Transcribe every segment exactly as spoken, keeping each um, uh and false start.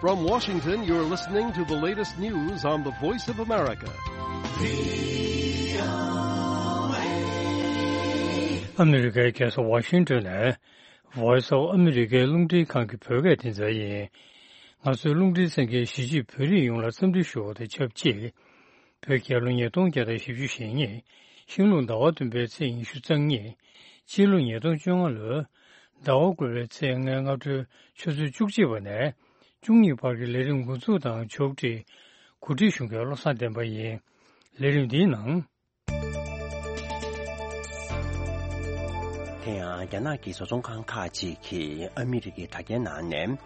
From Washington, you're listening to the latest news on the Voice of America. ཨ་མི་རི་ཀའི་རྒྱལ་ས་ཝ་ཤིང་ཏོན་ནས་Voice of America རླུང་འཕྲིན་ཁང་གི་བོད་སྐད་སྡེ་ཚན་ཡིན། ང་ཚོའི་རླུང་འཕྲིན་གསན་མཁན་གཞིས་བྱེས་བོད་རིགས་ཡོངས་ལ་འཚམས་འདྲི་ཞུ་བ་དང་ཆབས་ཅིག་བོད་རྒྱལ་ལོ་ཉིས་སྟོང་བརྒྱ་དང་བཞི་བཅུ་ཞེ་གཉིས། ཤིང་ལུག་ཟླ་བ་བདུན་པའི་ཚེས་ཉི་ཤུ་རྩ་གཉིས། སྤྱི་ལོ་ཉིས་སྟོང་བཅོ་ལྔ་ལོའི་ཟླ་བ་དགུ་པའི་ཚེས་ལྔའི་སྔ་དྲོའི་ཆུ་ཚོད་བཅུ་གཅིག་པ་ནས་བཅུ་གཉིས་བར་གྱི་ལས་རིམ་འགོ་འཛུགས་དང་ཕྱོགས་སྒྲིག་གོ་སྒྲིག་ཞུ་མཁན་བློ་བཟང་བསྟན་པ་ཡིན། ལས་རིམ་འདིའི་ནང་། དེ་ཡང་རྒྱ་ནག་གི་བཟོ་ཚོང་ཁང་ཁག་ཅིག་གིས་ཨ་མི་རི་ཀའི་དྲ་རྒྱའི་ནང་ནས།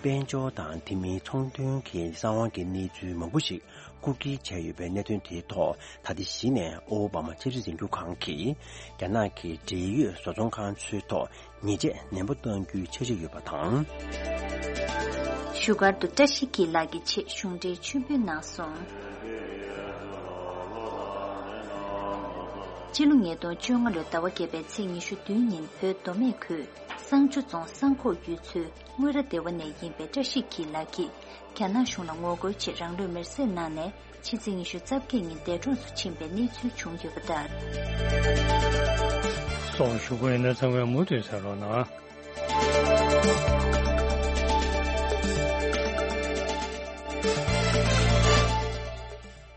དཔལ་འབྱོར་དང་དེ་མིན་ཚོང་དོན་གྱི་གསང་བ་གི་གནས་ཚུལ་མང་པོ་ཞིག་རྐུ་འཁྱེར་བྱས་ཡོད་པའི་གནད་དོན་དེའི་ཐོག་ད་ལྟ་གཞི་ནས་ཨོ་བྷ་མ་ཆབ་སྲིད་འཛིན་སྐྱོང་ཁང་གིས་རྒྱ་ནག་གི་འབྲེལ་ཡོད་བཟོ་ཚོང་ཁང་ཚོའི་ཐོག་ཉེས་ཆད་ནན་པོ་གཏང་རྒྱུའི་འཆར་གཞི་ཡོད་པ་དང་། བཞུགས་སྒར་དུ་བཀྲ་ཤིས་འཁྱིལ་ལགས་ཀྱི་ཆེད་གཞུང་འབྲེལ་མཆོད་འབུལ་གནང་སོང་། སྤྱི་ལོ་ཉིས་སྟོང་བཅོ་ལྔ་ལོའི་ཟླ་བ་བརྒྱད་པའི་ཚེས་ཉི་ཤུ་བདུན་ཉིན་བོད་མདོ་སྨད་ཁུལ་བསང་ཆུ་རྫོང་བསང་ཁོག་ཡུལ་ཚོའི་དངུལ་ར་སྡེ་བ་ནས་ཡིན་པའི་བཀྲ་ཤིས་འཁྱིལ་ལགས་ཀྱིས་རྒྱ་ནག་གཞུང་ལ་ངོ་རྒོལ་ཆེད་རང་ལུས་མེར་སྲེག་གནང་ནས་ཕྱི་ཚེས་ཉི་ཤུ་རྩ་བརྒྱད་ཉིན་འདས་གྲོངས་སུ་ཕྱིན་པའི་གནས་ཚུལ་བྱུང་ཡོད་པ་ལྟར། སོགས་ཞུ་སྒོ་ཡིན་ན་ཚང་མས་མུ་མཐུད་གསན་རོགས་གནང་།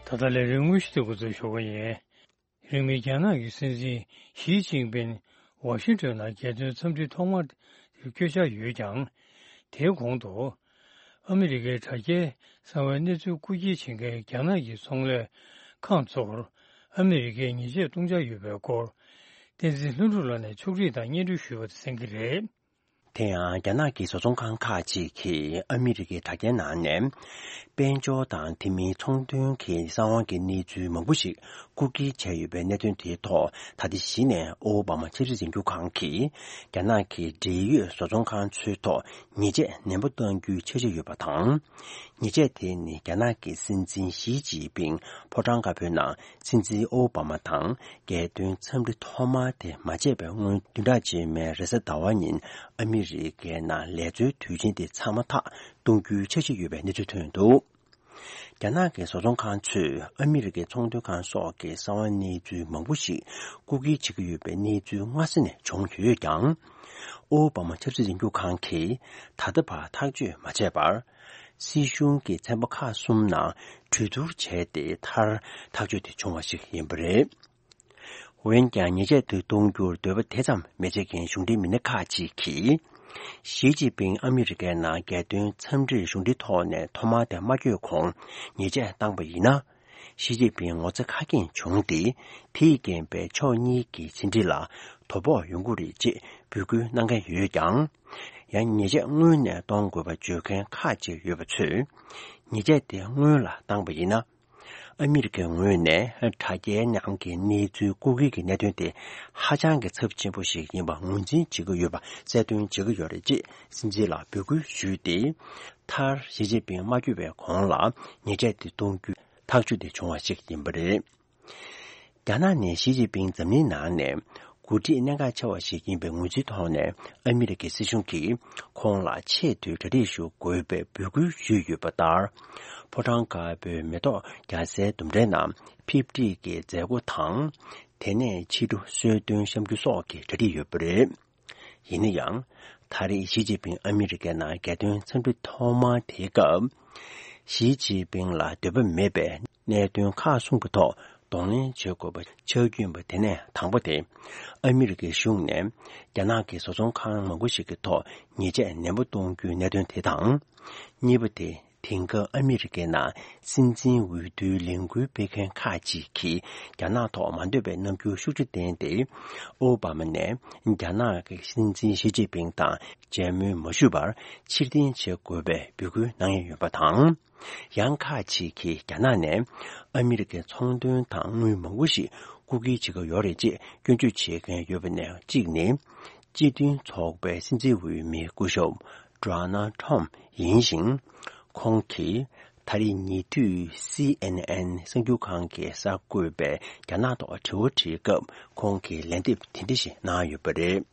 ད་ལྟ་ལས་རིམ་དངོས་གཞི་དེ་འགོ་འཛུགས་ཞུ་གི་ཡིན། རིང་མིན་རྒྱ་ནག་གི་སྲིད་འཛིན་ཞི་ཅིན་ཕིན་ཝ་ཤིང་ཏོན་ལ་རྒྱལ་དོན་འཚམས་འདྲི་ཐོག་མ་དེ་བསྐྱོད་འཆར་ཡོད་ཀྱང་། དེའི་གོང་དུ། ཨ་མི་རི་ཀའི་དྲ་རྒྱའི་གསང་བའི་གནས་ཚུལ་རྐུ་འཁྱེར་བྱེད་མཁན་རྒྱ་ནག་གི་ཚོང་ལས་ཁང་ཚོར་ཨ་མི་རི་ཀས་ཉེས་ཆད་གཏོང་འཆར་ཡོད་པའི་སྐོར། བསྟན་འཛིན་ལྷུན་གྲུབ་ལགས་ནས་ཕྱོགས་སྒྲིག་དང་སྙན་སྒྲོན་ཞུས་པ་དེ་གསན་གྱི་རེད། དེ་ཡང་རྒྱ་ནག་གི་བཟོ་ཚོང་ཁང་ཁག་ཅིག་གིས་ཨ་མི་རི་ཀའི་དྲ་རྒྱའི་ནང་ནས། དཔལ་འབྱོར་དང་དེ་མིན་ཚོང་དོན་གྱི་གསང་བ་གི་གནས་ཚུལ་མང་པོ་ཞིག་རྐུ་འཁྱེར་བྱས་ཡོད་པའི་གནད་དོན་དེའི་ཐོག་ད་ལྟ་གཞི་ནས་ཨོ་བྷ་མ་ཆབ་སྲིད་འཛིན་སྐྱོང་ཁང་གིས་རྒྱ་ནག་གི་འབྲེལ་ཡོད་བཟོ་ཚོང་ཁང་ཚོའི་ཐོག་ཉེས་ཆད་ནན་པོ་གཏང་རྒྱུའི་འཆར་གཞི་ཡོད་པ་དང་། ཉེས་ཆད་དེ་ནི་རྒྱ་ནག་གི་སྲིད་འཛིན་ཞི་ཅིན་ཕིང་ཕོ་བྲང་དཀར་པོའི་ནང་སྲིད་འཛིན་ཨོ་བྷ་མ་དང་རྒྱལ་དོན་འཚམས་འདྲི་ཐོག་མ་དེ་མ་བྱས་པའི་སྔོན་བདུན་ཕྲག་རྗེས་མའི་རེས་གཟའ་ཟླ་བ་ཉིན་ཨ་མི་རི་ཀའི་ནང་ལས་འཛོལ་དུས་ཆེན་དེ་ཚང་མ་ཐག་གཏོང་རྒྱུའི་འཆར་གཞི་ཡོད་པའི་གནས་ཚུལ་ཐོན་འདུག་རྒྱ་ནག་གི་བཟོ་ཚོང་ཁང་ཚོས་ཨ་མི་རི་ཀའི་ཚོང་དོན་ཁང་སོགས་ཀྱི་གསང་བ་གནས་ཚུལ་མང་པོ་ཞིག་རྐུ་འཁྱེར་བྱེད་ཀྱི་ཡོད་པའི་གནས་ཚུལ་སྔ་ས་ནས་བྱུང་ཡོད་ཀྱང་། ཨོ་བྷ་མ་ཆབ་སྲིད་འཛིན་སྐྱོང་ཁང་གིས་ད་ལྟ་བར་ཐག་གཅོད་མ་བྱས་པར། སྲིད་གཞུང་གི་ཚན་པ་ཁག་གསུམ་ནང་གྲོས་བསྡུར་བྱས་ཏེ་མཐར་ཐག་གཅོད་དེ་བྱུང་བ་ཞིག་ཡིན་པ་རེད། འོན་ཀྱང་ཉེས་ཆད་དེ་གཏོང་རྒྱུར་འདོད་པ་དེ་ཙམ་མི་བྱེད་མཁན་གཞུང་འབྲེལ་མི་སྣ་ཁག་ཅིག་གིས། ཞི་ཅིན་ཕིང་ཨ་མི་རི་ཀའི་ནང་རྒྱལ་དོན་འཚམས་འདྲིར་གཞུང་འབྲེལ་ཐོག་ནས་ཐོག་མར་དེ་མ་བསྐྱོད་གོང་ཉེས་ཆད་བཏང་པ་ཡིན་ན། ཞི་ཅིན་ཕིང་ངོ་ཚ་ཁ་སྐྱེངས་བྱུང་སྟེ། དེས་རྐྱེན་པས་ཕྱོགས་གཉིས་ཀྱི་ཕྱི་འབྲེལ་ལ་དོ་ཕོག་ཡོང་གི་རེད་ཅེས་འབོད་སྐུལ་གནང་མཁན་ཡོད་ཀྱང་། ཡང་ཉེས་ཆད་སྔོན་ནས་གཏོང་དགོས་པ་བརྗོད་མཁན་ཁག་ཅིག་ཡོད་པ་ཚོས། ཉེས་ཆད་དེ་སྔོན་ལ་བཏང་པ་ཡིན་ན། ཨ་མི་རི་ཀའི་ངོས་ནས་དྲ་རྒྱའི་ནང་གི་གནས་ཚུལ་རྐུ་འཁྱེར་གྱི་གནད་དོན་དེ་ཧ་ཅང་གི་ཚབས་ཆེན་པོ་ཞིག་ཡིན་པ་ངོས་འཛིན་བྱེད་ཀྱི་ཡོད་པ་གསལ་སྟོན་བྱེད་ཀྱི་ཡོད་རེད་ཅེས་སྲིད་འཛིན་ལ་འབོད་སྐུལ་ཞུས་ཏེ། མཐར་ཞི་ཅིན་ཕིང་མ་བསྐྱོད་པའི་གོང་ལ་ཉེས་ཆད་དེ་གཏོང་རྒྱུའི་ཐག་གཅོད་དེ་བྱུང་བ་ཞིག་ཡིན་པ་རེད། རྒྱ་ནག་ནས་ཞི་ཅིན་ཕིང་འཛམ་གླིང་ནང་ནས་འགོ་ཁྲིད་གནད་འགག་ཆེ་བ་ཞིག་ཡིན་པའི་ངོས་འཛིན་ཐོག་ནས་ཨ་མི་རི་ཀའི་སྲིད་གཞུང་གིས་ཁོང་ལ་ཆེས་མཐོའི་གྲ་སྒྲིག་ཞུ་དགོས་པའི་འབོད་སྐུལ་ཞུས་ཡོད་པ་ལྟར། ཕོ་བྲང་དཀར་པོའི་མེ་ཏོག་རྒྱག་སའི་ལྡུམ་རའི་ནང་ཕེབས་སྒྲིག་གི་མཛད་སྒོ་དང་། དེ་ནས་ཕྱི་དྲོ་གསོལ་སྟོན་བཤམས་རྒྱུ་སོགས་ཀྱི་གྲ་སྒྲིག་ཡོད་པ་རེད། ཡིན་ན་ཡང་། ད་རེས་ཞི་ཅིན་ཕིང་ཨ་མི་རི་ཀའི་ནང་རྒྱལ་དོན་འཚམས་འདྲི་ཐོག་མ་དེའི་སྐབས། ཞི་ཅིན་ཕིང་ལ་འདོད་པ་མེད་པའི་གནད་དོན་ཁག་གསུམ་གྱི་ཐོག་གདོང་ལེན་བྱེད་དགོས་པ་ཆགས་རྒྱུ་ཡིན་པ་དེ་ནས་དང་པོ་དེ། ཨ་མི་རི་ཀའི་གཞུང་ནས་རྒྱ་ནག་གི་བཟོ་ཚོང་ཁང་མང་པོ་ཞིག་གི་ཐོག་ཉེས་ཆད་ནན་པོ་གཏོང་རྒྱུའི་གནད་དོན་དེ་དང་། གཉིས་པ་དེ། དེང་སྐབས་ཨ་མི་རི་ཀའི་ནང་སྲིད་འཛིན་འོས་བསྡུའི་ལས་འགུལ་སྤེལ་མཁན་ཁག་ཅིག་གིས་རྒྱ་ནག་ཐོག་མ་འདོད་པའི་རྣམ་འགྱུར་ཤུགས་ཆེ་བསྟན་ཏེ། ཨོ་བྷ་མ་ནས་རྒྱ་ནག་གི་སྲིད་འཛིན་ཞི་ཅིན་ཕིང་དང་མཇལ་མོལ་མ་ཞུས་པར་ཕྱིར་འཐེན་བྱེད་དགོས་པའི་འབོད་སྐུལ་གནང་ཡས་ཡོད་པ་དང་། ཡང་ཁག་ཅིག་གིས་རྒྱ་ནག་ནས་ཨ་མི་རི་ཀའི་ཚོང་དོན་དང་དངུལ་མང་པོ་ཞིག་རྐུ་འཁྱེར་བྱེད་ཀྱི་ཡོད་རེད་ཅེས་སྐྱོན་བརྗོད་བྱེད་མཁན་ཡོད་པ་ནས་གཅིག་ནི། སྤྱི་མཐུན་ཚོགས་པའི་སྲིད་འཛིན་འོས་མི་སྐུ་ཞབས་Donald Trump ཡིན་ཞིང་། ཁོང་གིས་ད་རེས་ཉེ་དུས་C N N གསར་འགྱུར་ཁང་གིས་གསར་འགོད་པའི་རྒྱ་ནག་ཐོག་དྲི་བ་དྲིས་སྐབས་ཁོང་གིས་ལན་འདེབས་དེ་འདྲ་ཞིག་གནང་ཡོད་པ་རེད།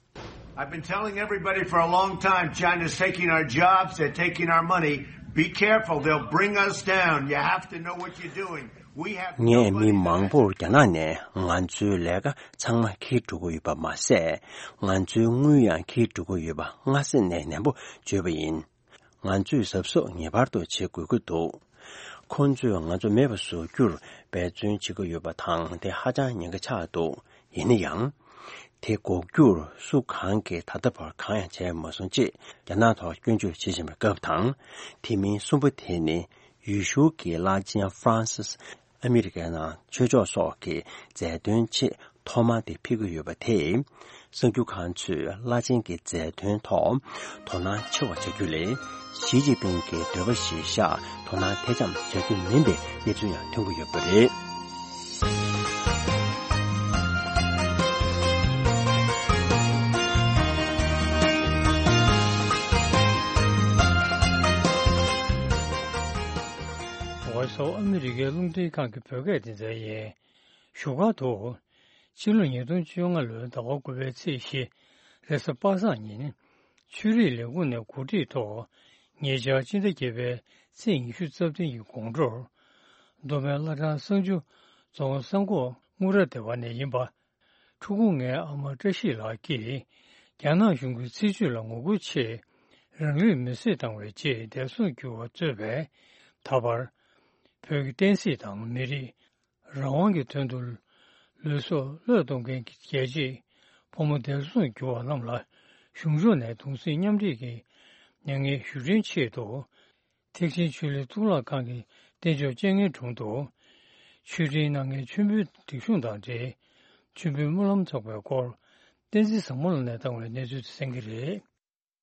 I've been telling everybody for a long time China's taking our jobs, they're taking our money. Be careful, they'll bring us down. You have to know what you're doing. We have ངས་མི་མང་པོར་རྒྱ་ནག་ནས་ང་ཚོའི་ལས་ཀ་ཚང་མ་འཁྱེར་འགྲོ་གི་ཡོད་པ་མ་ཟད། ང་ཚོའི་དངུལ་ཡང་འཁྱེར་འགྲོ་གི་ཡོད་པ་སྔ་ས་ནས་ནན་པོ་བརྗོད་པ་ཡིན། ང་ཚོས་གཟབ་གཟབ་ངེས་པར་དུ་བྱེད་དགོས་ཀྱི་འདུག་ཁོ་ཚོས་ང་ཚོ་མེད་པ་བཟོ་རྒྱུར་འབད་བརྩོན་བྱེད་ཀྱི་ཡོད་པ་དང་དེ་ཧ་ཅང་ཉེན་ཁ་ཆགས་འདུག་ཡིན་ན་ཡང་། དེ་འགོག་རྒྱུར་སུ་གང་གིས་ད་ལྟ་བར་གང་ཡང་བྱས་མ་སོང་ཅེས་རྒྱ་ནག་ཐོག་སྐྱོན་བརྗོད་བྱེད་བཞིན་པའི་སྐབས་དང་། དེ་མིན་གསུམ་པ་དེ་ནི་ཡུལ་ཤུལ་གྱི་བླ་ཆེན་ཧྥ་རན་སིས་ཨ་མི་རི་ཀའི་ནང་ཆོས་ཕྱོགས་སོགས་ཀྱི་མཛད་དོན་ཆེད་ཐོག་མ་དེ་ཕེབས་ཀྱི་ཡོད་པ་དེས། གསར་འགྱུར་ཁང་ཚོས་བླ་ཆེན་གྱི་མཛད་དོན་ཐོག་དོ་སྣང་ཆེ་བ་བྱ་རྒྱུ་ལས། ཞི་ཅིན་ཕིང་གི་འདོད་པ་གཞིར་བཞག་དོ་སྣང་ཐེ་ཚོམ་བྱ་རྒྱུ་མིན་པའི་གནས་ཚུལ་ཡང་ཐོན་གྱི་ཡོད་པ་རེད། ཝོ་ཡི་སི་ཨོཕ་ཨ་མི་རི་ཀའི་རླུང་འཕྲིན་ཁང་གི་བོད་སྐད་སྡེ་ཚན་ཡིན། བཞུགས་སྒར་དུ། ཕྱི་ལོ་ཉིས་སྟོང་བཅོ་ལྔ་ལོའི་ཟླ་བ་དགུ་པའི་ཚེས་བཞི། རེས་གཟའ་པ་སངས་ཉིན། ཆོས་རིག་ལས་ཁུངས་ནས་གོ་སྒྲིག་ཐོག་ཉེ་ཆར་སྤྱི་ཟླ་བརྒྱད་པའི་ཚེས་ཉི་ཤུ་རྩ་བདུན་གྱི་དགོང་དྲོར། མདོ་སྨད་བླ་བྲང་གསང་ཆུ་རྫོང་གསང་ཁོག་དངུལ་ར་སྡེ་བ་ནས་ཡིན་པ། ཕྲུ་གུ་ལྔའི་ཨ་མ་བཀྲ་ཤིས་ལགས་ཀྱིས། རྒྱ་ནག་གཞུང་གི་སྲིད་བྱུས་ལ་ངོ་རྒོལ་ཆེད། རང་ལུས་མེར་སྲེག་བཏང་བའི་རྗེས་འདས་གསོན་གྱུར་བ་གཙོས་པའི། ད་བར། བོད་ཀྱི་བསྟན་སྲིད་དང་མི་རིགས། རང་དབང་གི་དོན་དུ་ལུས་སྲོག་བློས་གཏོང་མཁན་གྱི་རྒྱལ་གཅེས་ཕོ་མོ་འདས་གསོན་གྱུར་བ་རྣམས་ལ་གཞུང་ཕྱོགས་ནས་གདུང་སེམས་མཉམ་སྐྱེད་ཀྱི་མྱ་ངན་ཞུ་རྒྱུའི་ཆེད་དུ། ཐེག་ཆེན་ཆོས་གླིང་གཙུག་ལག་ཁང་གི་རྟེན་མཆོག་སྤྱན་སྔའི་དྲུང་དུ་མཆོད་སྤྲིན་གནང་མཁན་མཆོད་འབུལ་སྒྲིག་གཞུང་དང་འབྲེལ་མཆོད་འབུལ་སྨོན་ལམ་ཚོགས་པའི་སྐོར་བསྟན་འཛིན་བཟང་མོ་ལགས་ནས་བཏང་བའི་གནས་ཚུལ་དེ་གསན་གྱི་རེད།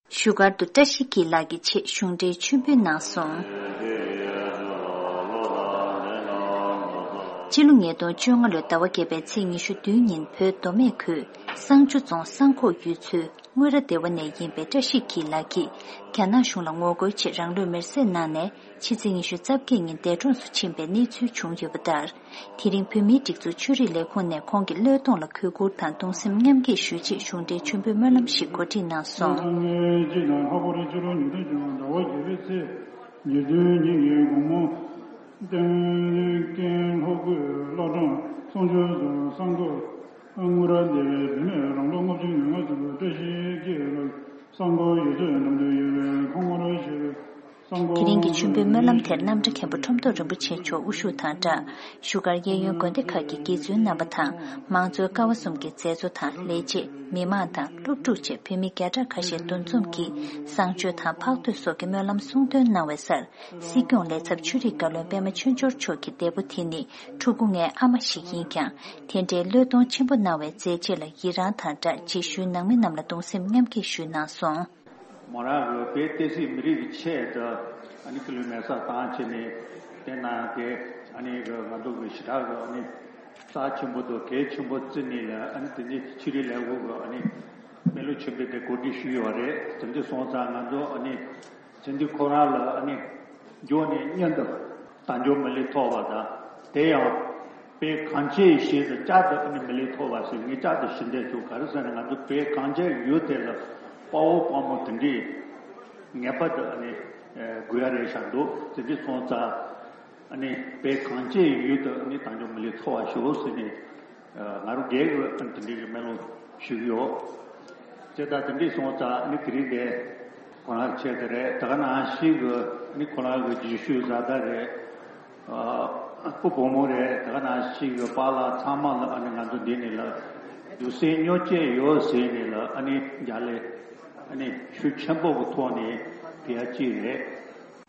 བཞུགས་སྒར་དུ་བཀྲ་ཤིས་འཁྱིལ་ལགས་ཀྱི་ཆེད་གཞུང་འབྲེལ་མཆོད་འབུལ་གནང་སོང་། སྤྱི་ལོ་ཉིས་སྟོང་བཅོ་ལྔ་ལོའི་ཟླ་བ་བརྒྱད་པའི་ཚེས་ཉི་ཤུ་བདུན་ཉིན་བོད་མདོ་སྨད་ཁུལ་གསང་ཆུ་རྫོང་གསང་ཁོག་ཡུལ་ཚོའི་དངུལ་ར་སྡེ་བ་ནས་ཡིན་པའི་བཀྲ་ཤིས་འཁྱིལ་ལགས་ཀྱིས་རྒྱ་ནག་གཞུང་ལ་ངོ་རྒོལ་ཆེད་རང་ལུས་མེར་སྲེག་གནང་ནས་ཕྱི་ཚེས་ཉི་ཤུ་རྩ་བརྒྱད་ཉིན་འདས་གྲོངས་སུ་ཕྱིན་པའི་གནས་ཚུལ་བྱུང་ཡོད་པ་ལྟར། དེ་རིང་བོད་མིའི་སྒྲིག་འཛུགས་ཆོས་རིག་ལས་ཁུངས་ནས་ཁོང་གི་བློས་གཏོང་ལ་གུས་བཀུར་དང་གདུང་སེམས་མཉམ་སྐྱེད་ཞུ་ཆེད་གཞུང་འབྲེལ་མཆོད་འབུལ་སྨོན་ལམ་ཞིག་གོ་སྒྲིག་གནང་སོང་། སྤྱི་ཟླ་ལྔ་པའི་ཕྱི་ལོ་ཉིས་སྟོང་བཅོ་ལྔ་ཟླ་བ་བརྒྱད་པའི་ཚེས་ཉེར་བདུན་ཉིན་གྱི་དགོང་མོ། བསྟན་རྒན་ལྷོ་ཁུལ་བླ་བྲང་གསང་ཆུ་རྫོང་གསང་ཁོག་དངུལ་ར་སྡེ་བའི་བུད་མེད་རང་ལོ་ལྔ་བཅུ་ང་ལྔ་ཙམ་པའི་བཀྲ་ཤིས་འཁྱིལ་ལགས་གསང་ཁོག་ཡུལ་ཚོའི་འགྲམ་དུ་ཡོད་པའི་ཁོང་མོར་ཞེས་པའི། དེ་རིང་གི་མཆོད་འབུལ་སྨོན་ལམ་དེར་རྣམ་གྲྭ་མཁན་པོ་ཁྲོམ་ཐོག་རིན་པོ་ཆེ་མཆོག་དབུ་བཞུགས་དང་སྦྲགས། བཞུགས་སྒར་གཡས་གཡོན་དགོན་སྡེ་ཁག་གི་དགེ་བཙུན་རྣམ་པ་དང་། མང་གཙོའི་ཀ་བ་གསུམ་གྱི་མཛད་གཙོ་དང་ལས་བྱེད། མི་མང་དང་སློབ་ཕྲུག་བཅས་བོད་མི་བརྒྱ་ཕྲག་ཁ་ཤས་འདུ་འཛོམས་ཀྱིས་བསང་མཆོད་དང་ཕག་ཐོད་སོགས་ཀྱི་སྨོན་ལམ་གསུང་འདོན་གནང་བའི་སར། སྲིད་སྐྱོང་ལས་ཚབ་ཆོས་རིག་བཀའ་བློན་པད་མ་ཆོས་འབྱོར་མཆོག་གིས་འདས་པོ་དེ་ནི་ཕྲུ་གུ་ལྔའི་ཨ་མ་ཞིག་ཡིན་ཀྱང་། དེ་འདྲའི་བློས་གཏོང་ཆེན་པོ་གནང་བའི་མཛད་རྗེས་ལ་ཡི་རངས་དང་སྦྲགས་རྗེས་ཤུལ་ནང་མི་རྣམས་ལ་གདུང་སེམས་མཉམ་སྐྱེད་ཞུས་གནང་སོང་། མོ་རང་གི་བོད་བསྟན་སྲིད་མི་རིགས་ཀྱི་ཆེད་དུ་ཨ་ནི་སྐུ་ལུས་མེ་སྲེག་བཏང་བྱས་ནས་དེ་ནང་གི་ཨ་ནི་གི་ང་ཚོ་གི་ཞེ་དྲག་གི་ཨ་ནི་རྩ་ཆེན་པོ་དང་གལ་ཆེན་པོ་བརྩིས་ནས་ལ་ཨ་ནི་དེ་ནི་ཆོས་རིག་ལས་ཁུངས་གི་ཨ་ནི་སྨོན་ལམ་ཆེན་པོ་དེ་གོ་སྒྲིག་ཞུས་ཡོད་རེད། དེ་འདྲ་སོང་ཙང་ང་ཚོ་ཨ་ནི་དེ་འདི་ཁོ་རང་ལ་ཨ་ནི་འགྱོ་ནས་མཉམ་དུ་དལ་འབྱོར་མི་ལུས་ཐོབ་པ་དང་དེ་ཡང་། བོད་གངས་ཅན་ཞེས་སུ་བསྐྱར་དུ་ཨ་ནི་མི་ལུས་ཐོབ་པ་ཟེར་ངས་བསྐྱར་དུ་ཞུ་འདོད་བྱུང་། ག་རེ་ཟེར་ན་ང་ཚོ་བོད་གངས་ཅན་ཡུལ་དེ་ལ་དཔའ་བོ་དཔའ་མོ་དེ་འདྲས་ངེས་པར་དུ་ཨ་ནི་དགོས་ཡ་རེད་ཤག་འདུག་དེ་འདྲས་སོང་ཙང་ཨ་ནི་བོད་གངས་ཅན་ཡུལ་དུ་ཨ་ནི་དལ་འབྱོར་མི་ལུས་ཐོབ་པ་ཞུ་ཟེར་ནས་ང་རང་སྒེར་གྱི་ཨ་ནི་དེ་འདྲས་ཀྱི་སྨོན་ལམ་ཞུ་གི་ཡོད། དེ་ལྟར་དེ་འདྲས་སོང་ཙང་ཨ་ནི་དེ་རིང་དེ་ཁོ་རང་ཆེད་དུ་རེད། དེ་ག་ནང་བཞིན་གྱི་ཨ་ནི་ཁོ་རང་གི་རྗེས་ཤུལ་བཟའ་ཟླ་རེད། ཨ་སྤུ་བོ་མོ་རེད། དེ་ག་ནང་བཞིན་གྱི་པཱ་ལགས་ཚང་མ་ལ་ཨ་ནི་ང་ཚོ་འདི་ནས་ལ་གདུང་སེམས་མཉམ་སྐྱེད་ཡོད་ཟེར་ནས་ལ་ཨ་ནི་རྒྱ་ལས་ཨ་ནི་ཤུགས་ཆེན་པོ་གི་ཐོག་ནས་ཕུལ་ཡ་གཅིག་རེད།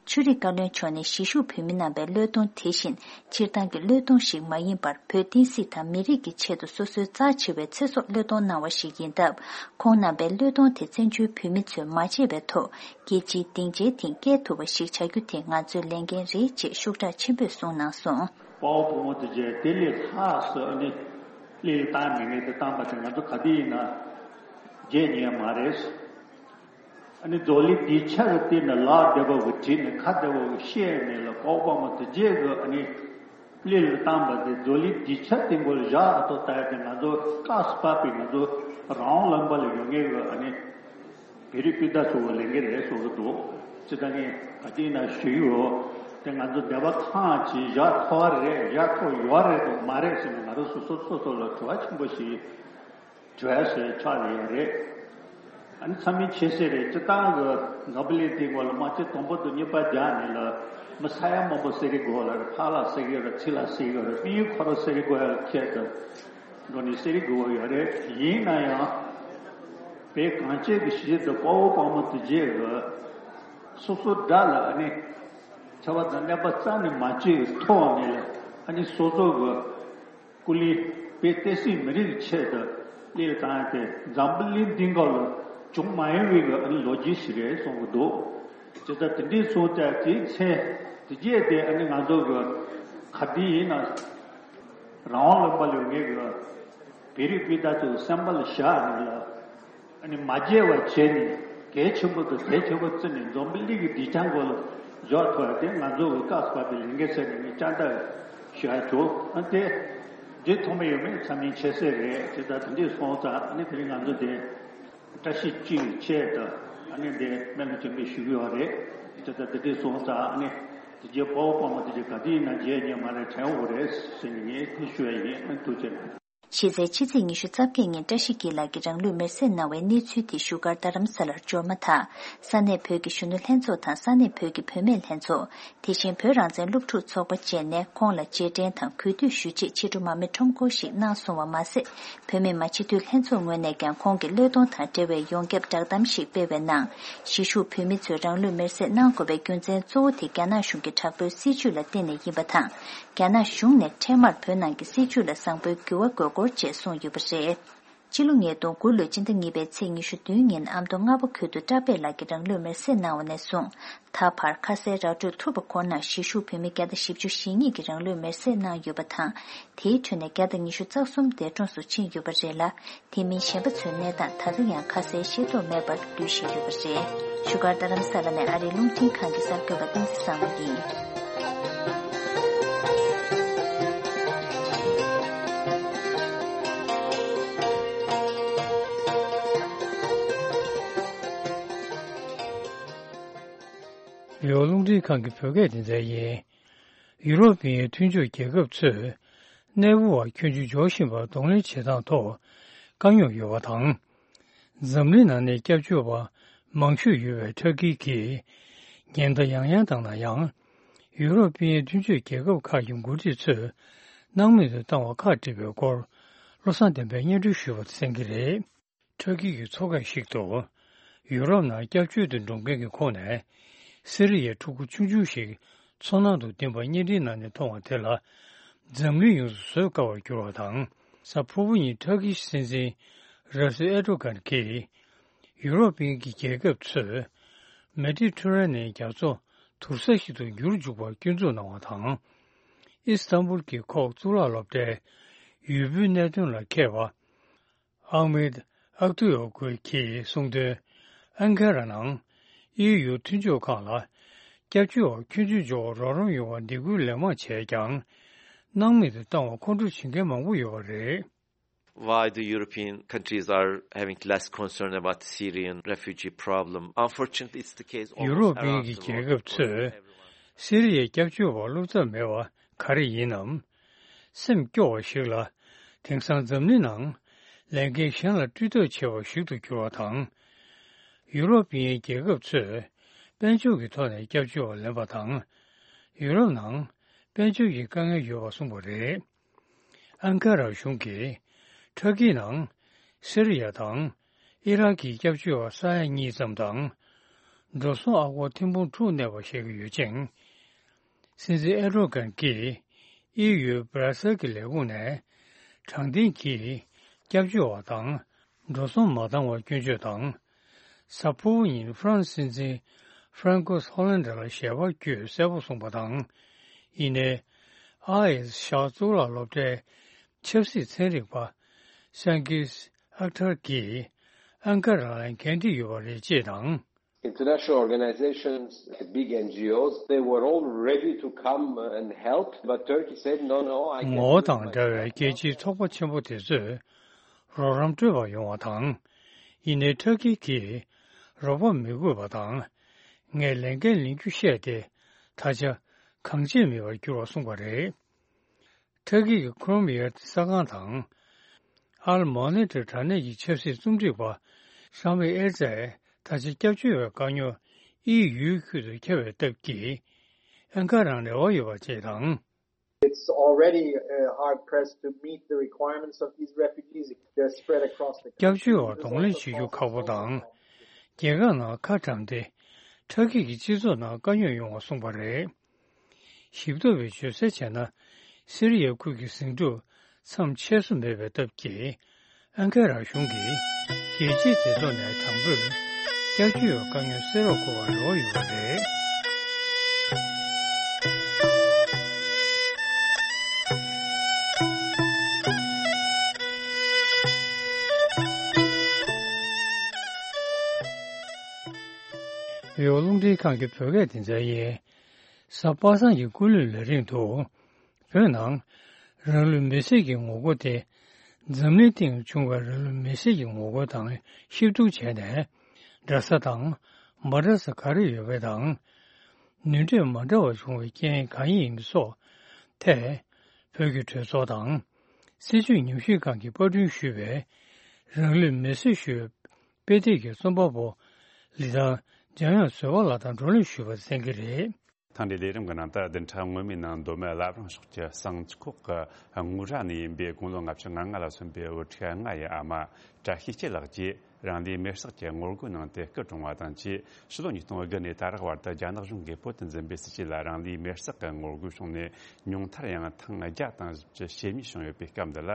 ཆོས་རིག་བཀའ་བློན་མཆོག་ནས་གཞིས་བཞུགས་བོད་མི་རྣམ་པའི་བློས་གཏོང་དེ་བཞིན་སྤྱིར་བཏང་གི་བློས་གཏོང་ཞིག་མ་ཡིན་པར་བོད་བསྟན་སྲིད་དང་མི་རིགས་ཀྱི་ཆེད་དུ་སོ་སོའི་རྩ་ཆེ་བའི་ཚེ་སྲོག་བློས་གཏོང་གནང་བ་ཞིག་ཡིན་སྟབས། ཁོང་རྣམ་པའི་བློས་གཏོང་དེ་བཙན་བྱོལ་བོད་མི་ཚོས་མ་བརྗེད་པའི་ཐོག་རྒྱལ་སྤྱིའི་སྡིངས་ཆའི་སྟེང་བསྐྱལ་ཐུབ་པ་ཞིག་བྱ་རྒྱུ་དེ་ང་ཚོའི་ལས་འགན་རེད་ཅེས་ཤུགས་དྲག་ཆེན་པོས་གསུངས་གནང་སོང་། དཔའ་བོ་བུ་མོ་དེ་རྗེས་དེ་ལས་ལྷག་སུ་ཨ་ནི་གླེང་སྟངས་མི་ངན་དེ་བཏང་པ་དེ་ང་ཚོ་ག་དུས་ཡིན་ན་བརྗེད་ཉན་མ་རེད། ཨ་ནི་མཛོག་ལི་སྡིངས་ཆ་གི་སྟེང་ནས་ལག་བདེ་བོ་གི་བྲིས་ནས་ཁ་བདེ་བོ་གི་བཤད་ནས་ལ་དཔའ་བོ་བུ་མོ་དེ་རྗེས་གི་ཨ་ནི། གླེང་ལ་བཏང་པ་དེ་མཛོག་ལི་སྡིངས་ཆ་སྟེང་གོ་བཞག་ཨ་ཐོ་ལྟ་ཡ་དེ་ང་ཚོ་སྐབས་སུ་བབས་པའི་ང་ཚོ་རང་དབང་ལུང་པ་ལ་ཡོད་མཁན་གྱི་ཨ་ནི་བོད་རིགས་སྤུན་ཟླ་ཚོ་གི་ལས་འགན་རེད་བཟོ་གི་འདུག་ཅི་ལྟ་ངས་ ག་དུས་ན་ཞུ་ཡོད། དེ་ང་ཚོ་སྡེ་པ་ཁག་ཅིག་བཞག་ཐུབ་པ་རེད། བཞག་ཐུབ་ཡོད་རེད་དང་མ་རེད་ཟེར་ནས་ང་རང་སོ་སོ་སོ་སོ་ལ་དྲི་བ་ཆེན་པོ་ཞིག་དྲི་བ་ཞིག་ཆགས་ཡོད་རེད། ཨ་ནི་ཚང་མས་ཤེས་གསལ་རེད། སྤྱིར་བཏང་གི་འཛམ་བུ་གླིང་འདིའི་སྒང་ལ་དམག་ཆེན་དང་པོ་དང་གཉིས་པ་རྒྱག་ནས་ལ་མི་ས་ཡ་མང་པོ་བསད་ཀྱི་ཡོད་རེད། ཕར་ལ་བསད་ཀྱི་ཡོད་རེད། ཚུར་ལ་བསད་ཀྱི་ཡོད་རེད། དམག་མི་ཁོ་རང་བསད་ཀྱི་ཡོད་ཡ་ཁྱད་དུ་འགྲོ་ནས་བསད་ཀྱི་ཡོད་རེད། ཡིན་ན་ཡང་བོད་གངས་ཅན་གྱི་གཞིས་བྱེས་དང་དཔའ་བོ་དཔའ་མོ་དེ་གྱད་ཀྱི་སོ་སོ་དགྲ་ལ་ཨ་ནི་ཆར་པ་དང་ནད་པ་རྩ་ནས་མ་བྱེད་ཀྱི་ཐོག་ནས་ལ་ཨ་ནི་སོ་སོ་གི་སྐུ་ལུས་བོད་བསྟན་སྲིད་མི་རིགས་ཆེད་དུ་སླེབས་བཏང་སྟེ་འཛམ་བུ་གླིང་འདིའི་སྒང་ལ་བྱུང་མ་མྱོང་བའི་གི་ཨ་ནི་ལོ་རྒྱུས་ཤིག་རེད་གསུང་གི་འདུག་དེ་ལྟར་དེ་འདྲའི་སོང་ཙང་དེའི་ཚེ་དེ་གྱད་དེ་ཨ་ནི་ང་ཚོ་གི་ག་དུས་ཡིན་ན་རང་དབང་ལུང་པ་ལ་ཡོད་མཁན་གི་བོད་རིགས་སྤུན་ཟླ་ཚོ་སེམས་པ་ལ་བཞག་ནས་ལ། ཨ་ནི་མ་བརྗེད་པ་བྱས་ནས་གལ་ཆེན་པོ་དང་གལ་ཆེན་པོ་བརྩིས་ནས་འཛམ་བུ་གླིང་གི་སྡིངས་ཆ་སྒང་ལ་འཇོག་ཐུབ་ཡ་དེ་ང་ཚོ་གི་སྐབས་བབ་པའི་ལས་འགན་ཟེར་ནས་ངས་བཅར་འདྲི་ཞུ་ཡ་བྱུང་། ཨ་དེ་འདི་ཐོག་མ་ཡོད་མེད་ཚང་མས་ཤེས་གསལ་རེད། དེ་ལྟར་དེ་འདྲས་སོང་ཙང་ཨ་ནི་དེ་རིང་ང་ཚོ་དེ་བཀྲ་ཤིས་སྤྱི་ཡི་ཆེད་དུ་ཨ་ནི་འདི་སྨོན་ལམ་ཆེན་པོ་ཞུ་གི་ཡོད་རེད། དེ་ལྟར་དེ་འདྲས་སོང་ཙང་ཨ་ནི་དེ་རྗེས་དཔའ་བོ་དཔའ་མོ་དེ་རྗེས་ག་དུས་ཡིན་ན་མཇལ་ཉན་མ་རེད་དྲན་འོ་རེད་ཟེར་ནས་ངས་དེ་ཞུ་ཡ་ཡིན། ཨ་ཐུགས་རྗེ་གནང་། གཞི་རྩའི་ཕྱི་ཚེས་ཉི་ཤུ་རྩ་བརྒྱད་ཉིན་བཀྲ་ཤིས་འཁྱིལ་ལགས་ཀྱིས་རང་ལུས་མེར་སྲེག་གནང་བའི་གནས་ཚུལ་དེ་བཞུགས་སྒར་རྡ་རམ་ས་ལར་འབྱོར་མ་ཐག་ས་གནས་བོད་ཀྱི་གཞོན་ནུ་ལྷན་ཚོགས་དང་ས་གནས་བོད་ཀྱི་བུད་མེད་ལྷན་ཚོགས། དེ་བཞིན་བོད་རང་བཙན་སློབ་ཕྲུག་ཚོགས་པ་བཅས་ནས་ཁོང་ལ་རྗེས་དྲན་དང་གུས་འདུད་ཞུ་ཆེད་ཕྱི་དྲོ་མར་མེ་ཁྲོམ་སྐོར་ཞིག་གནང་སོང་བ་མ་ཟད། བོད་མི་མང་སྤྱི་འཐུས་ལྷན་ཚོགས་ངོས་ནས་ཀྱང་ཁོང་གི་བློས་གཏོང་དང་འབྲེལ་བའི་ཡོངས་ཁྱབ་བསྒྲགས་གཏམ་ཞིག་སྤེལ་བའི་ནང་། གཞིས་བཞུགས་བོད་མི་ཚོས་རང་ལུས་མེར་སྲེག་གནང་དགོས་པའི་རྒྱུ་མཚན་གཙོ་བོ་དེ་རྒྱ་ནག་གཞུང་གི་དྲག་པོའི་སྲིད་བྱུས་ལ་བརྟེན་ནས་ཡིན་པ་དང་། རྒྱ་ནག་གཞུང་ནས་འཕྲལ་མར་བོད་ནང་གི་སྲིད་བྱུས་ལ་བཟང་པོའི་འགྱུར་བ་དགོས་སྐོར་བཅས་གསུངས་ཡོད་པ་རེད། སྤྱི་ལོ་ཉིས་སྟོང་དགུ་ལོའི་སྤྱི་ཟླ་གཉིས་པའི་ཚེས་ཉི་ཤུ་བདུན་ཉིན་ཨ་མདོ་རྔ་པ་ཁུལ་དུ་བཀྲ་བྷེ་ལགས་ཀྱིས་རང་ལུས་མེར་སྲེག་གནང་བ་ནས་བཟུང་ད་བར་ཁ་གསལ་ར་སྤྲོད་ཐུབ་པ་ཁོ་ནར་གཞིས་བཞུགས་བོད་མི་བརྒྱ་དང་བཞི་བཅུ་ཞེ་གཉིས་ཀྱིས་རང་ལུས་མེར་སྲེག་གནང་ཡོད་པ་དང་། དེའི་ཁྲོད་ནས་བརྒྱ་དང་ཉི་ཤུ་རྩ་གསུམ་འདས་གྲོངས་སུ་ཕྱིན་ཡོད་པ་རེད་ལ། དེ་མིན་གཞན་པ་ཚོའི་གནས་སྟངས་ད་ལྟ་ཡང་ཁ་གསལ་ཤེས་རྟོགས་མེད་པར་སྡོད་བཞིན་ཡོད་པ་རེད། བཞུགས་སྒར་རྡ་རམ་ས་ལ་ནས་ཨ་རིའི་རླུང་འཕྲིན་ཁང་གི་གསར་འགོད་པ་བསྟན་འཛིན་བཟང་མོ་ཡིན། རེའོ་རླུང་འཕྲིན་ཁང་གི་བོད་སྐད་སྡེ་ཚན་ཡིན། ཡུ་རོབ་པའི་མཐུན་ཕྱོགས་རྒྱལ་ཁབ་ཚོས་གནས་སྤོ་བ་ཁྱོན་ཆུ་འཇོག་བཞིན་པར་གདོང་ལེན་བྱེད་སྟངས་ཐོག་དཀའ་རྙོག་ཡོད་པ་དང་། འཛམ་གླིང་ནང་ནས་སྐྱབས་བཅོལ་བ་མང་ཤོས་ཡོད་པའི་ཐར་ཀི་གིས་ཉེན་བརྡ་ཡང་ཡང་བཏང་ན་ཡང་། ཡུ་རོབ་པའི་མཐུན་ཕྱོགས་རྒྱལ་ཁབ་ཁག་གི་འགོ་ཁྲིད་ཚོས་སྣང་མེད་དུ་བཏང་བ་ཁག་བསྒྲིགས་པའི་སྐོར་བློ་བཟང་བསྟན་འཕེལ་སྙན་སྒྲོན་ཞུ་བ་གསན་གྱི་རེད། ཐར་ཀི་གི་ཚོགས་ཁང་ཞིག་ཏུ། ཡུ་རོབ་ནང་སྐྱབས་བཅོལ་དུ་འགྲོ་མཁན་གྱི་ཁོངས་ནས། སི་རི་ཡའི་ཕྲུ་གུ་ཆུང་ཆུང་ཞིག་མཚོ་ནང་དུ་ལྡིང་བ་བརྙན་འཕྲིན་ནང་ནས་མཐོང་བ་དེ་ལ། འཛམ་གླིང་ཡོངས་སུ་བཟོད་དཀའ་བར་གྱུར་བ་དང་། གཟའ་ཕུར་བུ་ཉིན་ཐར་ཀི་སྲིད་འཛིན་ར་སི་ཨེར་ཏོ་གྷན་གྱིས། ཡུ་རོབ་པའི་གི་རྒྱལ་ཁབ་ཚོས། མེ་ཏི་ཐེ་རེ་ནེན་རྒྱ་མཚོ་དུར་ས་ཞིག་ཏུ་འགྱུར་འཇུག་པར་སྐྱོན་འཛུགས་གནང་བ་དང་། ཨི་སི་ཐན་བུལ་གྱི་ཁོག་གཙུག་ལག་སློབ་གྲྭའི་ཡུལ་པོའི་གནད་དོན་ལ་མཁས་པ། ཨག་མེད་ཨག་ཏུ་ཡོ་གུལ་གྱིས་གསུངས་དོན། ཨན་ཀ་ར་ནང་ཨི་ཡུ་མཐུན་ཕྱོགས་ཁང་ལ་སྐྱབས་བཅོལ་བ་ཁྱོན་ཆུ་འཇོག་རོགས་རམ་ཡོང་བར་སྡིགས་སྐུལ་ལན་མང་བྱས་ཀྱང་། སྣང་མེད་དུ་བཏང་བ་ཁོང་ཁྲོ་བྱེད་མཁན་མང་པོ་ཡོད་པ་རེད། Why the European countries are having less concern about the Syrian refugee problem? Unfortunately, it's the case ཡུ་རོབ་པའི་གི་རྒྱལ་ཁབ་ཚོས་སི་རི་ཡའི་སྐྱབས་བཅོལ་བ་བློ་འཚབ་མེད་པ་ག་རེ་ཡིན་ནམ། སེམས་སྐྱོ་བ་ཞིག་ལ། དེང་སང་འཛམ་གླིང་ནང་ལས་འགན་གཞན་ལ་སྤྲུལ་ཐབས་བྱེད་པ་ཞིག་ཏུ་གྱུར་བ་དང་། ཡུ་རོབ་པའི་རྒྱལ་ཁབ་ཚོས་དཔལ་འབྱོར་གྱི་ཐོག་ནས་སྐྱབས་བཅོལ་བ་ལེན་པ་དང་། ཡུ་རོབ་ནང་དཔལ་འབྱོར་གྱི་དཀའ་ངལ་ཡོད་པ་གསུངས་པ་རེད། ཨན་ཀ་ར་གཞུང་གིས་ཊར་ཀི་ནང་སི་རི་ཡ་དང་ཨི་རག་གི་སྐྱབས་བཅོལ་བ་ས་ཡ་གཉིས་ཙམ་དང་། འགྲོ་སོང་ཨ་སྒོར་ཐེར་འབུམ་དྲུག་གནས་པ་བཤད་ཀྱི་ཡོད་ཅིང་། སྲིད་འཛིན་ཨེར་ཏོ་གྷན་གྱིས་ཨི་ཡུའི་སྦ་ར་སེལ་གྱི་ལས་ཁུངས་ནས་དྲང་བདེན་གྱིས་སྐྱབས་བཅོལ་བ་དང་འགྲོ་སོང་མ་བཏང་བར་སྐྱོན་བརྗོད་དང་། གཟའ་ཕུར་བུ་ཉིན་ཧྥ་རན་སི་སྲིད་འཛིན་ཧྥ་རན་ཀོས་ཧོ་ལན་ཌར་ལ་ཞལ་པར་བརྒྱུད་གསལ་པོ་གསུངས་པ་དང་། ཡིན་ནའི། ཨ་ཨེ་ཤག་གཙུག་ལག་སློབ་གྲྭའི་ཆབ་སྲིད་ཚན་རིག་པ་སན་གིས་ཨག་ཐར་གྱིས་ཨན་ཀ་ར་ལ་འགན་འཁྲི་ཡོད་པ་རེད་ཅེས་དང་། International organizations, big N G Os, they were all ready to come and help, but Turkey said, "No, no, I can't do it myself." ངོ་བོ་དང་འདྲ་བའི་རྒྱལ་སྤྱིའི་ཚོགས་པ་ཆེན་པོ་དེ་ཚོས་རོགས་རམ་སྤྲོད་པར་ཡོང་བ་དང་། ཡིན་ནའི་ཊར་ཀི་གིས་རོགས་པ་མི་དགོས་པ་དང་། ངས་ལས་འགན་ལེན་རྒྱུ་བཤད་དེ། ད་ཆ་གང་བྱེད་མེད་པར་གྱུར་བ་གསུངས་པ་རེད། ཐ་གི་གི་ཁོ་རོམ་ཡར་ཏི་ས་ཁང་དང་། ཨལ་མོ་ནེ་ཏི་དྲ་གནས་ཀྱི་ཆབ་སྲིད་རྩོམ་སྒྲིག་པ་ཤང་བེ་ཨེར་ཙས་ད་ཆ་སྐྱབས་བཅོལ་བའི་དཀའ་རྙོག་དབྱིན་ཡུལ་ཁུལ་དུ་ཁྱབ་པའི་སྟབས་ཀྱིས། ཨན་ཀ་རང་རེ་བ་ཡོད་པ་བཅས་དང་། It's already uh, hard pressed to meet the requirements of these refugees. They're spread across the country. སྐྱབས་བཅོལ་བར་གདོང་ལེན་བྱེད་རྒྱུ་ཁག་པོ་དང་། རྒྱལ་ཁབ་ནང་ཁ་གྲམ་སྟེ། ཁྲག་སྐྱིད་ཀྱི་སྤྱི་ཚོགས་ནང་དཀའ་རྙོག་ཡོང་བ་གསུངས་པ་རེད། ཞིབ་ཐོ་བའི་བརྗོད་གསལ་བྱས་ན། སི་རི་ཡའི་ཁུལ་གྱི་ཟིང་འཁྲུག་མཚམས་ཆད་སོ་མེད་པའི་སྟབས་ཀྱིས། ཨན་ཀ་ར་གཞུང་གིས་རྒྱལ་སྤྱིའི་མཛེས་ཚོགས་ནས་དང་པོས་སྐྱབས་བཅོལ་བའི་དཀའ་རྙོག་སེལ་རོགས་དགོས་པར་རེ་བ་ཡོད་པ་རེད། ཡོ་རླུང་འཕྲིན་ཁང་གི་བོད་སྐད་སྡེ་ཚན་ཡིན། གཟའ་པ་སངས་ཀྱི་སྐུ་ལུས་ལས་རིང་དུ། བོད་ནང་རང་ལུས་མེར་སྲེག་གི་ངོ་རྒོལ་དེ་འཛམ་གླིང་སྟེང་བྱུང་བའི་རང་ལུས་མེར་སྲེག་གི་ངོ་རྒོལ་དང་ཤིབ་བསྡུར་བྱས་ནས། འདྲ་ས་དང་མ་འདྲ་ས་ག་རེ་ཡོད་པ་དང་། ནུས་འབྲས་མ་འདྲ་བ་བྱུང་བའི་རྐྱེན་གང་ཡིན་སོགས་ཐད། བོད་ཀྱི་གྲོས་ཚོགས་དང་སྲིད་བྱུས་ཉམས་ཞིབ་ཁང་གིས་པར་སྐྲུན་ཞུས་པའི་རང་ལུས་མེར་སྲེག་ཞུ་བའི་དཔེ་དེབ་ཀྱི་རྩོམ་པ་པོ་ལི་ཐང་འཇམ་དབྱངས་བཟོད་པ་ལགས་དང་བགྲོ་གླེང་ཞུས་པ་གསན་གྱི་རེད། ཐེངས་འདིའི་ལས་རིམ་གྱི་ནང་དུ་བདུན་ཕྲག་སྔོན་མའི་ནང་མདོ་སྨད་བླ་བྲང་ཕྱོགས་ཀྱི་བསང་ཁོག་གི་དངུལ་ར་ནས་ཡིན་པའི་དགུང་ལོ་ལྔ་བཅུ་ང་ལྔ་ལ་སོན་པའི་བུ་ཕྲུག་ལྔ་ཡི་ཨ་མ་བཀྲ་ཤིས་སྐྱིད་ལགས་ཀྱིས་རང་ལུས་མེར་བསྲེགས་ཀྱི་ངོ་རྒོལ་གནང་སྟེ་སྐུ་གྲོངས་པ་དང་བཅས། ཕྱི་ལོ་ཉིས་སྟོང་དགུ་ནས་ད་རག་བར་དུ་རྒྱ་ནག་གཞུང་གིས་བོད་དུ་འཛིན་པའི་སྲིད་བྱུས་ལ་རང་ལུས་མེར་བསྲེགས་ཀྱི་ངོ་རྒོལ་བྱུང་ནས། ཉུང་མཐར་ཡང་ཐེངས་བརྒྱ་དང་བཞི་བཅུ་ཞེ་གཉིས་བྱུང་ཡོད་པའི་སྐབས་འདི་ལ།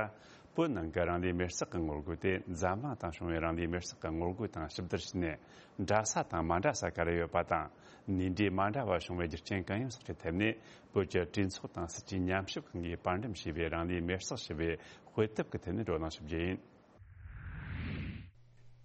བོད་ནང་གི་རང་ལུས་མེར་བསྲེགས་ཀྱི་ངོ་རྒོལ་དེ་འཛམ་གླིང་སྟེང་བྱུང་བའི་རང་ལུས་མེར་བསྲེགས་ཀྱི་ངོ་རྒོལ་དང་ཞིབ་བསྡུར་བྱས་ནས། འདྲ་ས་དང་མ་འདྲ་ས་ག་རེ་ཡོད་པ་དང་། ནུས་འབྲས་མ་འདྲ་བ་བྱུང་བའི་རྒྱུ་རྐྱེན་གང་ཡིན་སོགས་ཀྱི་ཐད་ནས། བོད་ཀྱི་གྲོས་ཚོགས་དང་སྲིད་བྱུས་ཉམས་ཞིབ་ཁང་གིས་པར་འགྲེམས་བྱས་པའི་རང་ལུས་མེར་བསྲེགས་ཞེས་པའི་དཔེ་དེབ་ཀྱི་ཐད་ནས་བགྲོ་གླེང་ཞུ་རྒྱུ་ཡིན།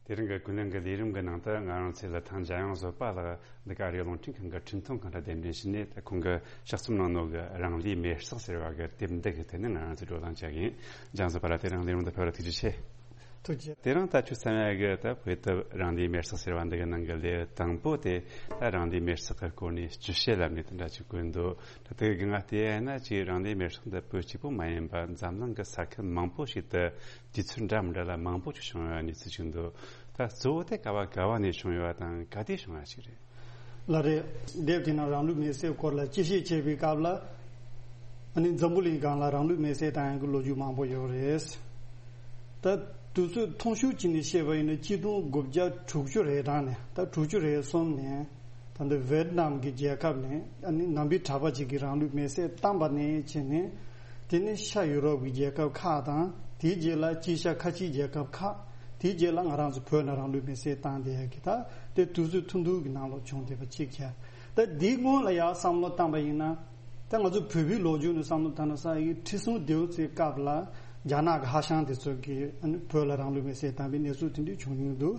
དེ་རིང་གི་ཀུན་གླེང་གི་ལས་རིམ་གྱི་ནང་དུ་ང་རང་ཚོའི་ལི་ཐང་འཇམ་དབྱངས་བཟོད་པ་ལགས་འདི་ག་རེད། རླུང་འཕྲིན་ཁང་གི་འཕྲིན་ཐུང་ཁང་དུ་གདན་འདྲེན་ཞུས་ནས། ད་ཁོང་གི་ཕྱག་རྩོམ་གནང་ནོ་གི་རང་ལུས་མེར་བསྲེགས་ཟེར་བ་གི་དེབ་འདི་གི་ཐད་ནས་ང་རང་ཚོས་བགྲོ་གླེང་བྱ་གི་ཡིན། འཇམ་དབྱངས་བཟོད་པ་ལགས་དེ་རིང་ལས་རིམ་འདི་ཕེབས་པར་ཐུགས་རྗེ་ཆེ། ཐུགས་རྗེ། དེ་རིང་ད་ཁྱོད་བསམ་ཡ་གི་ད་དཔེ་དེབ་རང་ལུས་མེར་བསྲེགས་ཟེར་བ་འདི་གི་ནང་གི་ལེའུ་དང་པོ་དེ། ད་རང་ལུས་མེར་བསྲེགས་ཀྱི་སྐོར་ནས་སྤྱི་བཤད་ལབ་ནས་དེ་འདྲ་ཅིག་བཀོད་འདུག་ད་དེ་གི་ང་བལྟས་ཡ་ན་ཅིག་རང་ལུས་མེར་བསྲེགས་འདི་བོད་གཅིག་པུ་མ་ཡིན་པ་འཛམ་གླིང་གི་ས་ཁུལ་མང་པོ་ཞིག་ཏུ་དུས་ཚོད་འདྲ་མི་འདྲ་ལ་མང་པོ་ཅིག་བྱུང་ཡོད་གནས་ཚུལ་ཅིག་འདུག་ད་གཙོ་བོ་དེ་ག་བ་ག་བ་ནས་བྱུང་ཡོད་པ་དང་ག་དུས་བྱུང་བ་ཞིག་རེད། ལགས་རེད། དེབ་དེ་ནང་རང་ལུས་མེར་བསྲེགས་སྐོར་ལ་དཔྱད་ཞིབ་བྱེད་པའི་སྐབས་ལ། ཨ་ནི་འཛམ་བུ་གླིང་སྒང་ལ་རང་ལུས་མེར་བསྲེགས་བཏང་ཡག་གི་ལོ་རྒྱུས་མང་པོ་ཡོད་རེད། ད་དུས་ཚོད་ཐུང་ཤོས་ཅིག་ནས་བཤད་པ་ཡིན་ན་གཅིག་སྟོང་དགུ་བརྒྱ་དྲུག་ཅུ་རེ་གྲངས་ནས་ད་དྲུག་ཅུ་རེ་གསུམ་ནས་ད་ལྟ་ཝེ་ཏི་ནམ་གྱི་རྒྱལ་ཁབ་ནས། ཨ་ནི་ནང་པའི་གྲྭ་པ་ཅིག་གིས་རང་ལུས་མེར་བསྲེགས་བཏང་པ་ནས་བྱས་ནས། དེ་ནས་ཤར་ཡུ་རོབ་ཀྱི་རྒྱལ་ཁབ་ཁག་དང་། དེའི་རྗེས་ལ་དཀྱིལ་ཤར་ཁ་ཆེའི་རྒྱལ་ཁབ་ཁག་དེའི་རྗེས་ལ་ང་རང་ཚོ་བོད་ནང་རང་ལུས་མེར་བསྲེགས་བཏང་བསྡད་ཡག་གི་ད་དེ་དུས་ཚོད་ཐུང་ཐུང་གི་ནང་ལོགས་བྱུང་བསྡད་པ་གཅིག་བྱས། ད་འདིའི་སྔོན་ལ་ཡང་བསམ་བློ་བཏང་པ་ཡིན་ན། ད་ང་ཚོ་བོད་པའི་ལོ་རྒྱུས་ནས་བསམ་བློ་བཏང་ན། ས་ཡི་ཁྲི་སྲོང་ལྡེའུ་བཙན་སྐབས་ལ་རྒྱ་ནག་གི་ཧྭ་ཤང་དེ་ཚོ་གིས་ཨ་ནི་བོད་ལ་རང་ལུས་མེར་བསྲེགས་བཏང་བའི་གནས་ཚུལ་དེ་འདྲ་བྱུང་མྱོང་འདུག་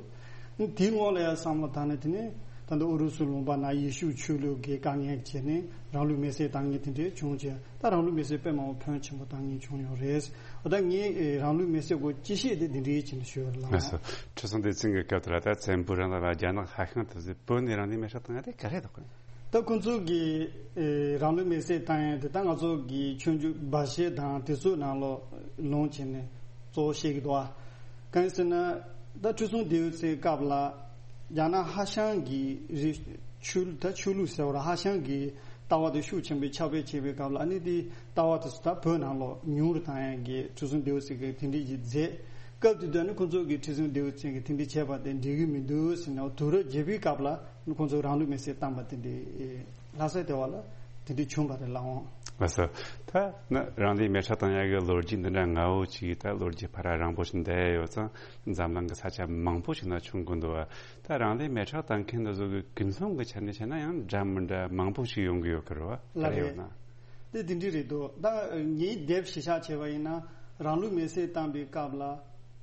དེའི་སྔོན་ལ་ཡང་བསམ་བློ་བཏང་ན། དེ་ནས་ད་ལྟ་ཨུ་རུ་སུ་ལུང་པ་ནང་ཡེ་ཤུ་ཆོས་ལུགས་ཀྱི་དཀའ་ངལ་བྱས་ནས་རང་ལུས་མེར་བསྲེགས་བཏང་མཁན་དེ་འདྲ་བྱུང་བྱས། ད་རང་ལུས་མེར་བསྲེགས་དཔེ་མང་པོ་ཕོན་ཆེན་པོ་བཏང་མཁན་བྱུང་ཡོད་རེད། འོ་ད་ངས་ཨེ་རང་ལུས་མེར་བསྲེགས་སྐོར་དཔྱད་ཞིབ་དེ་འདི་འདྲའི་ཅིག་ནས་ཞུ་བར་ལ། ལགས་སོ། ཁྲི་སྲོང་ལྡེ་བཙན་གྱི་སྐབས་དེ་ལ་ད་བཙན་པོའི་རིང་ལ་རྒྱ་ནག་ཧྭ་ཤང་དེ་ཚོས་བོད་ནས་རང་ལུས་མེར་བསྲེགས་བཏང་ཡ་དེ་ག་རེ་རེད་དོ། ད་ཁོང་ཚོ་གིས་ཨེ་རང་ལུས་མེར་བསྲེགས་བཏང་ཡ་དེ་ད་ང་ཚོ་གི་ཆོས་འབྱུང་སྦ་བཞེད་དང་དེ་ཚོའི་ནང་ལོགས་ལུང་བྱས་ནས་གཙོ་བོ་བཤད་ཀྱི་འདུག་ཨ། གང་ཡིན་ཟེར་ན། ད་ཁྲི་སྲོང་ལྡེའུ་བཙན་སྐབས་ལ་རྒྱ་ནག་ཧྭ་ཤང་གི་རི་ཆོས་ལུགས། ད་ཆོས་ལུགས་ཟེར་བ་ར། ཧྭ་ཤང་གི་ལྟ་བ་དེ་ཤུགས་ཆེན་པོས་ཁྱབ་སྤེལ་བྱེད་པའི་སྐབས་ལ། ཨ་ནི་དེ་ལྟ་བ་དེ་ཚོ་ད་བོད་ནང་ལོགས་ཉུང་རུ་བཏང་ཡ་གི་ཁྲི་སྲོང་ལྡེའུ་བཙན་གྱིས་དེ་འདྲ་ཞིག་མཛད། སྐབས་དེ་དུས་ནི་ཁོང་ཚོ་གིས་ཁྲི་སྲོང་ལྡེའུ་བཙན་གྱིས་དེ་འདྲ་བྱས་པ་དེ་འགྲིག་གི་མི་འདུག་ཟེར་ནས། དུས་རབས་བརྒྱད་པའི་སྐབས་ལ་ཁོང་ཚོས་རང་ལུས་མེར་བསྲེགས་བཏང་པ་དེ་འདྲ་ལྷ་ས་ལྟེ་བ་ལ་དེ་འདྲ་བྱུང་བ་རེད་ལགས་འོང་། ལགས་སོ། ད་ནི་རང་ལུས་མེ་སྲེག་བཏང་ཡག་གི་ལོ་རྒྱུས་འདི་འདྲ་ང་བོ་ཅིག་ད་ལོ་རྒྱུས་ཕར་ར་རིང་པོ་ཞིག་འདས་ཡོད་ཙང་། འཛམ་གླིང་གི་ས་ཆ་མང་པོ་ཞིག་ན་བྱུང་གི་འདུག་བ། ད་རང་ལུས་མེ་སྲེག་བཏང་མཁན་འདི་ཚོ་གི་ཀུན་སློང་གི་ཆ་ནས་བཤད་ན་ཡང་འདྲ་མི་འདྲ་མང་པོ་ཞིག་ཡོང་གི་ཡོད་ཀྱི་རེད་བ། ལགས་རེད། ག་རེ་ཡོད་ན། དེ་དེ་འདྲ་རེད་འདུག་ད་ངའི་དེབ་གཞི་བཞག་བྱས་པ་ཡིན་ན། རང་ལུས་མེ་སྲེག་བཏང་པའི་སྐབས་ལ་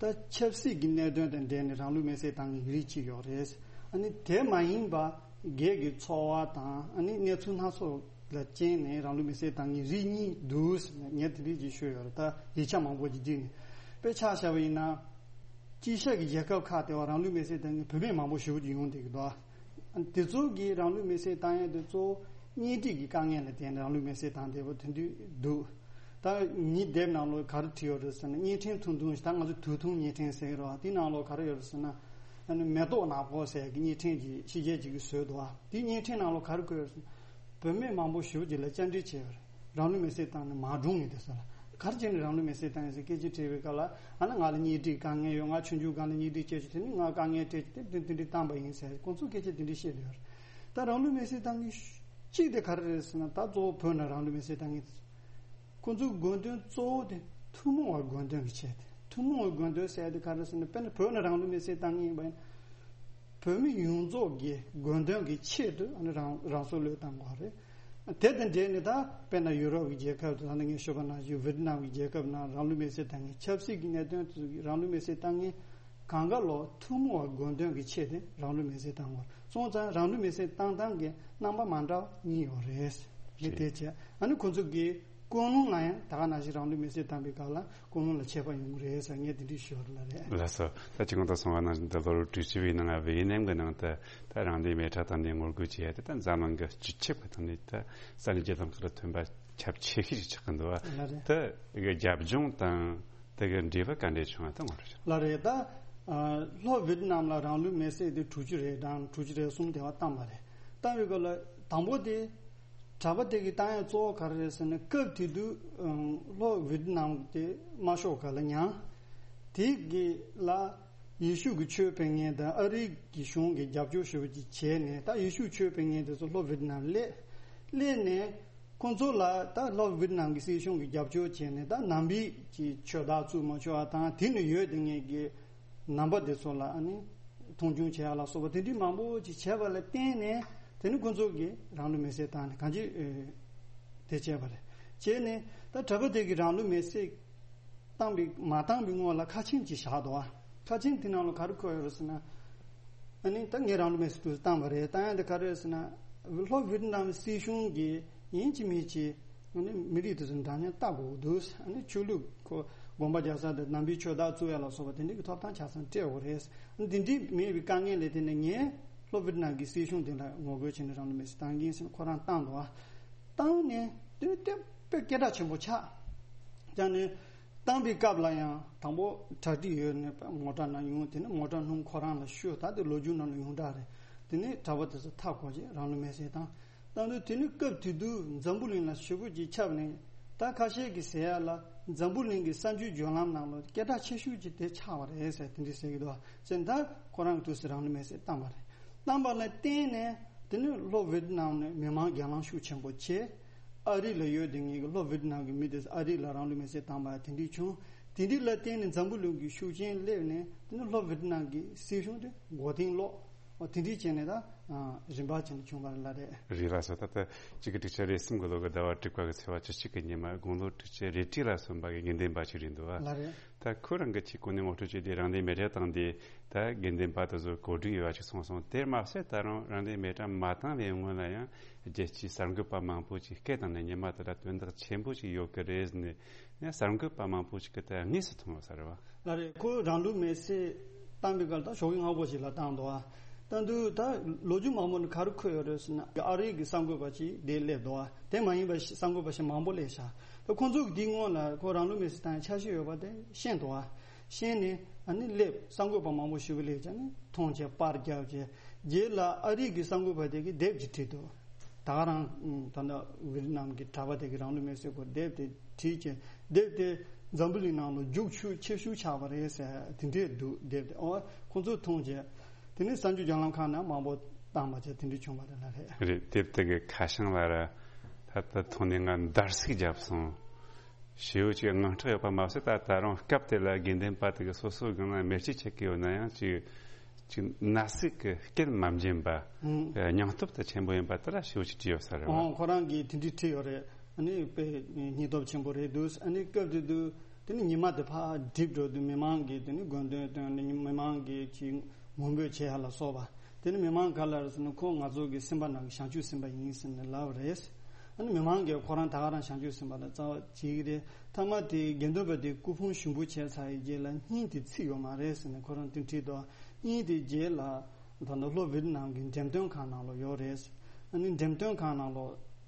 ད་ཆབ་སྲིད་ཀྱི་གནད་དོན་དང་འབྲེལ་ནས་རང་ལུས་མེ་སྲེག་བཏང་མཁན་རིགས་གཅིག་ཡོད་རེད། ཨ་ནི་དེ་མ་ཡིན་པ་སྒེར་གྱི་འཚོ་བ་དང་། ཨ་ནི་གནས་ཚུལ་སྣ་ཚོགས་ལ་རྐྱེན་ནས་རང་ལུས་མེ་སྲེག་བཏང་མཁན་རིགས་གཉིས་འདུག་ཟེར་ནས་ངས་དེ་འདྲ་ཅིག་ཤོད་ཡོད་རེད། ད་ཡིག་ཆ་མང་པོ་ཅིག་བསྒྲིགས་ནས། དཔེ་ཆ་བཞག་པ་ཡིན་ན། དཀྱིལ་ཤར་གྱི་རྒྱལ་ཁབ་ཁག་དེ་བ་རང་ལུས་མེ་སྲེག་བཏང་མཁན་བུད་མེད་མང་པོ་ཞེ་པོ་ཅིག་ཡོང་བསྡད་ཀྱི་འདུག་དེ་ཚོ་གིས་རང་ལུས་མེར་སྲེག་བཏང་ཡས་དེ་གཙོ་བོ་གཉེན་སྒྲིག་གི་དཀའ་ངལ་ལ་བརྟེན་ནས་རང་ལུས་མེར་སྲེག་བཏང་བསྡད་པ་དེ་འདྲ་འདུག་ད་ངའི་དེབ་ནང་ལོགས་ག་རེ་བྲིས་ཡོད་རེད་ཟེར་ན། གཉེན་འཕྲིན་ཐུང་ཐུང་ཞིག་ད་ང་ཚོ་དུས་ཐུང་གཉེན་འཕྲིན་ཟེར་གི་རེད་བ། དེའི་ནང་ལོགས་ག་རེ་ཡོད་རེད་ཟེར་ན། ཨ་ནི་མེ་ཏོག་ནག་པོ་ཟེར་གི་གཉེན་འཕྲིན་གྱི་ཕྱི་རྒྱལ་ཅིག་གིས་བཟོས་འདུག་བ། དེའི་གཉེན་འཕྲིན་ནང་ལོགས་ག་རེ་བཀོད་ཡོད་རེད་ཟེར་ན། བུད་མེད་མང་པོ་ཞེ་པོ་ཅིག་ལ་བཅར་འདྲི་བྱས་པ་རེད། རང་ལུས་མེར་སྲེག་བཏང་ནས་མ་གྲོངས་ངེས་དེ་ཚོ་ལ་ག་རེ་བྱས་ནས་རང་ལུས་མེར་སྲེག་བཏང་ཡིན་ཟེར་སྐད་ཆ་དྲིས་པའི་སྐབས་ལ། ཨ་ནི་ང་ལ་གཉེན་སྒྲིག་དཀའ་ངལ་ཡོད། ང་ཆུང་ཆུང་སྒང་ལ་གཉེན་སྒྲིག་བྱས་བྱས་དེ་ནི་ང་དཀའ་ངལ་འཕྲད་བྱས་དེ་དེ་དེ་འདྲའི་བཏང་པ་ཡིན་ཟེར་ཁོང་ཚོས་སྐད་ཆ་དེ་འདྲ་བཤད་བསྡད་ཡོད་རེད། ད་རང་ལུས་མེར་སྲེག་བཏང་མཁན་གཅིག་དེ་ག་རེ་རེད་ཟེར་ན། ད་གཙོ་བོ་བོད་ནང་རང་ལུས་མེར་སྲེག་བཏང་མཁན་ཁོང་ཚོའི་དགོས་འདུན་གཙོ་བོ་དེ་ཐུན་མོང་བ་དགོས་འདུན་གྱི་ཆེད་དེ། ཐུན་མོང་བའི་དགོས་འདུན་ཟེར་དེ་ག་རེ་ཟེར་ན། དཔེར་ན་བོད་ནང་རང་ལུས་མེར་སྲེག་བཏང་མཁན་ཡིན་པ་ཡིན་ན། བོད་མི་ཡོངས་རྫོགས་ཀྱི་དགོས་འདུན་གྱི་ཆེད་དུ་ཨ་ནི་རང་རང་སྲོག་བློས་བཏང་དགོས་རེད། དེ་དང་འབྲེལ་ནས་ད་དཔེར་ན་ཡུ་རོབ་ཀྱི་རྒྱལ་ཁབ་དང་། ད་ནི་ངས་ཞུས་པ་ནང་བཞིན་ཝེ་ཏི་ནམ་གྱི་རྒྱལ་ཁབ་ནང་རང་ལུས་མེར་སྲེག་བཏང་མཁན། ཆབ་སྲིད་ཀྱི་གནད་དོན་དེ་ཚོ་གི་རང་ལུས་མེར་སྲེག་བཏང་མཁན་གང་ག་ལོ་ཐུན་མོང་བ་དགོས་འདུན་གྱི་ཆེད་དུ་རང་ལུས་མེར་སྲེག་བཏང་དགོས་སོང་ཙང་། རང་ལུས་མེར་སྲེག་བཏང་སྟངས་ཀྱི་རྣམ་པ་མ་འདྲ་བ་གཉིས་ཡོད་རེད། དེ་བྱས་ཨ་ནི་ཁོང་ཚོ་གི་ཀུན་སློང་ལ་ཡང་ད་ག་ནང་བཞིན་རང་ལུས་མེར་སྲེག་བཏང་པའི་སྐབས་ལ་ཀུན་སློང་ལ་ཁྱད་པར་ཡོང་གི་རེད་ཟེར་ངས་དེ་འདྲས་ཞུ་བ་རེད། ལགས་སོ། ད་ཅི་གོང་དུ་གསུངས་པ་ནང་བཞིན་དུ་ལོ་རབས་དྲུག་ཅུ་བའི་ནང་ཝེ་ཡེ་ནམ་གྱི་ནང་དུ་ད་རང་ལུས་མེ་སྲེག་བཏང་ནས་ངོ་རྒོལ་བྱས་ཏེ། ད་འཛམ་གླིང་གི་སྤྱི་ཁྱབ་ཀྱི་ཐོག་ནས་ད་ས་གནས་བརྒྱད་ཙམ་ཁག་ལ་ཐོན་པ་ཁྱབ་ཆེ་ཤོས་ཤིག་ཆགས་ཀྱི་འདུག་བ། ལགས་རེད། ད་རྒྱབ་ལྗོངས་དང་དེ་གི་འབྲེལ་བ་ག་འདྲས་བྱུང་བ་ད་ངོ་སྤྲོད་ཅིག་ལགས་རེད། ད་ལྷོ་ཝེ་ཏི་ནམ་ལ་རང་ལུས་མེར་སྲེག་དེ་དྲུག་ཅུ་རེ་གྲངས་དྲུག་ཅུ་རེ་གསུམ་དེ་བ་བཏང་བ་རེད། བཏང་བའི་སྐབས་ལ་དང་པོ་དེ་གྲྭ་པ་དེ་གི་བཏང་ཡ་གཙོ་བོ་ག་རེ་རེད་ཟེར་ན། སྐབས་དེ་དུས་ཨང་ལྷོ་ཝེ་ཏི་ནམ་དེ་དམར་ཤོག་སྒང་ལ་མྱངས། དེ་གི་ལ་ཡེ་ཤུ་གི་ཆོས་སྤེལ་མཁན་དང་ཨ་རི་གི་གཞུང་གི་རྒྱབ་སྐྱོར་ཞུ་བ་ཅིག་བྱས་ནས། ད་ཡེ་ཤུ་ཆོས་སྤེལ་མཁན་དེ་ཚོ་ལྷོ་ཝེ་ཏི་ནམ་སླེབས། སླེབས་ནས་ཁོང་ཚོ་ལ་ད་ལྷོ་ཝེ་ཏི་ནམ་གི་སྲིད་གཞུང་གི་རྒྱབ་སྐྱོར་བྱས་ནས། ད་ནང་པའི་གི་ཆོས་དར་བཙུགས་མ་བཅུག་པ་དང་། དེ་ནས་ཡོད་དེ་ངེད་ཀྱི་ནང་པ་དེ་ཚོ་ལ་ཨ་ནི་མཐོང་ཆུང་བྱེད་ཡ་ལ་སོགས་པ་དེ་འདྲའི་མང་པོ་ཅིག་བྱས་པ་ལ་བརྟེན་ནས། དེ་ནི་ཁོང་ཚོ་གིས་རང་ལུས་མེར་སྲེག་བཏང་ནས་གང་ཅི་དེ་བྱས་པ་རེད། བྱས་ནས་ད་གྲྭ་པ་དེ་གིས་རང་ལུས་མེར་སྲེག་བཏང་པའི་མ་བཏང་པའི་སྔོན་ལ་ཁ་ཆེམས་ཅིག་བཞག་འདུག་བ། ཁ་ཆེམས་དེ་ནང་ལ་ག་རེ་འཁོད་ཡོད་རེད་ཟེར་ན། ཨ་ནི་ད་ངས་རང་ལུས་མེར་སྲེག་དུས་བཏང་བ་རེད། བཏང་ཡ་དེ་ག་རེ་རེད་ཟེར་ན། ལྷོ་ཝེ་ཏི་ནམ་སྲིད་གཞུང་གིས་ཡིན་གཅིག་མིན་གཅིག་ཨ་ནི་མི་རིགས་དེ་ཚོ་འདྲ་མཉམ་ལྟ་དགོས་འདུག་ཨ་ནི་ཆོས་ལུགས་ཁོ་དགོན་པ་རྒྱག་ས་དང་ནང་པའི་ཆོས་དར་བཙུགས་ཡ་ལ་སོགས་པ་དེ་འདྲའི་གི་ཐོབ་ཐང་ཆ་ཚང་སྤྲད་དགོས་རེད། ཨ་ནི་དེ་འདྲའི་མེད་པའི་དཀའ་ངལ་ལ་བརྟེན་ནས་ངས་ལྷོ་ཝེ་ཏི་ནམ་གྱི་སྲིད་གཞུང་དེ་ལ་ངོ་རྒོལ་བྱས་ནས་རང་ལུས་མེར་སྲེག་བཏང་གི་ཡིན་ཟེར་ནས་ཁོ་རང་བཏང་འདུག་བ། བཏང་ནས་དེ་ནི་དེ་དཔེ་སྐད་གྲགས་ཆེན་པོ་ཆགས། ཀྱང་ནི་བཏང་པའི་སྐབས་ལ་ཡང་དང་པོ་གྲ་སྒྲིག་ཡོད་ནས་མོ་ཊ་ནང་ཡོང་། དེ་ནི་མོ་ཊ་སྣུམ་ཁོ་རང་ལ་བཤུས། ད་དེ་ལོ་རྒྱུས་ནང་ལ་ཡོངས་གྲགས་རེད། དེ་ནི་གྲྭ་པ་དེ་ཚོ་མཐའ་བསྐོར་བྱས་རང་ལུས་མེར་སྲེག་བཏང་། བཏང་དུས་དེ་ནི་སྐབས་དེ་དུས་འཛམ་བུ་གླིང་ལ་ཞེ་པོ་ཅིག་ཁྱབ་ནས། ད་ཁ་ཤས་ཀྱིས་ཟེར་ཡ་ལ་འཛམ་བུ་གླིང་གི་གསར་འགྱུར་བརྒྱུད་ལམ་ནང་ལ་སྐད་གྲགས་ཆེ་ཤོས་ཅིག་དེ་ཆགས་པ་རེད་ཟེར་དེ་འདྲ་ཟེར་གྱི་འདུག་བ། བྱས་ད་ཁོ་རང་གི་དུས་སུ་རང་ལུས་མེར་སྲེག་བཏང་བ་རེད། བཏང་བ་ལ་བརྟེན་ནས་དེ་ནི་ལྷོ་ཝེ་ཏི་ནམ་ནས་མི་མང་སྒེར་ལངས་ཤུགས་ཆེན་པོ་བྱས། ཨ་རི་ལ་ཡོད་དེ་ངེད་ཀྱི་ལྷོ་ཝེ་ཏི་ནམ་གྱི་མི་དེ་ཨ་རི་ལ་རང་ལུས་མེར་སྲེག་བཏང་བ་དེ་འདྲ་བྱུང་། དེ་འདྲ་ལ་བརྟེན་ནས་འཛམ་བུ་གླིང་གི་ཤུགས་རྐྱེན་སླེབས་ནས་དེ་ནི་ལྷོ་ཝེ་ཏི་ནམ་གྱི་སྲིད་གཞུང་དེ་མགོ་རྟིང་སློག་འོ་དེ་འདྲ་བྱས་ནས་ད་རིམ་པ་བྱས་ནས་བྱུང་བ་རེད་ལ་རེད། རེད་ལགས་སོ། ད་ལྟ་གཅིག་དགུ་དྲུག་ཅུ་རེ་གསུམ་གྱི་ལོ་གི་ཟླ་བ་དྲུག་པ་གི་ཚེས་པ་བཅུ་གཅིག་གི་ཉི་མ་དགུང་ལོ་དྲུག་ཅུ་རེ་གཅིག་ལ་སོན་པ་གི་དགེ་འདུན་པ་ཅིག་རེད་འདུག་བ། ལགས་རེད། ད་ཁོ་རང་གི་ཆེད་གོ་གནས་ངོ་སྤྲོད་བྱས་ཏེ་རང་ལུས་མེ་སྲེག་བཏང་སྟེ་ད་དགེ་འདུན་པ་དེ་ཚོ་གོ་སྒྲིག་ཡོད་པ་ཅིག་གསུངས་སོང་། དེར་མ་ཟད་ད་རུང་རང་ལུས་མེ་སྲེག་མ་བཏང་བའི་སྔོན་ལ་ཡང་རྒྱལ་སྤྱིའི་གསར་འགོད་པ་མང་པོ་ཅིག་སྐད་བཏང་ནས་ཉི་མ་དེ་ལ་དོན་དག་ཆེན་པོ་ཅིག་ཡོད་ཀྱི་རེད་ཟེར་ནས་ཡང་གསར་འགོད་པ་མང་པོ་ཅིག་གིས་ད་དངོས་སུ་མཐོང་ཡོད་ས་རེད་བ། ལགས་རེད། ཁོ་རང་ལུས་མེ་སྲེག་བཏང་པའི་སྐབས་ད་ཞོགས་ཀྱི་སྔ་པོ་ཞིག་ལ་བཏང་འདུག་བ། བཏང་དུས་ད་ལོ་རྒྱུས་མང་པོ་ནས་ག་རེ་འཁོད་ཡོད་རེད་ཟེར་ན། ཨ་རི་གི་གསར་འགོད་པ་ཅིག་དེ་སླེབས་འདུག་བ། དེ་མ་ཡིན་པ་ཞིག་གསར་འགོད་པ་ཞིག་མང་པོ་སླེབས་ཤག་ད་ཁོང་ཚོ་གི་དེའི་སྔོན་ལ་ཁོ་རང་ལུས་མེ་སྲེག་བཏང་ཡ་འཆར་གཞི་ཡོད་པ་དེ་ཤེས་འདུག་བ། ཤེས་ནས་ཨ་ནི་སླེབས། གསར་འགོད་པ་མང་པོ་ཞིག་སླེབས་བྱས་ནས་མཐོང་བྱས་པར་བརྒྱབ་བྱས། རྗེས་ལ་ཨ་རི་གི་གསར་འགོད་པ་དེ་གིས་དེབ་ཅིག་བྲིས་འདུག་ད་ག་རང་ད་ལྟ་ཝེ་ཏི་ནམ་གྱི་གྲྭ་པ་དེ་གིས་རང་ལུས་མེ་སྲེག་སྐོར་དེབ་དེ་བྲིས་བྱས། དེབ་དེ་འཛམ་བུ་གླིང་ནང་ལ་རྒྱུགས་ཤུགས་ཆེ་ཤོས་ཆགས་པ་རེད་ཟེར་དེ་འདྲས་འདུག་དེབ་དེ་ཨོ་ཁོང་ཚོས་མཐོང་བྱས། དེ་ནས་གསར་འགྱུར་བརྒྱུད་ལམ་ཁག་ནང་མང་པོ་བཏང་བ་བྱས་དེ་འདྲས་བྱུང་བ་རེད་ལ་རེད། རེད། དེབ་དེ་གི་ཁ་བྱང་ལ་ར་ད་ལྟ་མཐོང་ནས་ང་འདར་སིག་བརྒྱབ་སོང་། ཞེ་པོ་ཅིག་དངངས་སྐྲག་ཡོད་པ་མ་ཟད། ད་ད་རུང་སྐབས་དེ་ལ་དགེ་འདུན་པ་དེ་གིས་སོ་སོའི་སྒང་ལ་མེ་ལྕེ་ཆད་ཀྱི་ཡོད་ན་ཡང་ཅིག་ཅིག་ན་ཟུག་གི་སྐད་མ་འབྱིན་པ། ཨང་། སྙིང་སྟོབས་དེ་ཆེན་པོ་ཡིན་པ་དེ་ལ་ཞེ་པོ་ཅིག་བྲིས་ཡོད་ས་རེད་བ། ཨང་། ཁོ་རང་གིས་དེ་འདྲས་བྲིས་ཡོད་རེད། ཨ་ནི་དཔེ་སྙིང་སྟོབས་ཆེན་པོ་རེད་འདུག་ཨ་ནི་སྐབས་དེ་དུས་དེ་ནི་ཉི་མ་དེ་ཕར་འགྲིབ་འགྲོ་དུས་མི་མང་གིས་དེ་ནི་དགོས་འདུན་བཏོན་ནས་མི་མང་གིས་ཅིག་ངུ་འབོད་བྱེད་ཡ་ལ་སོགས་པ། དེ་ནི་མི་མང་ག་ལ་རེད་ཟེར་ན། ཁོ་ང་ཚོ་གི་སེམས་པ་ནང་གི་བྱང་ཆུབ་སེམས་དཔའ་ཡིན་ཟེར་ནས་ལབ་པ་རེད། ཨ་ནི་མི་མང་གིས་ཁོ་རང་ད་ག་རང་བྱང་ཆུབ་སེམས་དཔའ་ལ་རྩ་བ་བྱེད་ཀྱི་རེད། མཐའ་མ་དེ་དགེ་འདུན་པ་དེ་སྐུ་ཕུང་ཞུགས་འབུལ་བྱས་ཚར་བའི་རྗེས་ལ་སྙིང་དེ་ཚིག་ཡོད་མ་རེད་ཟེར་ནས་ཁོ་རང་དེ་བྲིས་འདུག་སྙིང་དེ་རྗེས་ལ་ ད་ལྟ་ལྷོ་ཝི་ཏི་ནམ་གྱི་འགྲེམས་སྟོན་ཁང་ནང་ལ་ཡོད་རེད། ཨ་ནི་འགྲེམས་སྟོན་ཁང་ནང་ལ་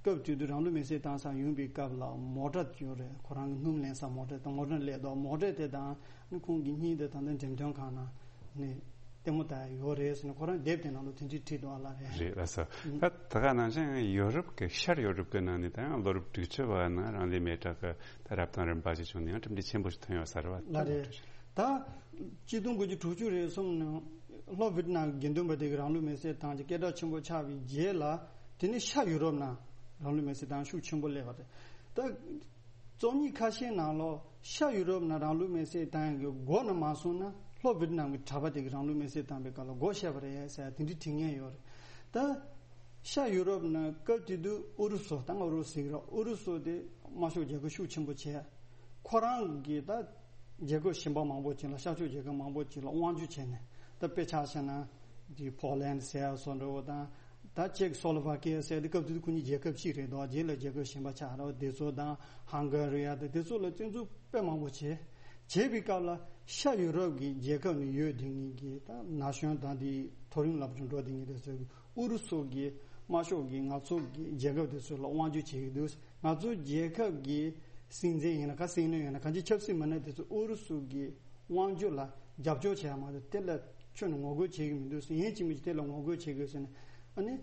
སྐབས་དེ་དུས་རང་ལུས་མེར་སྲེག་བཏང་ས་ཡོང་པའི་སྐབས་ལ་མོ་ཊ་ཡོད་རེད། ཁོ་རང་གི་སྣུམ་ལེན་ས་མོ་ཊ་དང་མོ་ཊ་སླེབས་འདུག་མོ་ཊ་དེ་དང་ཨ་ནི་ཁོང་གི་སྙིང་དེ་ད་ལྟ་འགྲེམས་སྟོན་ཁང་ནང་ནས་ལྟད་མོ་ལྟ་ཡ་ཡོད་རེད་ཟེར་ནས་ཁོ་རང་དེབ་དེ་ནང་ལ་དེ་འདྲས་བྲིས་འདུག་ཨ་ལ་རེད། རེད་ལགས་སོ། ད་ད་ག་ནང་བཞིན་ཡོ་རོབ་ཀྱི་ཤར་ཡོ་རོབ་ཀྱི་ནང་ནས་ད་ཡང་ལོ་རབས་དྲུག་ཅུ་བ་ནང་རང་ལུས་མེ་སྲེག་གི་ད་རབ་དང་རིམ་པ་ཞིག་བྱུང་ནས་ཡང་གྲུབ་འབྲས་ཆེན་པོ་ཞིག་ཐོན་ཡོད་ས་རེད་བ། ལ་རེད། ད་གཅིག་སྟོང་དགུ་བརྒྱ་དྲུག་ཅུ་རེ་གསུམ་ནང་ལྷོ་ཝི་ཏི་ནམ་གྱི་དགེ་འདུན་པ་དེ་གིས་རང་ལུས་མེར་སྲེག་བཏང་རྗེས་སྐད་གྲགས་ཆེན་པོ་ཆགས་པའི་རྗེས་ལ་དེ་ནས་ཤར་ཡུ་རོབ་ནང་རང་ལུས་མེར་སྲེག་བཏང་ཤུགས་ཆེན་པོ་སླེབས་པ་རེད། ད་རྩོམ་ཡིག་ཁ་ཤས་ནང་ལོགས་ཤར་ཡུ་རོབ་ནང་རང་ལུས་མེར་སྲེག་བཏང་ཡག་གི་འགོ་ནས་མ་སོང་ན་ལྷོ་ཝི་ཏི་ནམ་གྱི་གྲྭ་པ་དེ་གིས་རང་ལུས་མེར་སྲེག་བཏང་པའི་སྐབས་ལ་འགོ་བཤད་པ་རེད་ཟེར་དེ་འདྲའི་དྲི་ངན་ཡོད་རེད། ད་ཤར་ཡུ་རོབ་ནང་སྐབས་དེ་དུས་ཨུ་རུ་སུ་ད་སྔ་ཨུ་རུ་སུ་ཟེར་གི་རེད། ཨུ་རུ་སུ་དེ་དམར་ཤོག་རྒྱལ་ཁབ་ཤུགས་ཆེན་པོ་བྱས། ཁོ་རང་གིས་ད་རྒྱལ་ཁབ་གཞན་པ་མང་པོ་ཅིག་ལ་ཤར་ཕྱོགས་རྒྱལ་ཁབ་མང་པོ་ཅིག་ལ་དབང་སྒྱུར་བྱས་ནས་ད་དཔེ་ཆ་བཞག་ན་དེ་ཕོ་ལན་ཟེར་ཡ་སོགས་འདྲ་བོ་དང་། ད་ཅེག་སོ་ལོ་ཝ་ཀི་ཡ་ཟེར་དེ་སྐབས་དེ་དུས་ཁོ་གཉིས་རྒྱལ་ཁབ་གཅིག་རེད་འདུག་རྗེས་ལ་རྒྱལ་ཁབ་གཞན་པ་ཆགས་རེད་བ། དེ་ཚོ་དང་ཧང་ག་རི་ཡ་དང་དེ་ཚོ་ལ་བཙན་འཛུལ་དཔེ་མང་པོ་བྱས། བྱས་པའི་སྐབས་ལ་ཤར་ཡུ་རོབ་ཀྱི་རྒྱལ་ཁབ་ནས་ཡོད་དེ་གཉིས་ཀྱི་ད་ན་གཞོན་དང་དེའི་མཐོ་རིམ་སློབ་སྦྱོང་འགྲོ་དེ་གཉིས་དེ་ཚོས་ཨུ་རུ་སུ་གི་དམར་ཤོག་གི་ང་ཚོ་གི་རྒྱལ་ཁབ་དེ་ཚོ་ལ་དབང་སྒྱུར་བྱེད་ཀྱི་འདུག་ང་ཚོ་རྒྱལ་ཁབ་ཀྱི་སྲིད་འཛིན་ཡིན་ན་ག་སྲིད་བློན་ཡིན་ན་གང་ཅི་ཆབ་སྲིད་མི་སྣ་དེ་ཚོ་ཨུ་རུ་སུ་གི་དབང་སྒྱུར་ལ་རྒྱབ་སྐྱོར་བྱེད་ཡ་མ་གཏོགས་དེ་ལ་ཁྱོན་ནས་ངོ་རྒོལ་བྱེད་ཀྱི་མི་འདུག་ཟེར། ཡིན་གཅིག་མིན་གཅིག་དེ་ལ་ངོ་རྒོལ་བྱེད་དགོས་ཟེར་ནས་ཨ་ནི་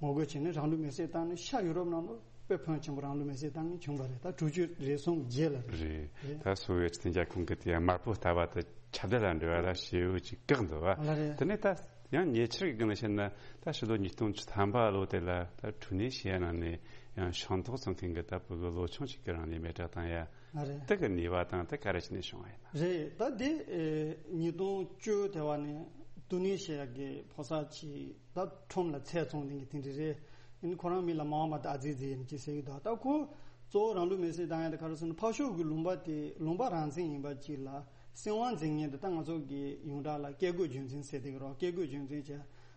ངོ་རྒོལ་བྱས་ནས་རང་ལུས་མེར་སྲེག་བཏང་ནས་ཤར་ཡུ་རོབ་ནང་ལ་དཔེ་ཕོན་ཆེན་པོ་རང་ལུས་མེར་སྲེག་བཏང་མཁན་བྱུང་བ་རེད། ད་དྲུག་ཅུ་རེ་གསུམ་རྗེས་ལ་རེད། རེད། རེད། ད་སོ་ཝེ་ཊི་དེ་རྒྱ་ཁོངས་ཀྱི་དེ་ཡང་དམར་པོ་ལྟ་བ་དེ་ཁྱབ་གདལ་ལ་འགྲོ་བ་ལ་ཞེ་པོ་ཅིག་བཀག་འདུག་བ། ལ་རེད། དེ་ནས་ད་ཡང་ཉེ་ཆར་གྱི་སྒང་ལ་བཤད་ན་ད་ཕྱི་ལོ་ཉིས་སྟོང་བཅུ་ཐམ་པ་ལོ་དེ་ལ་ད་ཀྲུ་ནེ་ཤི་ཡ་ནང་ནས་ཡང་ཤིང་ཏོག་བཙོང་མཁན་གྱི་ད་བུ་གུ་ལོ་ཆུང་ཞིག་གིས་རང་ལུས་མེ་སྲེག་བཏང་ཡ། ལ་རེད། དེ་གི་ནུས་པ་དང་དེ་ག་རེ་བྱས་ནས་བྱུང་བ་ཡིན་ན། རེད། ད་དེ་ཨེ་ཉིས་སྟོང་བཅུ་དེ་བ་ནས་ཀྲུ་ནེ་ཤི་ཡ་གི་ཕོ་གསར་ཅིག་ད་ཁྲོམ་ལ་ཚལ་བཙོང་མཁན་གྱི་དེ་འདྲ་རེད། ཨ་ནི་ཁོ་རང་མིང་ལ་མའོ་མ་ཏ་ཨ་ཛི་ཛི་ཡིན་ཅེས་ཟེར་གྱི་འདུག་ད་ཁོ་གཙོ་བོ་རང་ལུས་མེར་སྲེག་བཏང་ཡ་དེ་ག་རེ་ཟེར་ན་ཕར་ཕྱོགས་ཀྱི་ལུང་པ་དེ་ལུང་པ་རང་བཙན་ཡིན་པ་ཅིག་ལ་སྲིད་དབང་འཛིན་མཁན་དེ་ད་ང་ཚོ་གི་ཡོངས་གྲགས་ལ་བཀས་བཀོད་རྒྱུད་འཛིན་ཟེར་དེ་གི་རོ། བཀས་བཀོད་རྒྱུད་འཛིན་བྱས་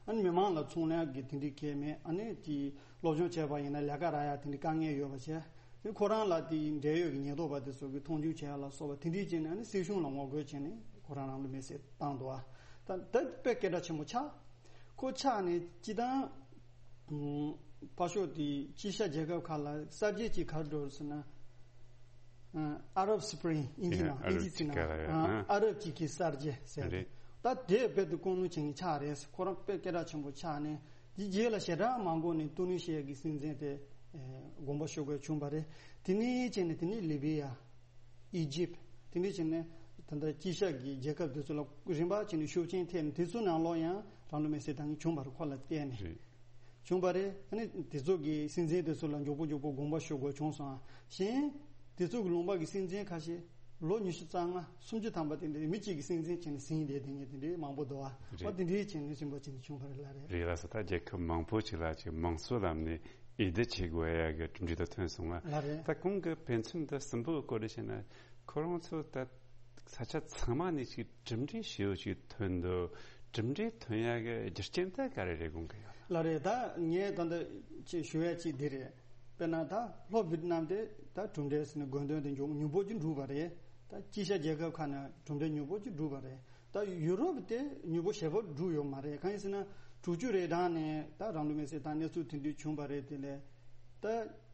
ཨ་ནི་མི་མང་ལ་ཚོང་ལས་ཀྱི་དེ་འདྲའི་གལ་མེད། ཨ་ནི་དེ་སློབ་སྦྱོང་བྱས་པ་ཡིན་ན་ལས་ཀ་རག་ཡ་དེ་འདྲའི་དཀའ་ངལ་ཡོད་པ་བྱས། དེ་ཁོ་རང་ལ་དེའི་འབྲེལ་ཡོད་ཀྱི་ཉེན་རྟོག་པ་དེ་ཚོ་གིས་མཐོང་ཆུང་བྱས་ཡ་ལ་སོགས་པ་དེ་འདྲའི་བྱས་ནས་ཨ་ནི་སྲིད་གཞུང་ལ་ངོ་རྒོལ་བྱས་ནས་ཁོ་རང་རང་ལུས་མེར་སྲེག་བཏང་འདུག་ཨ་ད་ད་དཔེ་སྐད་གྲགས་ཆེན་པོ་ཆགས། ཁོ་ཆགས་ནས་སྤྱིར་བཏང་ཕར་ཕྱོགས་དེའི་དཀྱིལ་ཤར་རྒྱལ་ཁབ་ཁག་ལ་གསར་བརྗེ་ཅིག་ག་རེ་འགྲོ་རེད་ཟེར་ན། ཨ་Arab Spring ཨིན་ཇི་ནང་ཨིན་ཇི་ཚིག་ནང་ཨ་རབ་ཅིག་གི་གསར་བརྗེ་ཟེར། རེད། ད་དེ་རྦད་དེ་ཀུན་སློང་བྱེད་མཁན་ཆགས་རེད། ཁོ་རང་དཔེ་སྐད་གྲགས་ཆེན་པོ་ཆགས་ནས་དེ་རྗེས་ལ་ཞེ་དྲག་མ་འགོར་ནས་ཏུ་ནི་ཤི་ཡ་གི་སྲིད་འཛིན་དེ་དགོངས་པ་ཞུ་དགོས་བྱུང་བ་རེད། དེ་ནས་བྱས་ནས་དེ་ནས་ལི་བི་ཡ། ཨི་ཇིབ། དེ་འདྲ་བྱས་ནས་ད་ལྟ་དཀྱིལ་ཤར་གྱི་རྒྱལ་ཁབ་དེ་ཚོ་ལ་རིམ་པ་བྱས་ནས་ཤུགས་རྐྱེན་ཐེབས་ནས་དེ་ཚོ་ནང་ལོགས་ཡང་རང་ལུས་མེར་སྲེག་བཏང་མཁན་བྱུང་བ་རེད། ཁོ་ལ་བརྟེན་ནས་རེད། བྱུང་བ་རེད། ཨ་ནི་དེ་ཚོ་གི་སྲིད་འཛིན་དེ་ཚོ་ལ་མགྱོགས་པོ་མགྱོགས་པོ་དགོངས་པ་ཞུ་དགོས་བྱུང་སོང་ཨ། གཞན་དེ་ཚོ་གི་ལུང་པ་གི་སྲིད་འཛིན་ཁ་ཤས་ལོ་ཉི་ཤུ་རྩ་ལྔ་སུམ་ཅུ་ཐམ་པ་དེ་འདྲའི་མི་གཅིག་གི་སྲིད་འཛིན་བྱས་ནས་ཟིན་བསྡད་དེ་ངས་དེ་འདྲའི་མང་པོ་འདུག་ཨ། རེད། ཨ་དེ་འདྲའི་བྱས་ནས་རིམ་པ་བྱས་ནས་བྱུང་བ་རེད་ལ་རེད། རེད་ལགས་སོ། ད་རྒྱལ་ཁབ་མང་པོ་ཅིག་ལ་ཅིག་མང་གཙོའི་ལམ་ནས། འོས་བསྡུ་བྱེད་དགོས་ཡ་གི་གྲུབ་འབྲས་དེ་ཐོན་སོང་ང་། ལགས་རེད། ད་གོང་གི་དཔེ་མཚོན་དེ་གསུམ་པོ་གི་སྐོར་ལ་བཤད་ན་ཁོ་རང་ཚོ་ད་ས་ཆ་ཚང་མ་ནས་ཅིག་གྲུབ་འབྲས་ཞེ་པོ་ཅིག་ཐོན་འདུག་གྲུབ་འབྲས་ཐོན་ཡ་གི་རྒྱུ་རྐྱེན་དེ་ག་རེ་རེད་དགོངས་ཀྱི་ཡོད། ལགས་རེད། ད་ངས་ད་ལྟ་ཅིག་ཞུ་ཡ་ཅིག་འདི་རེད། དཔེར་ན་ད་ལྷོ་ཝི་ཏི་ནམ་དེ་ད་གྲུབ་འབྲས་ཟེར་ནས་དགོས་འདུན་དེ་མགྱོགས་མྱུར་པོ་ཅིག་འགྲུབ་པ་རེད། ད་དཀྱིལ་ཤར་རྒྱལ་ཁབ་ཁག་ནས་གྲུབ་འབྲས་མྱུར་པོ་ཅིག་འགྲུབ་པ་རེད། ད་ཡུ་རོབ་དེ་མྱུར་པོ་ཞེ་པོ་འགྲུབ་ཡོད་མ་རེད། གང་ཡིན་ཟེར་ན་དྲུག་ཅུ་རེ་གྲངས་ནས་ད་རང་ལུས་མེར་སྲེག་བཏང་གནས་ཚུལ་དེ་འདྲ་བྱུང་བ་རེད། དེ་ལས་ད་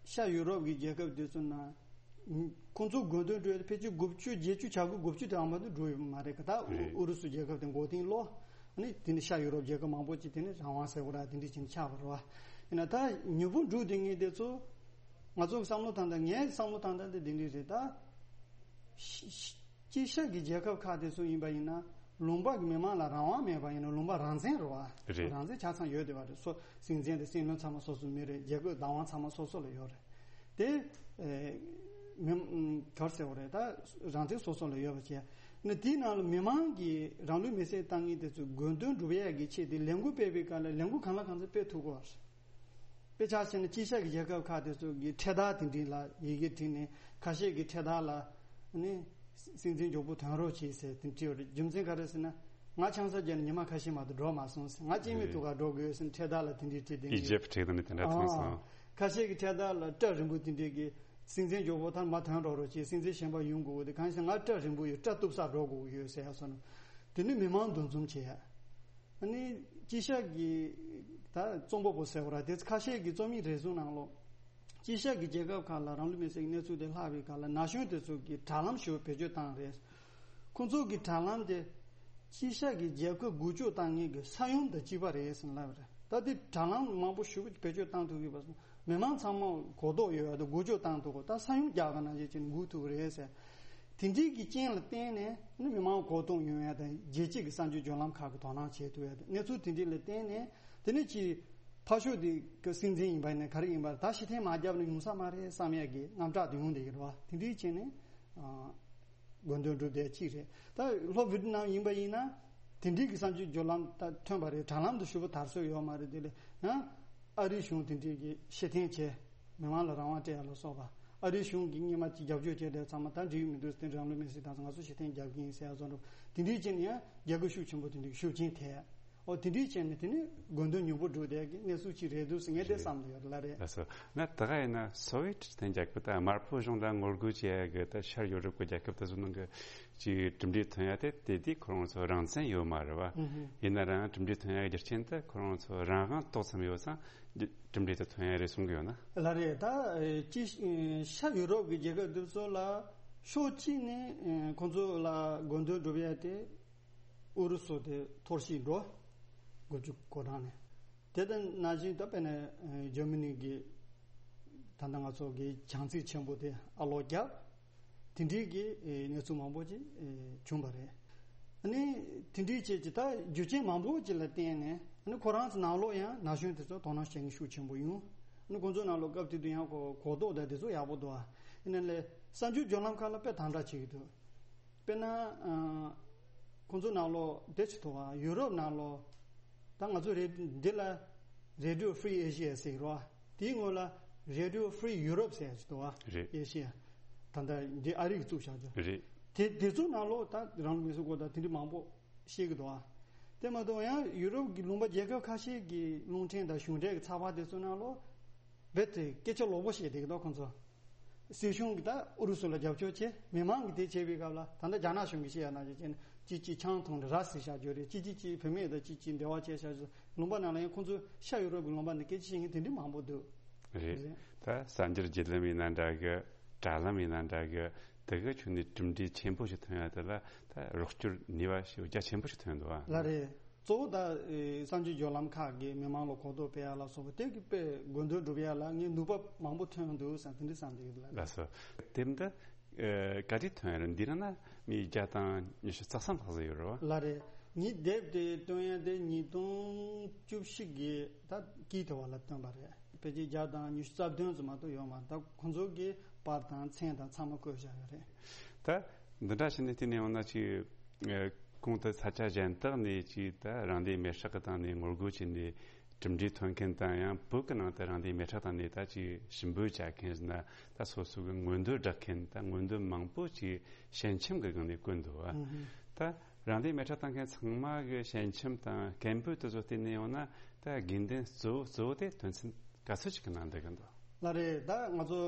ཤར་ཡུ་རོབ་ཀྱི་རྒྱལ་ཁབ་དེ་ཚོ་ནང་ཁོང་ཚོ་དགོས་འདུན་འགྲོ་ཕལ་ཆེར་དགུ་བཅུ་བརྒྱད་ཅུ་བྱ་དགུ་དགུ་བཅུ་དེ་ཨ་མ་དུ་འགྲོ་ཡོད་མ་རེད་ག་ད་རེད། ཨུ་རུ་སུ་རྒྱལ་ཁབ་དེ་མགོ་རྟིང་སློག་ཨ་ནི་དེ་ནི་ཤར་ཡུ་རོབ་རྒྱལ་ཁབ་མང་པོ་ཅིག་དེ་ནི་རང་དབང་ཟེར་བ་ར་དེ་འདྲ་ཅིག་ཆགས་པ་རེད་བ། ཡིན་ན་ད་མྱུར་པོ་འགྲུབ་དེ་ངེས་དེ་ཚོ་ང་ཚོ་བསམ་བློ་བཏང་ད་ངའི་བསམ་བློ་བཏང་ད་དེ་དེ་འདྲ་རེད་ད། ཤ་ཤ་དཀྱིལ་ཤར་གྱི་རྒྱལ་ཁབ་ཁག་དེ་ཚོ་ཡིན་པ་ཡིན་ན་ལུང་པ་གི་མི་མང་ལ་རང་དབང་མེད་པ་ཡིན་ན་ལུང་པ་རང་བཙན་རེད་བ། རེད། རང་བཙན་ཆ་ཚང་ཡོད་བསྡད་པ་རེད། སོ་སྲིད་འཛིན་དང་སྲིད་བློན་ཚང་མ་སོ་སོ་མི་རེད། རྒྱལ་ཁབ་བདག་དབང་ཚང་མ་སོ་སོ་ལ་ཡོད་རེད། དེ་ཨེ་མི་ག་རེ་ཟེར་བ་རེད། ད་རང་བཙན་སོ་སོ་ལ་ཡོད་པ་བྱས་ནས་དེའི་ནང་ལ་མི་མང་གིས་རང་ལུས་མེར་སྲེག་བཏང་མཁན་དེ་ཚོའི་དགོས་འདུན་སྒྲུབ་ཡས་ཀྱི་ཆེད་དེ་ལས་འགུལ་སྤེལ་བའི་སྐབས་ལ་ལས་འགུལ་གང་ལ་གང་འཚམ་སྤེལ་ཐུབ་དགོས་པ་རེད། དཔེ་ཆ་བཞག་ན་དཀྱིལ་ཤར་གྱི་རྒྱལ་ཁབ་ཁག་དེ་ཚོ་གི་འཕྲེད་དར་དེ་འདྲ་ལ་ཡི་གེ་བྲིས་ནས་ཁ་ཤས་ཀྱི་འཕྲེད་དར་ལ་ནི་སྲིད་འཛིན་མགྱོགས་པོ་ཐོན་རོགས་བྱེད་ཟེར་དེ་འདྲ་བྲིས་ཡོད་རེད། རྒྱུ་མཚན་ག་རེ་ཟེར་ན་ང་ཆང་ས་བརྒྱབ་ནས་ཉི་མ་ཁ་ཤས་མ་གཏོགས་འགྲོ་མ་སོང་ཟེར། ང་སྐྱེ་དམན་ཐུག་ག་འགྲོ་དགོས་ཟེར་ནས་འཕྲེད་དར་ལ་དེ་འདྲ་བྲིས་དེ་འདྲ། ཨིཇིབ་བྲིས་དང་ནི་དེ་འདྲ་མཐོང་སོང་། ཁ་ཤས་ཀྱི་འཕྲེད་དར་ལ་སྐྲ་རིང་པོ་དེ་འདྲས་ཀྱི་སྲིད་འཛིན་མགྱོགས་པོ་ཐར་མ་ཐོན་རོགས་རོགས་བྱེད། སྲིད་འཛིན་གཞན་པ་ཡོང་དགོས་དེ་གང་ཡིན་ཟེར་ང་སྐྲ་རིང་པོ་ཡོད། སྐྲ་གཏུབ་ས་འགྲོ་དགོས་ཡོད་ཟེར་ཡ་སོང་ནས་དེ་ནི་མི་མང་འདུ་འཛོམས་བྱེད་ཡ། ཨ་ནི་དཀྱིལ་ཤར་གྱི་ད་རྩོམ་པ་པོ་ཟེར་བ་ར་དེ་ཁ་ཤས་ཀྱི་རྩོམ་ཡིག་རེ་ཟུང་ནང་ལོགས་དཀྱིལ་ཤར་གྱི་རྒྱལ་ཁབ་ཁག་ལ་རང་ལུས་མེར་སྲེག་གི་གནས་ཚུལ་དེ་ལྷག་པའི་སྐབས་ལ་ན་གཞོན་དེ་ཚོ་གིས་དྲ་ལམ་ཞིག་བེད་སྤྱོད་བཏང་རེད། ཁོང་ཚོ་གི་དྲ་ལམ་དེ་དཀྱིལ་ཤར་གྱི་རྒྱལ་ཁབ་འགུལ་སྐྱོད་བཏང་མཁན་གྱི་ས་ཡོམ་དང་གཅིག་པ་རེད་ཟེར་ལབ་རེད། ད་དེ་དྲ་ལམ་མང་པོ་ཞིག་བེད་སྤྱོད་བཏང་ཐུབ་ཡོད་པ་སོང་མི་མང་ཚང་མ་གོ་རྟོགས་ཡོད་ཡ་དང་འགུལ་སྐྱོད་བཏང་ཐུབ་གོ་ད་ས་ཡོམ་རྒྱག་ག་ནང་བཞིན་བྱས་ནས་འགུལ་ཐུབ་རེད་ཟེར། དེ་འདྲའི་གི་རྐྱེན་ལ་བརྟེན་ནས་ནི་མི་མང་གོ་རྟོགས་ཡོང་ཡ་དང་རྒྱལ་སྤྱི་གི་གསར་འགྱུར་བརྒྱུད་ལམ་ཁག་གི་དོ་སྣང་བྱེད་ཐུབ་ཡ་དང་གནས་ཚུལ་དེ་འདྲ་ལ་བརྟེན་ནས་དེ་ནས་ཀྱི་ཕར་ཕྱོགས་དེ་གི་སྲིད་འཛིན་ཡིན་པ་ཡིན་ན་ག་རེ་ཡིན་པ་ད་ཕྱིར་འཐེན་མ་བརྒྱབ་ན་ཡོང་ས་མ་རེད་བསམ་ཡ་གི་དངངས་སྐྲག་དེ་ཡོང་བསྡད་ཀྱི་རེད་བ། དེ་འདྲའི་རྐྱེན་ནས་དགོས་འདུན་སྒྲུབ་བསྡད་ཅིག་རེད། ད་ལྷོ་ཝི་ཏི་ནམ་ཡིན་པ་ཡིན་ན་དེ་འདྲའི་གི་གསར་འགྱུར་བརྒྱུད་ལམ་ད་ཐོན་པ་རེད། དྲ་ལམ་དུ་ཞུ་བ་དར་སྲོལ་ཡོད་མ་རེད། དེ་ལས་ཡང་ཨ་རིའི་གཞུང་དེ་འདྲའི་གི་ཕྱིར་འཐེན་བྱས། མི་མང་ལ་རང་དབང་སྤྲད་ཡ་ལ་སོགས་པ། ཨ་རིའི་གཞུང་གིས་སྔོན་མ་ཅིག་རྒྱབ་སྐྱོར་བྱས་དེ་ཚང་མ་ད་འགྲིག་མི་འདུག་དེ་རང་ལུས་མེར་སྲེག་བཏང་སོང་ང་ཚོ་ཕྱིར་འཐེན་རྒྱབ་ཀྱི་ཡིན་ཟེར་ཡ་བཟོ་འདྲ་དེ་འདྲའི་རྐྱེན་ནས་ཡང་རྒྱལ་ཁ་ཤུགས་ཆེན་པོ་དེ་འདྲའི་ཤུགས་རྐྱེན་ཐེབས། ཨོ་དེ་འདྲའི་རྐྱེན་ནས་དེ་ནི་དགོས་འདུན་མྱུར་པོ་སྒྲུབ་བསྡད་ཀྱི་གནས་ཚུལ་ཅིག་རེད་འདུག་ཟེར་ངས་དེ་བསམ་བསྡད་ཡོད་ལ་རེད། ལགས་སོ། ང་ད་ག་ཡིན་ན་སོ་ཝི་ཡེ་ཊི་ལྷན་རྒྱལ་ཁབ་དང་དམར་པོ་གཞུང་ལ་ངོ་རྒོལ་བྱེད་ཡ་གི་ད་ཤར་ཡོ་རོབ་ཀྱི་རྒྱལ་ཁབ་དེ་ཚོ་ནང་གི་ཅིག་གྲུབ་འབྲས་ཐོན་ཡ་དེ་དེ་དུས་ཁོ་རང་ཚོ་རང་བཙན་ཡོད་མ་རེད་བ། ཨུ་ཧུ། ཡིན་ན་རང་གྲུབ་འབྲས་ཐོན་ཡ་གི་རྒྱུ་རྐྱེན་དེ་ཁོ་རང་ཚོ་རང་དབང་ཏོག་ཙམ་ཡོད་ཙང་གྲུབ་འབྲས་དེ་ཐོན་ཡ་རེད་གསུང་གི་ཡོད་ན། ལགས་རེད། ད་ཨེ་ཅི་ཤ་ཡུ་རོབ་ཀྱི་རྒྱལ་ཁབ་འདི་ཚོ་ལ་ཕྱོགས་གཅིག་ནས་ཨེ་ཁོང་ཚོ་ལ་དགོས་འདུན་སྒྲུབ་ཡ་དེ་ཨུ་རུ་སུ་དེ་འཐོར་ཞིག་འགྲོ། དགུ་བཅུ་གོ་གྲངས་ནས་དེ་ལྟ་ནང་བཞིན་ད་དཔེར་ན་ཨེ་ཇར་མ་ནི་གི་ད་ལྟ་ང་ཚོ་གི་བྱང་རྩེ་ཆེན་པོ་དེ་ཨ་ལོག་བརྒྱབ། དེ་འདྲའི་གི་ཨེ་གནས་ཚུལ་མང་པོ་ཅིག་ཨེ་བྱུང་བ་རེད། ཨ་ནི་དེ་འདྲའི་ཅིག་ཅིག་ད་རྒྱུ་རྐྱེན་མང་པོ་ཅིག་ལ་བརྟེན་ནས་ཨ་ནི་ཁོ་རང་ཚོ་ནང་ལོགས་ཡང་ན་གཞོན་དེ་ཚོ་དོ་སྣང་བྱེད་མཁན་ཤུགས་ཆེན་པོ་ཡོང་། ཨ་ནི་ཁོང་ཚོ་ནང་ལོགས་སྐབས་དེ་དུས་ཡང་གོ་གོ་རྟོགས་དང་དེ་ཚོ་ཡག་པོ་འདུག་ཨ་ཡིན་ན་ལས་གསར་འགྱུར་བརྒྱུད་ལམ་ཁག་ལ་དཔེ་དམ་དྲག་བྱེད་ཀྱི་འདུག་དཔེར་ན་ཨ་ཁོང་ཚོ་ནང་ལོགས་དེ་ཅིག་འདུག་ཨ་ཡུ་རོབ་ནང་ལོགས་ད་ང་ཚོ་རེ་འདི་ལ་Radio Free Asia ཟེར་གི་རེད་བ། དེའི་སྔོན་ལ་Radio Free Europe ཟེར་ཡ་ཅིག་འདུག་བ། རེད། ཨེ་ཤི་ཡ། ད་ལྟ་འདི་ཨ་རི་གིས་བཙུགས་བཞག་རྒྱུ། རེད། དེ་དེ་ཚོ་ནང་ལོགས་ད་རང་ལུས་མེར་སྲེག་སྐོར་དང་དེ་འདྲ་མང་པོ་བཤད་ཀྱི་འདུག་བ། དེ་མ་གཏོགས་ཡང་ཡུ་རོབ་ཀྱི་ལུང་པ་རྒྱལ་ཁབ་ཁ་ཤས་ཀྱི་རླུང་འཕྲིན་དང་གཞུང་འབྲེལ་གྱི་ཚགས་པར་དེ་ཚོ་ནང་ལོགས་རྦད་དེ་སྐད་ཆ་ལོག་པོ་བཤད་བསྡད་ཀྱི་འདུག་ཁོང་ཚོ། སྲིད་གཞུང་གིས་ད་ཨུ་རུ་སུ་ལ་རྒྱབ་སྐྱོར་བྱས། མི་མང་གིས་དེ་བྱས་པའི་སྐབས་ལ་ད་ལྟ་རྒྱ་ནག་གཞུང་གིས་བཤད་ཡ་ནང་བཞིན་བྱས་ནས་གཅིག་གཅིག་ཆང་འཐུང་ནས་ར་བཟི་བཞག་རྒྱུ་རེད། གཅིག་གཅིག་གཅིག་བུད་མེད་དང་གཅིག་གཅིག་འབྲེལ་བ་བྱས་བཞག་རྒྱུ། ལུང་པ་ནང་ལ་ཡང་ཁོང་ཚོས་ཤ་ཡུ་རོབ་ཀྱི་ལུང་པ་ནས་སྐད་ཆ་བཤད་མཁན་དེ་འདྲ་མང་པོ་འདུག་རེད། རེད། ད་གསར་འགྱུར་བརྒྱུད་ལམ་ཡིན་ན་འདྲ་གི། དྲ་ལམ་ཡིན་ན་འདྲ་གི། དེ་གི་ཁྱོན་ནས་གྲུབ་འབྲས་ཆེན་པོ་ཞིག་ཐོན་ཡ་དེ་ལ་ད་རོགས་སྐྱོར་ནུས་པ་ཞིག་རྒྱ་ཆེན་པོ་ཞིག་ཐོན་འདུག་ཨ། ལགས་རེད། གཙོ་བོ་ད་ཨེ་གསར་འགྱུར་བརྒྱུད་ལམ་ཁག་གིས་མི་མང་ལ་གོ་རྟོགས་སྤེལ་ཡ་ལ་སོགས་པ་དེ་གི་དཔེ་དགོས་འདུན་སྒྲུབ་ཡ་ལ་ངས་ནུས་པ་མང་པོ་ཐོན་འདུག་བསམ་དེ་འདྲ་བསམ་བསྡད་ཡོད་ལགས། ལགས་སོ། དེབ་འདི་ཨེ་ག་དུས་ཐོན་ཡ་རེད། འདི་ནང་ན་མི་བརྒྱ་དང་ཉི་ཤུ་རྩ་གསུམ་ལྷག་ཙམ་ཡོད་རེད་བ། ལགས་རེད། ངས་དེབ་དེ་བཏོན་ཡ་དེ་ཉིས་སྟོང་བཅུ་བཞི་གི་ད་དཀྱིལ་དེ་བ་ལ་བཏོན་པ་རེད། ཕལ་ཆེར་བརྒྱ་དང་ཉི་ཤུ་རྩ་བདུན་ཙམ་མ་གཏོགས་ཡོད་མ་རེད། ད་ཁོང་ཚོ་གི་པར་དང་མཚན་དང་ཚང་མ་བཀོད་བཞག་ཡོད་རེད། ད་འདི་འདྲ་བྱས་ནས་བལྟས་ནས་འོང་ན་ཅིག་ཨ་གོང་དུ་ས་ཆ་གཞན་དག་ནས་ཅིག་ད་རང་བདེན་མེ་སྲེག་གི་སྟེང་ནས་ངོ་རྒོལ་བྱས་ནས་གྲུབ་འབྲས་ཐོན་མཁན་དང་། ཡང་བོད་ཀྱི་ནང་དུ་རང་བདེན་མེ་སྲེག་སྟེང་ནས་ད་ཅིག་ཞུ་འབོད་བྱ་མཁན་ཟེར་ན། ད་སོ་སོ་གི་མངོན་འདོད་བསྒྲགས་མཁན། ད་མངོན་འདོད་མང་པོ་ཅིག་ཞལ་ཆེམས་ཀྱི་སྒང་ནས་བཀོད་འདུག་བ། ཨུ་ཧུ། ད་རང་བདེན་མེ་སྲེག་བཏང་མཁན་ཚང་མ་གི་ཞལ་ཆེམས་དང་སྐད་འབོད་དེ་ཚོ་བལྟས་ནས་ཡོང་ན། ད་དགོས་འདུན་གཙོ་བོ་གཙོ་བོ་དེ་དོན་ཚན་ག་ཚོད་ཅིག་གི་ནང་འདུ་གི་འདུག་ལགས་རེད། ད་ང་ཚོ་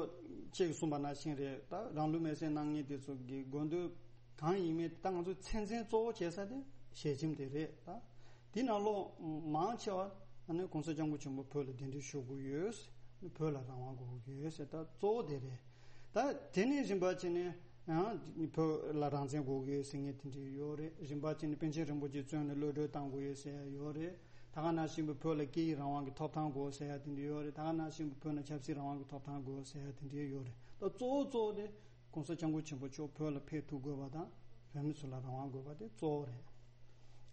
ཁྱེད་ཀྱིས་གསུངས་པ་ནང་བཞིན་རེད། ད་རང་ལུས་མེར་སྲེག་གནང་མཁན་དེ་ཚོ་གི་དགོས་འདུན་གང་ཡིན་མིན། ད་ང་ཚོ་ཚད་འཛིན་གཙོ་བོ་བྱེད་ས་དེ་ཞལ་ཆེམས་དེ་རེད། ད་དེ་ནང་ལོགས་མང་ཆེ་བ་ཨ་ནི་༸གོང་ས་༸སྐྱབས་མགོན་ཆེན་པོ་བོད་ལ་གདན་འདྲེན་ཞུ་དགོས་ཡོད། བོད་ལ་རང་དབང་དགོས་ཀྱི་ཡོད་ཟེར། ད་གཙོ་བོ་དེ་རེད། ད་དེ་ནས་རིམ་པ་བྱས་ནས་ཡང་བོད་ལ་རང་བཙན་དགོས་ཀྱི་ཡོད་ཟེར་མཁན་དེ་འདྲ་ཡོད་རེད། རིམ་པ་བྱས་ནས་པཎ་ཆེན་རིན་པོ་ཆེ་བཙོན་ནས་གློད་གྲོལ་བཏང་དགོས་ཡོད་ཟེར་ཡ་ཡོད་རེད། ད་ག་ནང་བཞིན་བོད་ལ་སྐད་ཡིག་རང་དབང་གི་ཐོབ་ཐང་དགོས་ཟེར་ཡ་དེ་འདྲ་ཡོད་རེད། ད་ག་ནང་བཞིན་བོད་ནང་ཆབ་སྲིད་རང་དབང་གི་ཐོབ་ཐང་དགོས་ཟེར་ཡ་དེ་འདྲ་ཡོད་རེད། ད་གཙོ་བོ་གཙོ་བོ་དེ་༸གོང་ས་༸སྐྱབས་མགོན་ཆེན་པོ་མཆོག་བོད་ལ་ཕེབས་ཐུབ་དགོས་པ་དང་། བོད་མི་ཚོ་ལ་རང་དབང་དགོས་པ་དེ་གཙོ་བོ་རེད།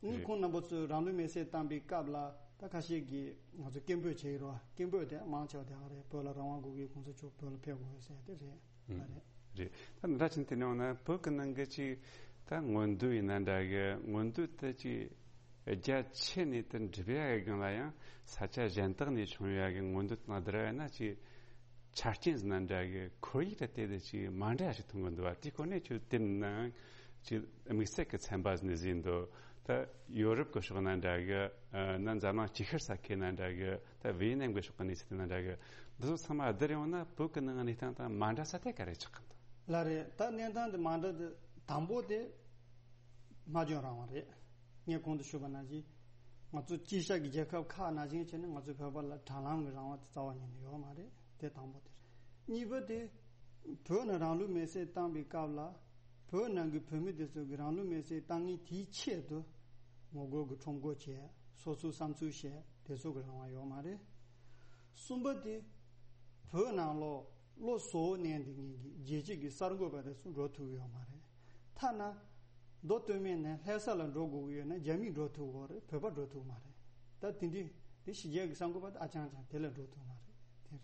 ཨ་ནི་རེད། ཁོང་རྣམ་པ་ཚོས་རང་ལུས་མེར་སྲེག་བཏང་པའི་སྐབས་ལ་ད་ཁ་ཤས་ཀྱིས་ང་ཚོ་སྐད་འབོད་བྱེད་ཀྱི་རེད་བ། སྐད་འབོད་དེ་མང་ཆེ་བ་དེ་ག་རེད། བོད་ལ་རང་དབང་དགོས་ཀྱི། ༸གོང་ས་མཆོག་བོད་ལ་ཕེབས་དགོས་ཟེར་དེ་རེད། ཨང་། ལགས་རེད། རེད། ད་འདྲ་ཕྱིན་དེ་ནས་འོང་ན་བོད་ཀྱི་ནང་གི་ཅིག་ད་མངོན་འདོད་ཡིན་ན་འདྲ་གི། མངོན་འདོད་དེ་ཅིག་རྒྱ་ཆེ་ནས་དེ་འགྲུབ་ཡ་གི་སྒང་ལ་ཡང་ས་ཆ་གཞན་དག་ནས་བྱུང་ཡ་གི་མངོན་འདོད་དང་བསྡུར་བ་ཡིན་ན་ཅིག་ཆ་རྐྱེན་ཟེར་ན་འདྲ་གི། ཁོར་ཡུག་དང་དེ་དང་ཅིག་མ་འདྲ་ཞིག་མཐོང་གི་འདུག་བ། དེའི་སྐོར་ནས་ཁྱོད་དེ་ནང་ཅིག་དམིགས་བསལ་གྱི་ཚན་པ་ཟེར་ནས་ཟིན་འདུག་ད་ཡོ་རོབ་ཀྱི་ཕྱོགས་ན་འདྲ་གི། ཨ་ན་འཛམ་གླིང་ཅིག་ཤར་ས་ཁུལ་ན་འདྲ་གི། ད་ཝེ་ཡེ་ནམ་གྱི་ཕྱོགས་ཀྱི་གནས་ཚུལ་དེ་ན་འདྲ་གི། འདི་ཚོ་ཚང་མ་བསྡུར་ཡོང་ན་བོད་ཀྱི་ནང་གནས་སྟངས་དང་མ་འདྲ་ས་དེ་ག་རེ་ཆགས་ཀྱི་འདུག་ལགས་རེད། ད་གནས་སྟངས་དེ་མ་འདྲ་དེ་དང་པོ་དེ་སྨྲ་བརྗོད་རང་དབང་རེད། ངས་གོང་དུ་ཞུས་པ་ནང་བཞིན། ང་ཚོ་དཀྱིལ་ཤར་གྱི་རྒྱལ་ཁབ་ཁག་ནང་བཞིན་བྱས་ན་ང་ཚོའི་བོད་པ་ལ་དྲ་ལམ་གྱི་རང་དབང་དེ་རྩ་བ་ཉིད་ནས་ཡོད་མ་རེད། དེ་དང་པོ་དེ་རེད། གཉིས་པ་དེ་བོད་ནས་རང་ལུས་མེར་སྲེག་བཏང་པའི་སྐབས་ལ་བོད་ནང་གི་བོད་མི་དེ་ཚོ་གི་རང་ལུས་མེར་སྲེག་བཏང་མཁན་དེའི་ཆེད་དུ་ངོ་རྒོལ་གྱི་ཁྲོམ་སྐོར་བྱས། སོ་སོའི་བསམ་ཚུལ་བཤད། དེ་ཚོ་གི་རང་དབང་ཡོད་མ་རེད། གསུམ་པ་དེ་བོད་ནང་ལོགས་བློ་གཟུ་བོ་གནས་འདི་ངེད་ཀྱི་རྒྱལ་སྤྱི་གི་གསར་འགོད་པ་དེ་ཚོ་འགྲོ་ཐུབ་ཡོད་མ་རེད། ཐ་ན་མདོ་སྟོད་སྨད་ནས་ལྷ་ས་ལ་འགྲོ་དགོས་ཀྱི་ཡོད་ན་རྒྱ་མི་འགྲོ་ཐུབ་ཀྱི་རེད། བོད་པ་འགྲོ་ཐུབ་མ་རེད། ད་དེ་འདྲི་དེ་ཕྱི་རྒྱལ་གྱི་གསར་འགོད་པ་དེ་ཨ་ཅང་ཅང་དེ་ལ་འགྲོ་ཐུབ་མ་རེད། དེ་རེད།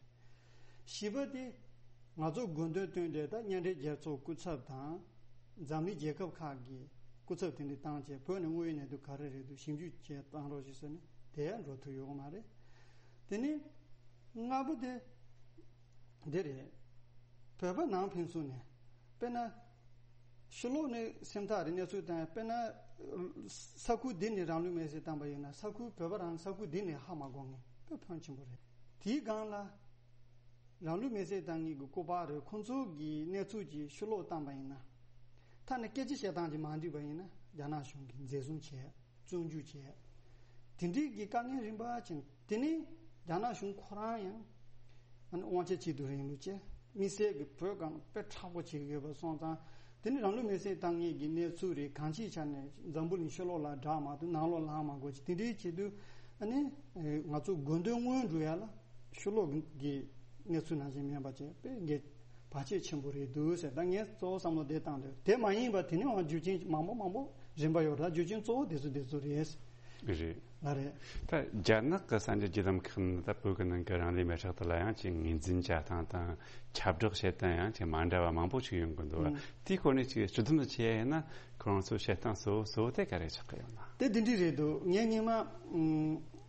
བཞི་པ་དེ་ང་ཚོ་དགོས་འདུན་བཏོན་འདྲེ་ད་མཉམ་འབྲེལ་རྒྱལ་ཚོགས་སྐུ་ཚབ་དང་འཛམ་གླིང་རྒྱལ་ཁབ་ཁག་གི་སྐུ་ཚབ་དེ་འདྲ་བཏང་བྱས་བོད་ནས་དངོས་ཡོད་གནས་ཚུལ་ག་རེ་རེད་འདུག་ཞིབ་འཇུག་བྱས་བཏང་རོགས་ཞེས་ཟེར་ནས་དེ་ཡང་འགྲོ་ཐུབ་ཡོད་མ་རེད། དེ་ནས་ལྔ་པོ་དེ་འདི་རེད། བོད་པ་ནང་ཕན་ཚུན་ནས་དཔེར་ན་ཕྱི་ལོགས་ནས་སེམས་ཐག་རིང་གནས་ཚུལ་བཏང་ཡ། དཔེར་ན་ས་ཁུལ་འདི་ནས་རང་ལུས་མེར་སྲེག་བཏང་པ་ཡིན་ན་ས་ཁུལ་བོད་པ་རང་ས་ཁུལ་འདི་ནས་ཧ་མ་གོ་མཁན་དཔེ་ཕོན་ཆེན་པོ་རེད། དེའི་སྒང་ལ། རང་ལུས་མེར་སྲེག་བཏང་མཁན་གྱི་སྐུ་པར་རེད། ཁོང་ཚོ་གི་གནས་ཚུལ་གྱི་ཕྱི་ལོགས་བཏང་པ་ཡིན་ན། ཐ་ན་སྐད་ཆ་བཤད་སྟངས་ཀྱི་མ་འགྲིག་པ་ཡིན་ན་རྒྱ་ནག་གཞུང་གིས་འཛིན་བཟུང་བྱས། བཙོན་འཇུག་བྱས། དེ་འདྲའི་གི་དཀའ་ངལ་རིམ་པ་ཕྱིན། དེ་ནས་རྒྱ་ནག་གཞུང་ཁོ་རང་ཡང་ཨ་ནི་དབང་ཆ་ཅིག་ཏུ་རིང་ལུགས་བྱས། དམིགས་བསལ་གྱི་བོད་སྒང་དཔེ་མཁྲེགས་པོ་བྱེད་ཀྱི་ཡོད་པ་སོང་ཙང་། དེ་ནི་རང་ལུས་མེར་སྲེག་བཏང་མཁན་གྱི་གནས་ཚུལ་རེད། གང་ཅིའི་ཆ་ནས་འཛམ་བུ་གླིང་ཕྱི་ལོགས་ལ་བསྒྲགས་མ་ཐུབ། ནང་ལོགས་ལ་ལྷག་མ་དགོས་ཀྱི། དེ་འདྲའི་ཆེད་དུ་ཨ་ནི་ང་ཚོ་དགོས་འདུན་སྔོན་འགྲོ་ཡ་ལ་ཕྱི་ལོགས་ཀྱི་གནས་ཚུལ་ནང་བཞིན་མིན་པ་བྱས་པས་འགན་བར་ཆད་ཆེན་པོ་རེད་འདུག་ཟེར། ད་ངས་གཙོ་བོ་བསམ་བློ་དེ་བཏང་འདུག་དེ་མ་ཡིན་པ་དེ་ནས་འང་རྒྱུ་རྐྱེན་མང་པོ་མང་པོ་རིམ་པ་ཡོད་རེད། རྒྱུ་རྐྱེན་གཙོ་བོ་དེ་ཚོ་དེ་ཚོ་རེད། རེད། ལ་རེད། ད་རྒྱ་ནག་གི་གསར་འགྱུར་བརྒྱུད་ལམ་ཁག་ནས་ད་བོད་ཀྱི་ནང་གི་རང་ལུས་མེ་སྲེག་དེ་ལ་ཡང་ཅིག་ངོས་འཛིན་བྱ་སྟངས་དང་ཁྱབ་བསྒྲགས་བྱེད་སྟངས་ཡང་ཅིག་མ་འདྲ་བ་མང་པོ་ཞིག་ཡོང་གི་འདུག་ཨང་། དེའི་སྐོར་ནས་ཅིག་སྤྱི་དོན་དུ་བྱས་ཡིན་ན་ཁོ་རང་ཚོའི་བྱེད་སྟངས་གཙོ་བོ་གཙོ་བོ་དེ་ག་རེ་ཆགས་ཀྱི་ཡོད་ན། དེ་འདི་འདྲ་རེད་འདུག་ངས་སྔོན་མ་ཨང་།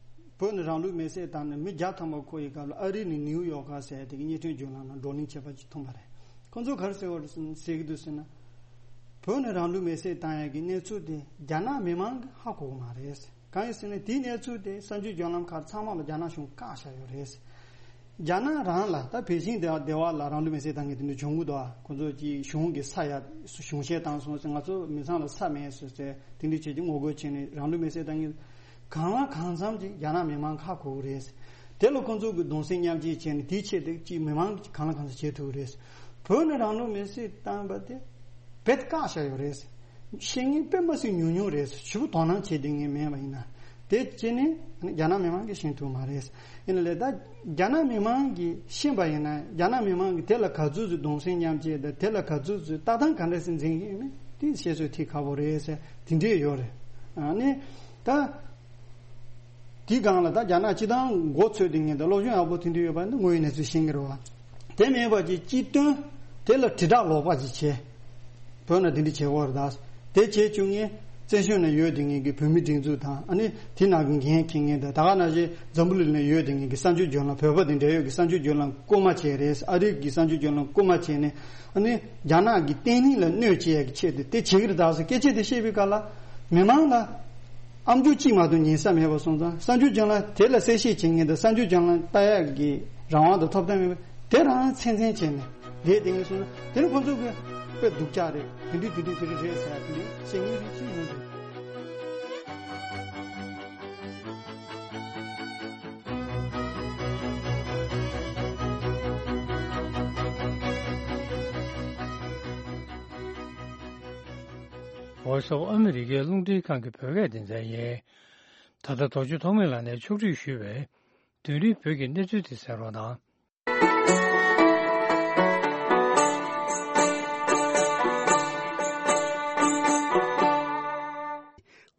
བོད་ནས་རང་ལུས་མེ་སྲེག་བཏང་ནས་མི་བརྒྱ་ཐམ་པ་འཁོར་བའི་སྐབས་ལ་ཨ་རི་ནས་ནིའུ་ཡོག་ག་ཟེར་དེ་གི་རྙེད་དོན་བརྒྱུད་ལམ་ནང་བགྲོ་གླེང་བྱས་པ་ཅིག་མཐོང་པ་རེད། ཁོང་ཚོས་ག་རེ་ཟེར་བ་རེད་ཟེར་གི་འདུག་ཟེར་ན། བོད་ནས་རང་ལུས་མེ་སྲེག་བཏང་ཡག་གི་གནས་ཚུལ་དེ་རྒྱ་ནག་མི་མང་གིས་ཧ་གོ་གི་མ་རེད། གང་ཡིན་ཟེར་ན་དེའི་གནས་ཚུལ་དེ་གསར་འགྱུར་བརྒྱུད་ལམ་ཁག་ཚང་མ་ལ་རྒྱ་ནག་གཞུང་བཀག་བཞག་ཡོད་རེད། རྒྱ་ནག་རང་ལ་ད་པེ་ཅིང་སྡེ་བ་སྡེ་བ་ལ་རང་ལུས་མེ་སྲེག་བཏང་མཁན་དེ་འདྲ་བྱུང་གི་འདུག་ཁོ་ཚོ་གྱིས་གཞུང་གི་ས་ཡ་གཞུང་བཤེར་བཏང་སོང་ཟེར། ང་ཚོ་མི་ཚང་ལ་ས་མེད་ཟེར་ཟེར་དེ་འདྲ་བྱས་ཀྱི་ངོ་རྒོལ་བྱས་ནས་རང་ལུས་མེ་སྲེག་བཏང་མཁན་གང་ལ་གང་འཚམ་ཅིག་རྒྱ་ནག་མི་མང་ཧ་གོ་གི་རེད། དེ་ལ་ཁོ་ཚོ་གིས་གདུང་སེམས་མཉམ་སྐྱེད་བྱས་ནས་དེའི་ཆེད་དུ་ཅིག་མི་མང་གང་ལ་གང་འཚམ་བྱེད་ཐུབ་ཀྱི་རེད། བོད་ནས་རང་ལུས་མེ་སྲེག་བཏང་པ་དེ་རྦད་བཀག་བཞག་ཡོད་རེད། ཤེས་མཁན་དཔེ་མི་སྲིད་ཉུང་ཉུང་རེད། ཞེ་པོ་དོ་སྣང་བྱེད་བསྡད་མཁན་མེད་པ་ཡིན་ན། དེ་བྱས་ནས་རྒྱ་ནག་མི་མང་གིས་ཤེས་ཐུབ་མ་རེད། ཡིན་ནའི་ད་རྒྱ་ནག་མི་མང་གིས་ཤེས་པ་ཡིན་ན་རྒྱ་ནག་མི་མང་གིས་དེ་ལ་ག་ཚོད་ཚོད་གདུང་སེམས་མཉམ་སྐྱེད་དང་དེ་ལ་ག་ཚོད་ཚོད་ལྟ་སྟངས་ག་འདྲ་ཞིག་འཛིན་གྱི་ཡོད་མེད་དེ་བཤད་ཚོད་ཐིག་ཁ་པོ་རེད་ཟེར་དེ་འདྲས་ཡོད་རེད། ཨ་ནི་ད། དེའི་སྒང་ལ་ད་རྒྱ་ནག་སྤྱི་བཏང་མགོ་ཚོས་བསྡད་མཁན་དང་སློབ་སྦྱོང་ཡག་པོ་དེ་འདྲ་ཡོད་པ་ནི་དངོས་ཡོད་གནས་ཚུལ་ཤེས་ཀྱི་རེད་བ། དེ་མིན་པ་ཅིག་སྤྱི་དོན་དེ་ལ་དྲིལ་བསྒྲགས་ལོག་པ་ཅིག་བྱས། བོད་ནང་དེ་འདྲ་བྱེད་དགོས་རེད་ད། དེ་བྱེད་བཅུག་མཁན་བཙན་བྱོལ་ནང་ཡོད་བསྡད་མཁན་གྱི་བོད་མི་སྒྲིག་འཛུགས་དང་ཨ་ནི་དེ་ནང་གི་འགན་འཁྱེར་མཁན་དང་ད་ག་ནང་བཞིན་འཛམ་བུ་གླིང་ནང་ཡོད་བསྡད་མཁན་གྱི་གསར་འགྱུར་བརྒྱུད་ལམ་བོད་པ་དེ་འདྲ་ཡོད་ཀྱི་གསར་འགྱུར་བརྒྱུད་ལམ་རྐུན་མ་བྱས་རེད། ཨ་རི་གི་གསར་འགྱུར་བརྒྱུད་ལམ་རྐུན་མ་བྱས་ནས་ཨ་ནི་རྒྱ་ནག་གི་བརྟན་ལྷིང་ལ་གནོད་བྱེད་ཡག་གི་ཆེད་དུ་དེ་བྱེད་ཀྱི་རེད་ད་ཟེར་སྐད་ཆ་དེ་བཤད་པའི་སྐབས་ལ་མི་མང་ལ། ཨམ་ཅོག་གཅིག་མ་གཏོགས་ཉན་ས་མེད་པ་སོང་ཙང་གསར་འགྱུར་བརྒྱུད་ལམ་དེ་ལ་གསལ་བཤད་བྱེད་མཁན་དང་གསར་འགྱུར་བརྒྱུད་ལམ་ལྟ་ཡག་གི་རང་དབང་དང་ཐོབ་ཐང་མེད་པ་དེ་རང་ཚན་ཚན་བྱས་ནས་བསྡད་བསྡད་མཁན་སོང་ན་དེ་ནི་ཁོ་ཚོ་གི་དཔེ་སྡུག་ཅག་རེད། དེ་འདྲ་དེ་འདྲ་དེ་འདྲ་རེད་ཟེར་ཡ་དེ་འདྲ་བཤད་མཁན་རིགས་གཅིག་ཡོང་འདུག་བྷོ་ཡིས་ཨོཕ་ཨ་མི་རི་ཀའི་རླུང་འཕྲིན་ཁང་གི་བོད་སྐད་སྡེ་ཚན་ཡིན། ད་ལྟ་རྡོ་རྗེ་ཐོགས་མེད་ལགས་ནས་ཕྱོགས་སྒྲིག་ཞུས་པའི་དུས་རིང་བོད་ཀྱི་གནས་ཚུལ་དེ་གསན་རོགས་གནང་།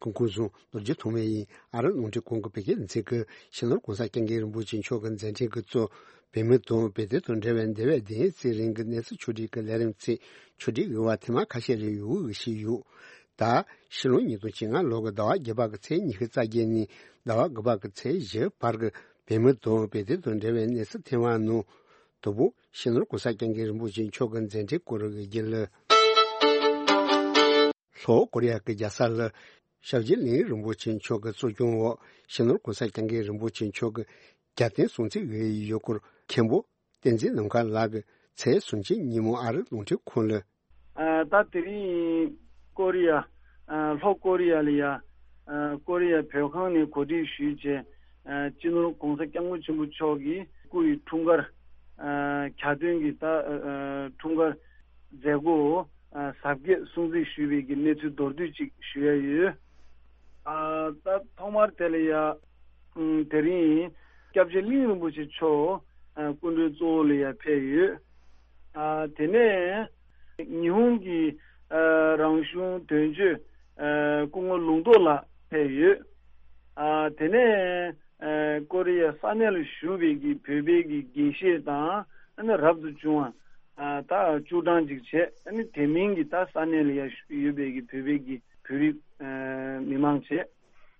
སྐུ་ཁམས་བཟང་། རྡོ་རྗེ་ཐོགས་མེད་ཡིན། ཨ་རི་རླུང་འཕྲིན་ཁང་གི་བོད་སྐད་སྡེ་ཚན་གྱིས་སྤྱི་ནོར་༸གོང་ས་༸སྐྱབས་མགོན་རིན་པོ་ཆེ་མཆོག་གི་མཛད་འཕྲིན་གྱི་གཙོ། བོད་མི་དང་བོད་དོན་དང་འབྲེལ་བའི་འདས་པའི་བདུན་ཡས་ཚེ་རིང་གི་གནས་ཚུལ་ཕྱོགས་སྒྲིག་གི་ལས་རིམ་ཚིག་ཕྱོགས་སྒྲིག་ཡོད་པ་ཐེངས་མ་ཁ་ཤས་རེ་ཡོད་པའི་ཞུས་ཡོད། ད་ཕྱི་ལོ་ཉིས་སྟོང་བཅོ་ལྔ་ལོ་གི་ཟླ་བ་བརྒྱད་པ་གི་ཚེས་ཉི་ཤུ་རྩ་བརྒྱད་ནས་ཟླ་བ་དགུ་པ་གི་ཚེས་བཞི་བར་གྱི་བོད་མི་དང་བོད་དོན་དང་འབྲེལ་བའི་གནས་ཚུལ་ཐེངས་མ་ནང་དང་པོ་སྤྱི་ནོར་༸གོང་ས་༸སྐྱབས་མགོན་རིན་པོ་ཆེ་མཆོག་གི་མཛད་འཕྲིན་སྐོར་གྱི་རྒྱུན་ལས། ལྷོ་ཀོ་རི་ཡ་གི་རྒྱལ་ས་ལ་ཞབས་རྗེས་ལིའུ་ཡིན་རིན་པོ་ཆེ་མཆོག་གི་གཙོ་སྐྱོང་འོག་སྤྱི་ནོར་༸གོང་ས་༸སྐྱབས་མགོན་རིན་པོ་ཆེ་མཆོག་གི་རྒྱལ་བསྟན་སྲུང་བརྩི་འོས་ཡུལ་སྐོར་མཁན་པོ་བསྟན་འཛིན་ནམ་མཁའ་ལགས་ཀྱིས་ཚེས་སུམ་ཅུ་ཉིན་མོ་ཨ་རི་རླུང་འཕྲིན་ཁང་ལ། ཨ། ད་དེ་རིང་ཀོ་རི་ཡ། ཨ། ལྷོ་ཀོ་རི་ཡ་ལ་ཡ། ཨ། ཨ་ཀོ་རི་ཡ་བོད་ཁང་ནས་གོ་སྒྲིག་ཞུས་བྱས། ཨ་སྤྱི་ནོར་༸གོང་ས་༸སྐྱབས་མགོན་ཆེན་པོ་མཆོག་གི་སྐུ་ཡི་འཁྲུངས་སྐར། ཨ་གྱ་སྟོན་གྱི་ད་ཨ་འཁྲུངས་སྐར་མཛད་སྒོ་ཨ་གཟབ་རྒྱས་སྲུང་བརྩི་ཞུས་པའི་གི་གནས་ཚུལ་མདོར་བསྡུས་ཅིག་ཞུ་ཡ་ཡོད། ཨ་ད་ཐོག་མར་དེ་ལ་ཡ་ཨམ་དེ་རིང་སྐྱབས་རྗེ་གླིང་རིན་པོ་ཆེ་མཆོག་ཨ་སྐུ་མགྲོན་གཙོ་བོ་ལ་ཡ་ཕེབས་ཡོད། ཨ་དེ་ནས་ཉི་ཧོང་གི་ཨ་རང་གཞུང་དོན་གཅོད་ཨ་སྐུ་ངོ་ལུང་རྟོགས་ལགས་ཕེབས་ཡོད། ཨ་དེ་ནས་ཨ་ཀོ་རི་ཡ་ས་གནས་ལ་བཞུགས་པའི་གི་བོད་པའི་གི་དགེ་བཤེས་དང་ཨ་ནི་རབ་ཏུ་བྱུང་བ་ཨ་ད་བཅུ་གྲངས་ཅིག་བྱས། ཨ་ནི་དེ་མིན་གྱི་ད་ས་གནས་ལ་ཡ་ཡོད་པའི་གི་བོད་པའི་གི་བོད་རིགས་ཨ་མི་མང་བྱས་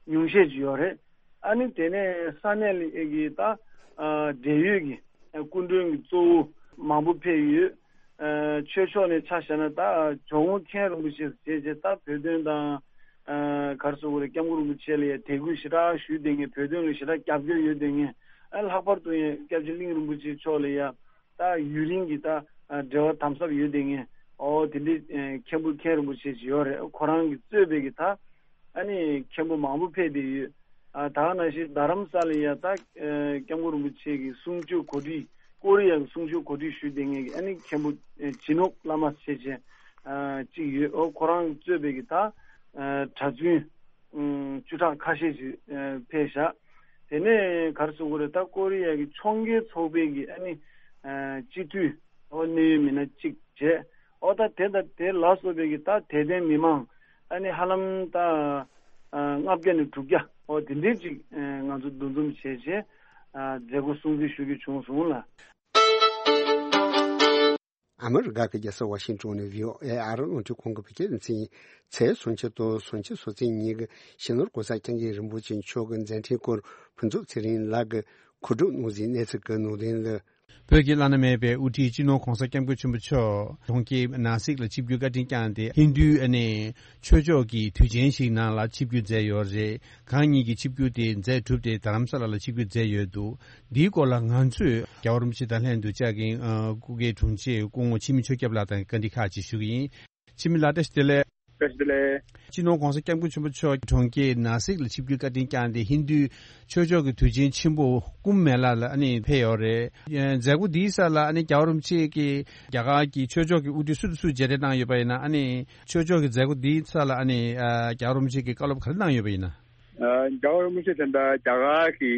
ཉུང་ཤས་ཅིག་ཡོད་རེད། ཨ་ནི་དེ་ནས་ས་གནས་ལ་ཡ་གི་ད་ཨ་འབྲེལ་ཡོད་ཀྱི་ཨ་སྐུ་མགྲོན་གྱི་གཙོ་བོ་མང་པོ་ཕེབས་ཡོད། ཨ་ཆོས་ཕྱོགས་ནས་ཆ་བཞག་ན་ད་ཇོ་བོ་མཁན་རིན་པོ་ཆེ་ཟེར་བྱས་ད་བོད་དོན་དང་ཨ་ག་རེ་ཟེར་དགོས་རེད། སྐྱབས་མགོན་རིན་པོ་ཆེ་ལ་ཡ་དད་གུས་ཞེ་དྲག་ཞུས་བསྡད་མཁན། བོད་དོན་ལ་ཞེ་དྲག་རྒྱབ་སྐྱོར་ཡོད་བསྡད་མཁན། ཨ་ལྷག་པར་དུ་ཡང་སྐྱབས་རྗེ་གླིང་རིན་པོ་ཆེ་མཆོག་ལ་ཡ་ད་ཡུན་རིང་གི་ད་ཨ་འབྲེལ་བ་དམ་ཟབ་ཡོད་བསྡད་མཁན། ཨོ་དེ་འདྲའི་ཨ་མཁན་པོ་མཁན་རིན་པོ་ཆེ་ཅིག་ཡོད་རེད། ཁོ་རང་གིས་གཙོས་པའི་གི་ད་ཨ་ནི་མཁན་པོ་མང་པོ་ཕེབས་བསྡད་ཡོད། ཨ་ད་ག་ནང་བཞིན་རྡ་རམ་ས་ལ་ཡ་ད་ཨ་སྐྱབས་མགོན་རིན་པོ་ཆེ་གི་གསུང་ཆོས་གོ་སྒྲིག་ཀོ་རི་ཡ་གི་གསུང་ཆོས་གོ་སྒྲིག་ཞུས་བསྡད་མཁན་གྱི་ཨ་ནི་མཁན་པོ་ཨ་ཇི་ནོག་བླ་མ་ཞེས་བྱས་ཨ་གཅིག་ཡོད། ཨོ་ཁོ་རང་གིས་གཙོས་པའི་གི་ད་ཨ་གྲྭ་བཙུན་ཨ་བཅུ་ཕྲག་ཁ་ཤས་ཤིག་ཨ་ཕེབས་བཞག་དེ་ནས་ག་རེ་ཟེར་དགོས་རེད། ད་ཀོ་རི་ཡ་གི་ཕྱོགས་འགལ་ཚོགས་པའི་གི་ཨ་ནི་ཨ་སྤྱི་འཐུས་ཨོ་གནད་ཡོད་མི་སྣ་གཅིག་བྱས། ཨོ་ད་དེ་དང་དེ་ལ་སོགས་པའི་གི་ད་དད་ལྡན་མི་མང་ཨ་ནི་ཧ་ལམ་ད་ཨ་ལྔ་བརྒྱ་ནས་དྲུག་བརྒྱ་ཨོ་དེ་འདྲའི་ཅིག་ཨ་ང་ཚོ་འདུ་འཛོམས་བྱས་བྱས་ཨ་མཛད་སྒོ་སྲུང་བརྩི་ཞུ་རྒྱུ་བྱུང་སོང་ལ། ཨ་མི་རི་ཀ་གི་རྒྱལ་ས་ཝ་ཤིང་ཊོན་ནས་བྷི་ཨོ་ཨེ་ཨ་རི་རླུང་འཕྲིན་ཁང་གི་བོད་སྐད་སྡེ་ཚན་ཡིན། ཚེས་སུམ་ཅུ་དང་སུམ་ཅུ་སོ་གཅིག་ཉིན་གྱི་སྤྱི་ནོར་༸གོང་ས་༸སྐྱབས་མགོན་རིན་པོ་ཆེ་མཆོག་གི་མཛད་འཕྲིན་སྐོར་ཕུན་ཚོགས་ཚེ་རིང་ལགས་ཀྱིས་གོ་སྒྲིག་གནང་ཟིན་གནས་ཚུལ་གྱི་ནང་དོན་ལ། བོད་ཀྱི་བླ་ན་མེད་པའི་དབུ་ཁྲིད་སྤྱི་ནོར་༸གོང་ས་༸སྐྱབས་མགོན་ཆེན་པོ་མཆོག་གྲོང་ཁྱེར་ནཱ་སིག་ལ་ཆིབས་བསྒྱུར་བཀའ་དྲིན་བསྐྱངས་ཏེ་ཧིན་རྡུའི་ཨ་ནི་ཆོས་ཕྱོགས་ཀྱི་དུས་ཆེན་ཞིག་ནང་ལ་ཆིབས་བསྒྱུར་མཛད་ཡོད་རེད། གང་ཉིད་ཀྱི་ཆིབས་བསྒྱུར་དེ་མཛད་གྲུབ་སྟེ་རྡ་རམ་ས་ལ་ལ་ཆིབས་བསྒྱུར་མཛད་ཡོད་འདུག་འདིའི་སྐོར་ལ་ང་ཚོས་རྒྱལ་བ་རིན་པོ་ཆེ་དང་ལྷན་དུ་བཅར་མཁན་ཨ་སྐུ་སྒེར་དྲུང་ཆེ་སྐུ་ངོ་འཆི་མེད་ཆོས་སྐྱབས་ལགས་དང་བཀའ་འདྲི་ཁག་ཅིག་ཞུ་གི་ཡིན། འཆི་མེད་ལགས་བཀྲ་ཤིས་བདེ་ལེགས། བཀྲ་ཤིས་བདེ་ལེགས། སྤྱི་ནོར་༸གོང་ས་༸སྐྱབས་མགོན་ཆེན་པོ་མཆོག་གྲོང་ཁྱེར་ནཱ་སིག་ལ་ཆིབས་བསྒྱུར་བཀའ་དྲིན་བསྐྱངས་ཏེ་ཧིན་རྡུའི་ཆོས་ཕྱོགས་ཀྱི་དུས་ཆེན་ཆེན་པོ་ཀུམ་མེ་ལ་ལ་ཨ་ནི་ཕེབས་ཡོད་རེད། མཛད་སྒོ་འདིའི་ས་ལ་ཨ་ནི་རྒྱལ་བ་རིན་པོ་ཆེ་གིས་རྒྱ་གར་གྱི་ཆོས་ཕྱོགས་ཀྱི་དབུ་ཁྲིད་སུ་དང་སུ་མཇལ་འཕྲད་གནང་ཡོད་པ་ཡིན་ན། ཨ་ནི་ཆོས་ཕྱོགས་ཀྱི་མཛད་སྒོ་འདིའི་ས་ལ་ཨ་ནི་ཨ་རྒྱལ་བ་རིན་པོ་ཆེ་གིས་བཀའ་སློབ་ག་རེ་གནང་ཡོད་པ་ཡིན་ན། ཨ་རྒྱལ་བ་རིན་པོ་ཆེ་དེ་འདྲ་རྒྱ་གར་གྱི་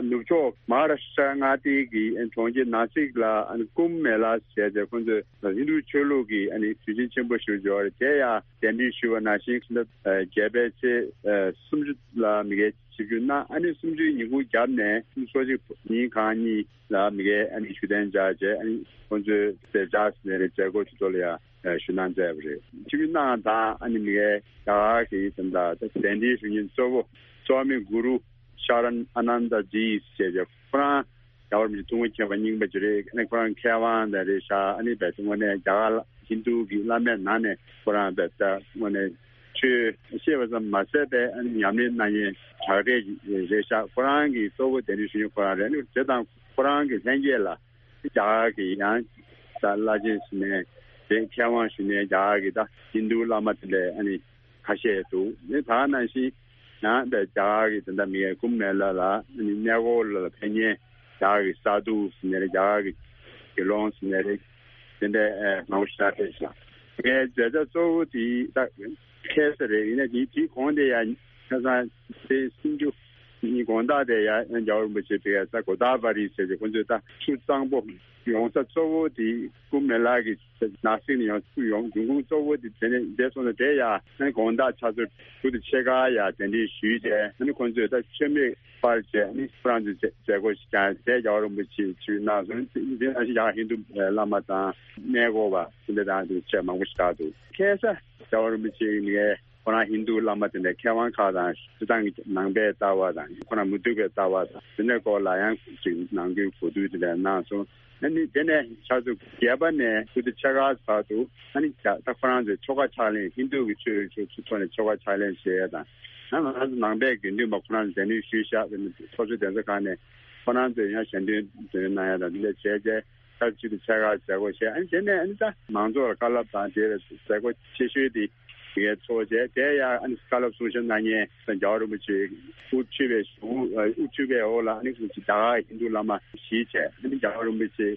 ནུབ་ཕྱོགས་མ་ཧཱ་རཱ་ཤི་ཏྲ་མངའ་སྡེ་གི་གྲོང་ཁྱེར་ནཱ་སིག་ལ་ཨ་ནི་ཀུམ་མེ་ལ་ཟེར་ཏེ་ཁོང་ཚོས་ཧིན་རྡུ་ཆོས་ལུགས་ཀྱི་ཨ་ནི་དུས་ཆེན་ཆེན་པོ་ཞིག་ཡོད་རེད། དེ་ཡང་གདན་འདྲེན་ཞུས་པ་ནང་བཞིན་ཕྱི་ཟླ་བརྒྱད་པའི་ཚེས་སུམ་ཅུ་ལ་མི་སྒེར་ཆིབས་བསྒྱུར་གནང་། ཨ་ནི་གསུམ་བཅུའི་ཉིན་གུང་རྒྱབ་ནས་སོ་གཅིག་ཉིན་གང་ཉིད་ལ་མི་སྒེར་ཨ་ནི་བཞུགས་གདན་འཇགས་བྱས། ཨ་ནི་ཁོང་ཚོས་དེ་འཇགས་ཟིན་ནས་རེད། མཛད་སྒོ་ཆུ་ཚོད་ལ་ཡང་ཞུ་གནང་མཛད་པ་རེད། ཆིབས་བསྒྱུར་གནང་དང་ཨ་ནི་མི་སྒེར་རྒྱ་གར་གྱི་དེ་འདྲ་གདན་འདྲེན་ཞུ་མཁན་གཙོ་བོ་སོ་མི་གུ་རུ་ཤཱ་ར་ཨ་ནན་ད་ཇི་ཞེས་བྱས་ཁོ་རང་རྒྱལ་བ་རིན་པོ་ཆེ་ཐུགས་དགོངས་མཁྱེན་པ་རྙིང་པ་ཅིག་རེད། ཨ་ནི་ཁོ་རང་མཁས་དབང་དང་རེད་ཤག་ཨ་ནི་བས་དངོས་གནས་རྒྱ་གར་ལ་ཧིན་རྡུ་གི་བླ་མའི་ནང་ནས་ཁོ་རང་བས་ད་དངོས་གནས་ཆོས་ཤེས་པ་ཙམ་མ་ཟད་པའི་ཨ་ནི་ཉམས་ལེན་གནང་མཁན་དྲག་གྲས་ཅིག་རེད་ཤག་ཁོ་རང་གི་གཙོ་བོ་གདན་འདྲེན་ཞུ་མཁན་ཁོ་རང་རེད། ཨ་ནི་དེ་དང་ཁོ་རང་གི་ལྷན་རྒྱས་ལ་རྒྱ་གར་གྱི་ཡང་ད་བླ་ཆེན་ཟེར་ནས་དེ་མཁས་དབང་ཞུ་ནས་རྒྱ་གར་གྱི་ད་ཧིན་རྡུ་བླ་མ་དེ་འདྲས་ཨ་ནི་ཁ་ཤས་འདུག་ཨ་ནི་ད་ག་ནང་བཞིན་ཡང་ད་རྒྱ་གར་གྱི་དེ་འདྲ་མི་ཡས་ཀུམ་མེ་ལ་ལ་ཨ་ནི་གནས་སྐོར་ལ་ཕེབས་མཁན་རྒྱ་གར་གྱི་ས་ཐུ་ཟེར་ནས་རེད། རྒྱ་གར་གྱི་དགེ་སློང་ཟེར་ནས་རེད། དེ་འདྲས་ཨ་མང་པོ་ཞིག་ཕེབས་ཤག་ངའི་མཛད་བྱ་གཙོ་བོ་དེ་ད་ཁ་སང་རེད། ཡིན་ན་དེ་དེའི་གོང་དེ་ཡང་ཁ་སང་ཚེས་སུམ་ཅུ་ཉིན་དགོང་དག་དེ་ཡང་རྒྱལ་བ་རིན་པོ་ཆེ་དེ་ཡང་ས་གོ་ད་བ་རི་ཟེར་ཏེ་ཁོང་ཚོས་ད་ཆུ་གཙང་པོ་ཡོང་ས་གཙོ་བོ་དེ་ཀུམ་མེ་ལ་གི་ནཱ་སིག་ནས་ཡོང་ཆུ་ཡོང་འབྱུང་ཁུངས་གཙོ་བོ་དེ་དེ་ནས་འདས་སོང་ན། དེ་ཡང་ཨ་ནི་དགོང་དག་ཆུ་ཚོད་དྲུག་དང་ཕྱེད་ཀ་ཡང་གདན་འདྲེན་ཞུས་བྱས། ཨ་ནི་ཁོང་ཚོས་ད་མཆོད་མེ་སྤར་བྱས། ཨ་ནི་ཁོ་རང་ཚོའི་མཛད་མཛད་སྒོ་ཞིག་ཀྱང་དེ་རྒྱལ་བ་རིན་པོ་ཆེས་ཆིབས་གནང་སོང་། དེ་ནང་བཞིན་ཡང་ཧིན་རྡུ་བླ་མ་དང་གནས་སྐོར་བ་དེ་འདྲ་དང་དེ་བཅས་མང་པོ་ཞིག་གྲགས་འདུག་ཁ་སང་རྒྱལ་བ་རིན་པོ་ཆེ་ནས་ཁོ་རང་ཧིན་རྡུ་བླ་མ་དེ་འདྲ་མཁས་དབང་ཁག་དང་སྤྱིར་བཏང་གི་ནང་པའི་ལྟ་བ་དང་ཁོ་རང་མུ་སྟེགས་པའི་ལྟ་བ་དང་དེ་འདྲའི་སྐོར་ལ་ཡང་ཅིག་ནང་ཁུལ་གོ་བསྡུར་དེ་འདྲ་གནང་སོང་། ཨ་ནི་དེ་ནས་ཆུ་ཚོད་བརྒྱད་པ་ནས་དགུ་དང་ཕྱེད་ཀ་བར་དུ་ཨ་ནི་ད་ཁོ་རང་ཚོས་ཆོ་ག་ཕྱག་ལེན་ཧིན་རྡུ་གི་ཆོས་ཆོས་ཆོས་ཐོག་ནས་ཆོ་ག་ཕྱག་ལེན་བྱེད་ཡ་དང་། ཡང་ང་ཚོ་ནང་པའི་དགེ་འདུན་པ་ཁོ་རང་ཚོ་གདན་འདྲེན་ཞུས་ཤག་ཚོགས་ཆུང་གདན་ས་ཁག་ནས་ཁོ་རང་ཚོས་ཡང་ཞལ་འདོན་འདོན་གནང་ཡ་དང་དེ་འདྲ་བྱས་རྗེས་ཆུ་ཚོད་དགུ་དང་ཕྱེད་ཀ་མཛད་སྒོ་བྱས། ཨ་ནི་དེ་ནས་ཨ་ནི་ད་མང་ཚོགས་ལ་བཀའ་སློབ་དང་དེ་མཛད་སྒོ་ཆེ་ཤོས་དེ་ དེ་གའི་ཚོགས་བྱས། དེ་ཡང་ཨ་ནི་བཀའ་སློབ་གསུང་བཤད་གནང་མཁན་རྒྱལ་བ་རིན་པོ་ཆེ་དབུ་ཁྲིད་པའི་གཞུང་དབུ་ཁྲིད་པའི་འོག་ལ་ཨ་ནི་རྒྱ་གར་ཧིན་རྡུ་བླ་མ་བཞི་བྱས། ཨ་ནི་རྒྱལ་བ་རིན་པོ་ཆེ་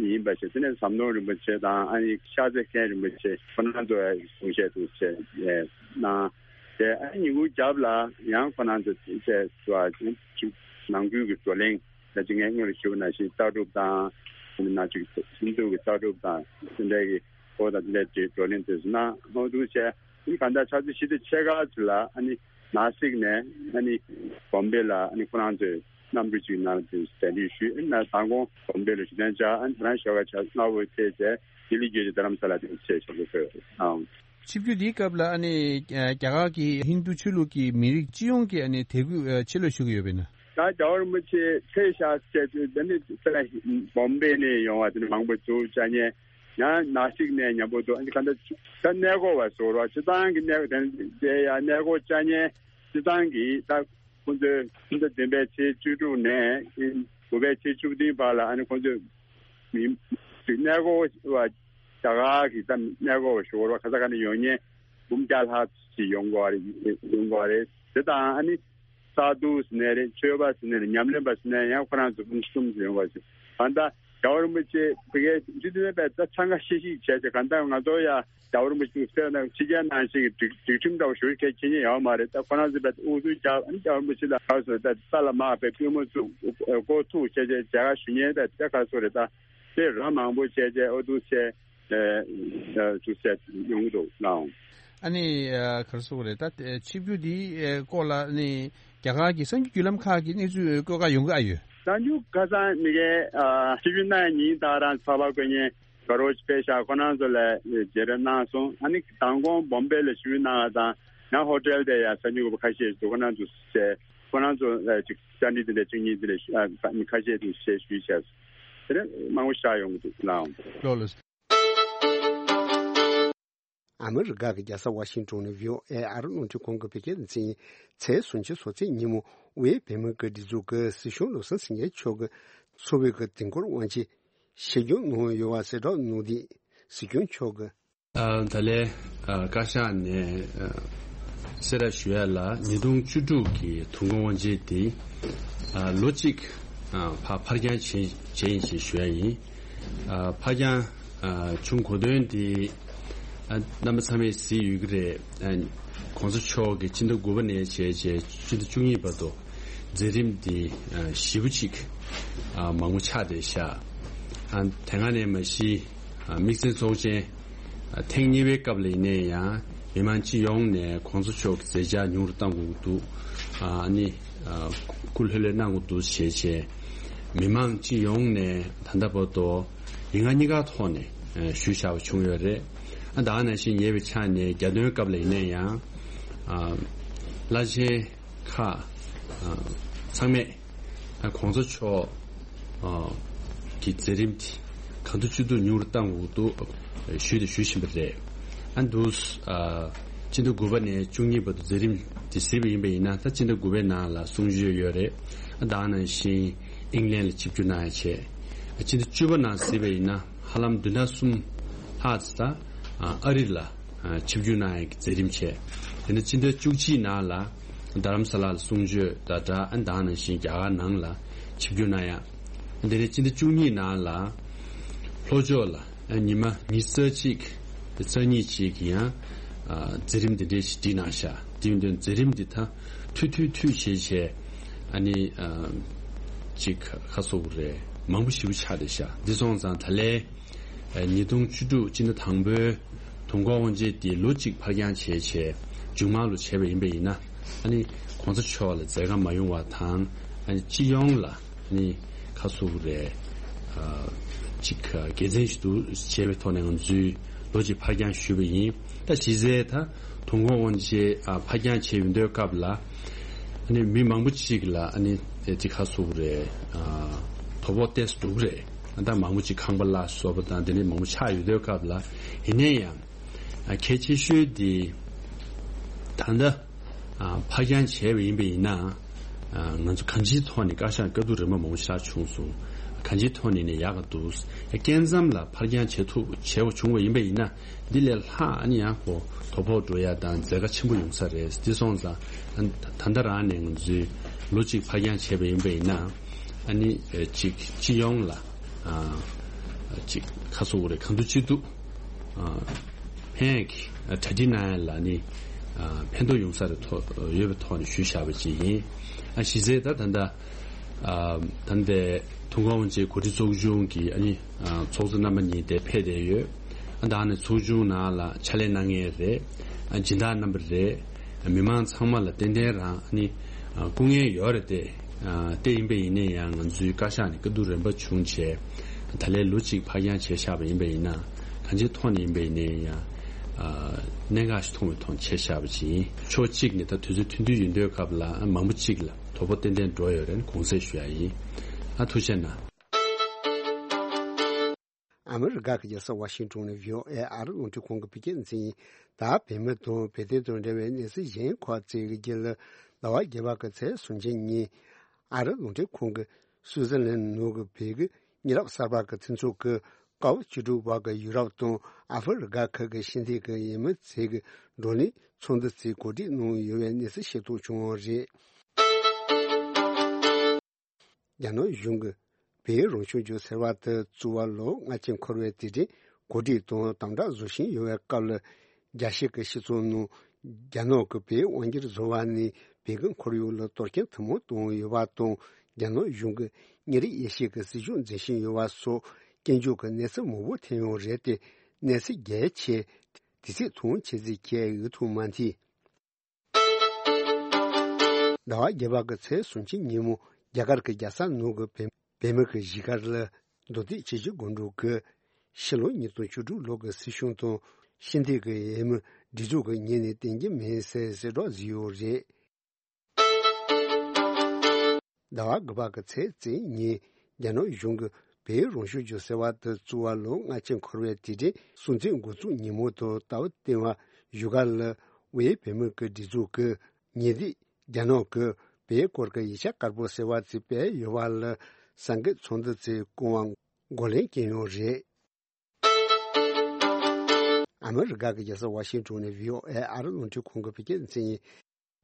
ཡིན་པ་བྱས། དེ་ནས་ཟམ་གདོང་རིན་པོ་ཆེ་དང་ཨ་ནི་ཤར་རྩེ་མཁན་རིན་པོ་ཆེ་ཁོང་རྣམ་ཚོ་གསུང་བཤད་དུ་བྱས་གནང་། དེ་ཨ་ནི་ཉིན་གུང་རྒྱབ་ལ་ཡང་ཁོང་རྣམ་ཚོ་བྱས་ནང་ཁུལ་གྱི་བགྲོ་གླེང་། ད་ཅི་ངས་སྔོན་ལ་ཞུས་པ་ནང་བཞིན་ལྟ་གྲུབ་དང་། ནང་ཆོས་ཀྱི་ཧིན་རྡུ་གི་ལྟ་གྲུབ་དང་དེ་འདྲ་གི་སྐོར་དང་དེ་འདྲའི་བགྲོ་གླེང་དེ་ཚོ་གནང་། འོ་འདུག་བྱས་ཨ་ནི་གང་ལྟར་ཆུ་ཚོད་བཞི་དང་ཕྱེད་ཀ་ཙམ་ལ་ཨ་ནི་ནང་སྲིད་ནས་ཨ་ནི་བོམ་བེ་ལ་ཨ་ནི་ཁོ་རང་ཚོས་གནམ་གྲུ་གཅིག་ནང་དུ་གདན་འདྲེན་ཞུས། ཨ་ནི་མདང་དགོང་བོམ་བེ་ལ་ཞུ་གདན་འཇགས། ཨ་ནི་དེ་རང་ཞོགས་ཀ་ཆ་སྔ་པོ་ཐད་བྱས་ལྡི་ལི་བརྒྱུད་དེ་རྡ་རམ་ས་ལ་དེ་ཚོ་ཆེད་ཆོག་གི་ཡོད། ཨང་། ཆིབས་བསྒྱུར་འདིའི་སྐབས་ལ་ཨ་ནི་རྒྱ་གར་གྱི་ཧིན་རྡུ་ཆོས་ལུགས་ཀྱི་མི་རིགས་སྤྱི་ཡོངས་ཀྱི་ཨ་ནི་དད་གུས་ཆེ་ལོས་ཞུ་གི་ཡོད་པས་ན། ད་རྒྱལ་བ་རིན་པོ་ཆེ་ཕེབས་ཤག་ཟེར་དུས་དེ་ནི་ས་བོམ་བེ་ནས་ཡོང་བ་དེ་ནི་མང་པོ་འདུག་ཅག་ཉེ་ཡང་ནང་སྲིད་ནས་མཉམ་པོ་འདུག་ཨ་ནི་ག་འདྲ་ད་གནས་སྐོར་བ་ཟོར་བ་སྤྱི་བཏང་གི་གནས་དེ་ཡང་གནས་སྐོར་ཅག་ཉེ་སྤྱི་བཏང་གི་ད་ཁོང་ཚོས་ཕྱི་ཟླ་བདུན་པའི་ཚེས་བཅུ་དྲུག་ནས་དགུ་པའི་ཚེས་བཅུ་བདུན་བར་ལ་ཨ་ནི་ཁོང་ཚོས་མི་གནས་སྐོར་བ་རྒྱ་གར་གྱི་ད་གནས་སྐོར་བ་ཞོར་བ་ག་ས་ག་ནས་ཡོང་མཁན་འབུམ་བརྒྱ་ལྷག་ཅིག་ཡོང་གི་རེད། ཡོང་གི་རེད། དེ་དང་ཨ་ནི་ས་འདུ་ཟེར་ནའི་རེད། མཆོད་པ་ཟེར་ནའི་རེད། ཉམས་ལེན་པ་ཟེར་ནའི་ཡང་ཁོ་རང་ཚོ་འབུམ་གསུམ་ཙམ་ཡོང་བ་ཞིག་གང་ལྟར་རྒྱལ་བ་རིན་པོ་ཆེ་བོད་སྐད་འཇུ་དེ་བས་ད་འཚང་ཁ་ཤིག་ཤིག་བྱས་ཏེ་གང་ལྟར་ང་ཚོ་ཡ་རྒྱལ་བ་རིན་པོ་ཆེ་ཟེར་ན་ཕྱི་རྒྱལ་ནང་བཞིན་གྱི་སྒྲིག་སྒྲིག་ཁྲིམས་འདྲ་བོ་ཞུ་མཁན་ཁྱེད་ཉིད་ཡོད་མ་རེད། ད་ཁོ་རང་ཚོ་བས་དབུ་གཙོས་རྒྱལ་ཨ་ནི་རྒྱལ་བ་རིན་པོ་ཆེ་ལ་ག་སོ་ད་ས་ལ་དམག་པའི་པུས་མོ་བཙུགས་མགོ་ཐུག་བྱས་བྱས་རྒྱལ་ཁ་ཞུ་མཁན་ད་ད་ག་སོ་རེད། ད་དེ་ར་མང་པོ་བྱས་བྱས་ཨོ་འདུག་བྱས། ཨ་ཨ་ཅུ་ཟེར་ཡོང་གི་འདུག་ལགས། ཨ་ནི་ཨ་ག་རེ་ཟེར་དགོས་རེད། ད་ཨ་ཆིབས་བསྒྱུར་འདིའི་ཨ་སྐོར་ལ་ཨ་ནི་རྒྱ་གར་གྱི་གསར་འགྱུར་བརྒྱུད་ལམ་ཁག་གི་གནས་ཚུལ་བཀོད་ཁག་ཡོང་གི་ཨ་ཡོད། གསར་འགྱུར་ཁ་སང་མི་ཁའི་ཨ་ཆིབས་བསྒྱུར་གནང་ཡ་ཉིན་ད་རང་ཚགས་པར་བཀོད་མཁན་དགའ་རོགས་ཅིག་ཕེབས་ཤག་ཁོ་རང་ཚོ་ལ་མཇལ་འཕྲད་གནང་སོང་། ཨ་ནི་མདང་དགོང་བོམ་བེ་ལ་ཆིབས་བསྒྱུར་གནང་བ་དང་ཡང་ཧོ་ཊེལ་དེ་ཡང་གསར་འགྱུར་འགོད་པ་ཁ་ཤས་ཤིག་འདུག་ཁོ་རང་ཚོ་བཤད། ཁོ་རང་ཚོ་ལ་ཅིག་བཅར་འདྲི་དེ་འདྲ་གཅིག་གཉིས་དེ་འདྲ་ཞུ་ཨ་ཁ་ཤས་དེ་བཤད་ཞུས་བྱས། དེ་ནས་མང་པོ་ཤར་ཡོང་གི་འདུག་ལགས། ལགས་ལགས། ཨ་མི་རི་ཀ་གི་རྒྱལ་ས་ཝ་ཤིང་ཏོན་ནས་ཝི་ཨོ་ཨེ་ཨ་རི་རླུང་འཕྲིན་ཁང་གི་བོད་སྐད་སྡེ་ཚན་ཡིན། ཚེས་སུམ་ཅུ་སོ་ཚེས་ཉིན་མོ་དབུས་བོད་མིའི་སྒེར་སྡེ་ཚོགས་ཀྱི་སྲིད་སྐྱོང་བློ་བཟང་སེང་གེ་མཆོག་གི་ཚོགས་པའི་གི་དིང་སྐོར་དབང་ཆེད་བཞེས་སྒྱུར་གནང་ཡོད་པ་གསལ་བསྒྲགས་གནང་སྟེ། སྲིད་སྐྱོང་མཆོག་གི་ཨ་ད་ལན་ཨ་བཀའ་ཤག་ནས་ཨ་གསལ་བསྒྲགས་ཞུ་ཡ་ལ་ཉིས་སྟོང་བཅུ་དྲུག་གི་དུས་འཁོར་དབང་ཆེན་དེ་ཨ་ལོ་གཅིག་ཨ་ཕར་ཕར་འགྱངས་བྱས་བྱས་ཡིན་ཞེས་ཞུ་ཡ་ཡིན། ཨ་ཕར་འགྱངས་ཨ་བྱུང་གོ་དོན་དེ་ཨ་རྣམ་པ་ཚང་མས་གཟིགས་ཡོད་ཀྱི་རེད། ཨ་༸གོང་ས་མཆོག་གིས་སྤྱི་ཟླ་དགུ་པ་ནས་བྱས་བྱས་སྤྱི་ཟླ་བཅུ་གཉིས་བར་དུ་མཛད་རིམ་འདི་ཨ་ཞེ་པོ་ཅིག་ཨ་མང་པོ་ཆགས་བསྡད་ཤག་ཨ་དེ་སྔ་ནས་མ་གཞི་ཨ་དམིགས་བསལ་ཚོགས་ཆེན་ཨ་ཐེངས་གཉིས་པའི་སྐབས་ལ་ཡིན་ནའི་ཡང་མི་མང་སྤྱི་ཡོངས་ནས་གོང་ས་མཆོག་གི་མཛད་འཆར་ཉུང་རུ་གཏང་དགོས་ཀྱི་འདུག་ཨ་ནི་ཨ་སྐུ་ལྷོད་ལྷོད་གནང་དགོས་འདུག་ཞེས་བྱས། མི་མང་སྤྱི་ཡོངས་ནས་ད་ལྟ་བར་དུ་ཡིག་ངག་གཉིས་ཀ་ཐོག་ནས་ཨ་ཞུས་བཞག་པ་བྱུང་ཡོད་རེད། ཨ་ད་ག་ནང་བཞིན་ཉེ་བའི་ཆར་ནས་རྒྱ་སྟོན་སྐབས་ལ་ཡིན་ནའི་ཡང་ཨ་བླ་ཆེན་ཁག་ཨ་ཚང་མས་ཨ་གོང་ས་མཆོག་ཨ་གི་མཛད་རིམ་དེ་གང་ཐུབ་ཅི་ཐུབ་ཉུང་རུ་གཏང་དགོས་འདུག་ཞུས་དང་ཞུ་བཞིན་པ་རེད། ཨ་འདུག་ཨ་སྤྱི་ཟླ་དགུ་པ་ནས་བཅུ་གཉིས་བར་དུ་མཛད་རིམ་དེ་གཟིགས་པ་ཡིན་པ་ཡིན་ན། ད་སྤྱི་ཟླ་དགུ་པའི་ནང་ལ་གསུང་ཆོས་ཡོད་རེད། ཨ་ད་ག་ནང་བཞིན་ཨིང་ལན་ལ་ཆིབས་བསྒྱུར་གནང་ཡ་བྱས། ཨ་སྤྱི་ཟླ་བཅུ་པ་ནང་གཟིགས་པ་ཡིན་ན་ཧ་ལམ་བདུན་ཕྲག་གསུམ་ལྷག་ཙམ་ད་ཨ་རི་ལ་ཨ་ཆིབས་བསྒྱུར་གནང་ཡག་གི་མཛད་རིམ་བྱས། དེ་ནས་སྤྱི་ཟླ་བཅུ་གཅིག་ནང་ལ་རྡ་རམ་ས་ལ་ལ་གསུང་ཆོས་དང་སྦྲགས་ཨ་ནི་ད་ག་ནང་བཞིན་རྒྱ་གར་ནང་ལ་ཆིབས་བསྒྱུར་གནང་ཡག་དེ་ནས་སྤྱི་ཟླ་བཅུ་གཉིས་ནང་ལ་ལྷོ་ཕྱོགས་ལ་ཨ་ཉི་མ་ཉི་ཤུ་རྩ་གཅིག་རྩ་གཉིས་ཅིག་གི་ཡང་ཨ་མཛད་རིམ་འདི་འདྲའི་ཞིག་བསྒྲིགས་གནང་ཤག་དེ་ཡིན་དུས་མཛད་རིམ་འདི་ད་མཐུད་མཐུད་མཐུད་བྱས་བྱས་ཨ་ནི་ཨ་ཅིག་ཁ་གསོ་དགོས་རེད། མང་པོ་ཞེ་པོ་ཆགས་བསྡད་ཤག་འདི་སོང་ཙང་ད་ལན་ཉིས་སྟོང་བཅུ་དྲུག་སྤྱི་ཟླ་དང་པོའི་དུས་འཁོར་དབང་ཆེན་དེ་ལོ་གཅིག་ཕར་འགྱངས་བྱས་བྱས་མཇུག་མ་ལོ་བྱས་པ་ཡིན་པ་ཡིན་ན། ཨ་ནི་གོང་ས་མཆོག་ལ་མཛད་དཀའ་མ་ཡོང་བ་དང་། ཨ་ནི་སྤྱི་ཡོངས་ལ་ཨ་ནི་ཁ་གསོ་དགོས་རེད། ཨ་ཅིག་དགེ་མཚན་ཞིག་འདུག་བྱས་པའི་ཐོག་ནས་ང་ཚོས་ལོ་གཅིག་ཕར་འགྱངས་ཞུས་པ་ཡིན། ད་གཞི་རྩའི་ད་དུས་འཁོར་དབང་ཆེན་ཨ་ཕར་འགྱངས་བྱས་ཡོང་དུས་སྐབས་ལ་ཨ་ནི་མི་མང་པོ་ཅིག་ལ་ཨ་ནི་དེ་ཅིག་ཁ་གསོ་དགོས་རེད། ཨ་དོ་ཕོག་ཏོག་ཙམ་འགྲོ་གི་རེད། ད་མང་པོ་ཅིག་ཁང་པ་གླ་སོགས་པ་དང་དེ་འདྲ་མང་པོ་ཆགས་ཡོང་དུས་སྐབས་ལ། ཡིན་ན་ཡང་ཨ་གལ་ཆེ་ཤོས་དེ་ད་ལྟ་ཨ་ཕར་འགྱངས་བྱས་པ་ཡིན་པ་ཡིན་ན། ཨ་ང་ཚོ་གང་ཅིའི་ཐོག་ནས་བཀའ་ཤག་བཀའ་བསྡུར་རིམ་པ་མང་པོ་ཞིག་བྱུང་སོང་ གང་ཅིའི་ཐོག་ནས་ནི་ཡག་ག་འདུག་སྐྱེ་མཚམས་ལ་ཕར་འགྱངས་བྱེད་ཐུབ་བྱེད་པ་བྱུང་བ་ཡིན་པ་ཡིན་ན། འདི་ལས་ལྷག་ཨ་ནི་ཡང་ཁོ་དོ་ཕོག་འགྲོ་ཡ་དང་འཛད་དཀའ་ཆེན་པོ་ཡོང་ས་རེད། འདི་སོང་ཙང་ཨ་ད་ལྟ་རང་ནས་ང་ཚོས་ལོ་གཅིག་ཕར་འགྱངས་བྱས་པ་ཡིན་པ་ཡིན་ན། ཨ་ནི་ཨེ་གཅིག་སྤྱི་ཡོངས་ལ་ཨ་གཅིག་ཁ་སོ་རེ་གང་ཐུབ་ཅི་ཐུབ་ཨ་ཕན་ཡག་གི་གྲ་སྒྲིག་གནང་ཡ་ལ་ནི་ཨ་ཕན་ཐོགས་ཡོང་ས་རེ་ཐོག་ཡོད་པའི་ཐོག་ནས་ཞུས་བཞག་པ་ཅིག་ཡིན། ཨ་གཞི་རྩའི་ད་ད་ལྟ་ཨ་ད་ལྟའི་ཐུན་མོང་དབང་ཆེན་གོ་སྒྲིག་ཚོགས་ཆུང་གི་ཨ་ནི་ཨ་ཚོགས་གཙོ་རྣམ་པ་གཉིས་དེ་ཕེབས་བསྡད་ཡོད། ཨ་ད་ནི་ཚོགས་ཆུང་ནང་ལ་ཕྱག་ལས་གནང་མཁན་རེད། ཨ་སྦྱིན་བདག་རྣམ་པ་རེད། མི་མང་ཚང་མ་ལ་ཏན་ཏན་རང་ནི་སྐུ་ངལ་ཡོད་རེད་དེ། དེ་ཡིན་པ་ཡིན་ན་ཡང་ང་ཚོའི་བཀའ་ཤག་ནས་བཀའ་བསྡུར་རན་པ་བྱུང་བྱས། ད་ལན་ལོ་གཅིག་ཕར་འགྱངས་བྱས་བཞག་པ་ཡིན་པ་ཡིན་ན། གང་ཅིའི་ཐོག་ནས་ཡིན་པ་ཡིན་ན་ཡང་གནད་འགག་ཞིག་མཐོང་བའི་ཐོག་བྱས་བཞག་པ་ཅིག་ཡིན། ཕྱོགས་གཅིག་ནས་ད་དུས་ཚོད་ཐུང་ཐུང་ཡིན་དུས་སྐབས་ལ་མང་པོ་གཅིག་ལ་དོ་ཕོག་ཏན་ཏན་འགྲོ་ཡོད་རེད་དགོངས་སེལ་ཞུ་ཡ་ཡིན། ཨ་ཐུགས་རྗེ་གནང་། ཨ་མི་རི་ཀ་གི་རྒྱལ་ས་ཝ་ཤིང་ཏོན་ནས་བྷི་ཨོ་ཨེ་ཨ་རི་རླུང་འཕྲིན་ཁང་གི་བོད་སྐད་སྡེ་ཚན་ཡིན། ད་བོད་མི་དང་བོད་དོན་དང་འབྲེལ་བའི་གནས་ཚུལ་གཞན་ཁག་ཅིག་གི་རྒྱུད་ལ། ཟླ་བ་བརྒྱད་པ་གི་ཚེས་སུམ་ཅུ་ཉིན་ཨ་རི་རླུང་འཕྲིན་ཁང་གིས་སུའུ་ཙེར་ལན་ནང་གི་བོད་ཀྱི་མི་རབས་གསར་པ་གི་མཐུན་ཚོགས་ཀྱི་སྐབས་བཅུ་དྲུག་པ་གི་ཡུ་རོབ་དང་ཨ་ཧྥེ་རི་ཀ་ཁག་གི་ཤེས་ལྡན་གྱི་ཡུལ་མི་ཚོས་ཀྱི་བགྲོ་གླེང་ཚོགས་འདུ་ཚོས་གོ་སྒྲིག་གནང་ཡོད་པའི་གནས་ཚུལ་ཤེས་རྟོགས་བྱུང་བ་རེད། རྒྱ་ནག་གཞུང་གིས་བོད་རང་སྐྱོང་ལྗོངས་ཟེར་བ་དེ་བཙུགས་པ་ལོ་ལྔ་བཅུ་འཁོར་བའི་དུས་དྲན་གོ་སྒྲིག་དང་དམ་དྲག་བཟོ་བཞིན་ཡོད་པའི་སྐབས་ལ། རྒྱ་ཤོད་ཀྱི་སྤྱི་ཚོགས་ནང་རྒྱ་ནག་གིས་བོད་དབང་སྒྱུར་བཟོ་བ་ནས་བོད་ཀྱི་ཁོར་ཡུག་ལ་གཏོར་སྐྱོན་ཐུན་མོང་བཏང་ཡོད་པ་དང་། རྒྱ་ནག་གཞུང་གིས་ཉིན་རེ་ཡེ་ཤུ་གི་སྲིད་ཇུས་འཛིན་བཞིན་ཡོད་པ་སོགས་སྐྱོན་བརྗོད་ཀྱི་གནས་ཚུལ་མང་པོ་ཐོན་ཡོད་རེད་དེ། གནས་ཚུལ་རྒྱས་ཆེ་དེ་ཚིག་ཐུང་ཆེ་ཚིག་གས་འུ་ཐུག་མ་མཐིལ། ཟླ་བ་བརྒྱད་པ་གི་ཚེས་སུམ་ཅུ་ཉིན་མོ་རྒྱ་གར་གྱི་རྒྱལ་ས་ནང་གི་བོད་བོད་མི་གི་གཞིས་སྒར་ལ་མདོ་སྟོད་ཆུ་བཞི་སྒང་དྲུག་གི་ཕྱི་ལོ་ཉིས་སྟོང་བཅུ་དྲུག་ལོ་གི་སྲིད་གཞུང་དང་ཤེས་ལྡན་གྱི་ཡུལ་མི་སྒྲིག་འཛུགས་ཀྱི་ཉེས་ནས་བསྟན་གྱི་མིན་ཟེར་གསལ་བསྒྲགས་བཟོས་ཡོད་རེད། ཟླ་བ་དགུ་པ་གི་ཚེས་བཅུ་ཉིན་རྒྱ་ནག་གཞུང་གིས་བོད་རང་སྐྱོང་ལྗོངས་ཟེར་བ་དེ་བཙུགས་པ་ལོ་ལྔ་བཅུ་འཁོར་བའི་དུས་དྲན་སྲུང་བརྩི་འགོ་བཙུགས་ཉིན་མོ་དང་ལྟ་བུ་བསྟན་པ་བཞུགས་སྒར་ལ་དབུས་བོད་མི་གི་སྒྲིག་འཛུགས་ཀྱི་ཉེ་དུས་རྒྱ་ནག་གིས་བོད་སྐོར་གྱི་ཡིག་ཆ་དཀར་པོ་ཟེར་བ་ཅིག་སྤེལ་ཡོད་པ་ལ་གསར་འགོད་ཚོགས་འདུ་ཅིག་བསྐོང་བར་འགོ་ལེན་བསྐྱོན་ཡོད་རེད། ཨ་མི་རི་ཀ་གི་རྒྱལ་ས་ཝ་ཤིང་ཏོན་ནས་བྷི་ཨོ་ཨེ་ཨ་རི་རླུང་འཕྲིན་ཁང་གི་བོད་སྐད་སྡེ་ཚན་ཡིན།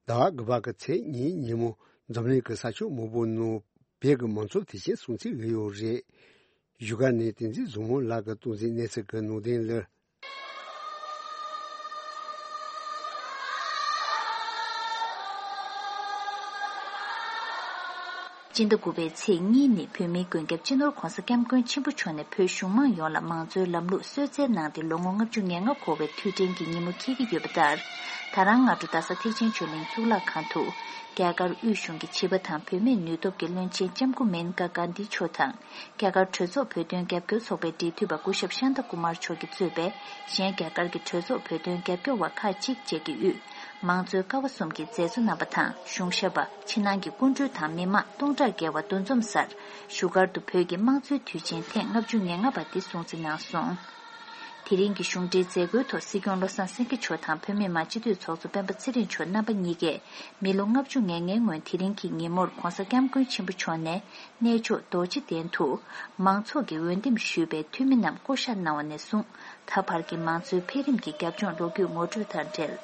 ཟླ་བ་དགུ་པ་གི་ཚེས་གཉིས་ཉིན་མོ་འཛམ་གླིང་གི་ས་ཕྱོགས་མང་པོ་ནང་བོད་ཀྱི་མང་ཚོགས་དེ་བཞིན་སྲུང་བརྩི་ཡོད་ཡོད་རེད། བཞུགས་སྒར་ནས་བསྟན་འཛིན་བཟང་མོ་ལགས་ཀྱིས་གཏོང་མཛད་གནས་ཚུལ་གྱི་ནང་དོན་ལ། སྤྱི་ཟླ་དགུ་པའི་ཚེས་གཉིས་ནི་བོད་མིའི་མགོན་སྐྱབས་སྤྱི་ནོར་༧གོང་ས་༧སྐྱབས་མགོན་ཆེན་པོ་མཆོག་ནས་བོད་གཞུང་མང་ཡོངས་ལ་མང་གཙོའི་ལམ་ལུགས་གསོལ་སྩལ་གནང་སྟེ་ལོ་ངོ་ལྔ་བཅུ་ང་ལྔ་འཁོར་བའི་དུས་དྲན་གྱི་ཉིན་མོ་འཁེལ་གྱི་ཡོད་པ་ལྟར། ད་རང་སྔ་དྲོ་རྡ་ས་ཐེག་ཆེན་ཆོས་གླིང་གཙུག་ལག་ཁང་དུ་རྒྱ་གར་དབུས་གཞུང་གི་བྱིས་པ་དང་བུད་མེད་ནུས་སྟོབས་ཀྱི་བློན་ཆེན་ལྕམ་སྐུ་མེན་ཀ་གྷན་དྷི་མཆོག་དང་། རྒྱ་གར་གྲོས་ཚོགས་བོད་དོན་རྒྱབ་སྐྱོར་ཚོགས་པའི་འབྲེལ་མཐུད་པ་སྐུ་ཞབས་ཤཱན་ཏ་ཀུ་མར་མཆོག་གིས་གཙོས་པའི་གཞན་རྒྱ་གར་གྱི་གྲོས་ཚོགས་བོད་དོན་རྒྱབ་སྐྱོར་བ་ཁག་ཅིག་བཅས་ཀྱིས་དབུས་མང་གཙོའི་ཀ་བ་གསུམ་གྱི་མཛད་གཙོ་རྣམ་པ་དང་གཞུང་ཞབས་པ། ཕྱི་ནང་གི་སྐུ་མགྲོན་དང་མི་མང་སྟོང་ཕྲག་བརྒལ་བ་འདུ་འཛོམས་སར་བཞུགས་སྒར་དུ་བོད་ཀྱི་དམངས་གཙོའི་དུས་ཆེན་ཐེངས་ལྔ་བཅུ་ང་ལྔ་པ་འདི་སྲུང་བརྩི་གནང་སོང་། དེ་རིང་གི་གཞུང་འབྲེལ་མཛད་སྒོའི་ཐོག་སྲིད་སྐྱོང་བློ་བཟང་སེང་གེ་མཆོག་དང་བོད་མི་མང་སྤྱི་འཐུས་ཚོགས་གཙོ་སྤེན་པ་ཚེ་རིང་མཆོག་རྣམ་པ་གཉིས་ཀས་མི་ལོ་ལྔ་བཅུ་ང་ལྔའི་སྔོན་དེ་རིང་གི་ཉིན་མོར་༧གོང་ས་༧སྐྱབས་མགོན་ཆེན་པོ་མཆོག་ནས་གནས་མཆོག་རྡོ་རྗེ་གདན་དུ་མང་ཚོགས་ཀྱིས་འོས་འདེམས་ཞུས་པའི་འཐུས་མི་རྣམས་བསྐོ་བཞག་གནང་བ་ནས་བཟུང་ད་བར་གྱི་མང་གཙོའི་འཕེལ་རིམ་གྱི་རྒྱབ་ལྗོངས་ལོ་རྒྱུས་ངོ་སྤྲོད་དང་འབྲེལ།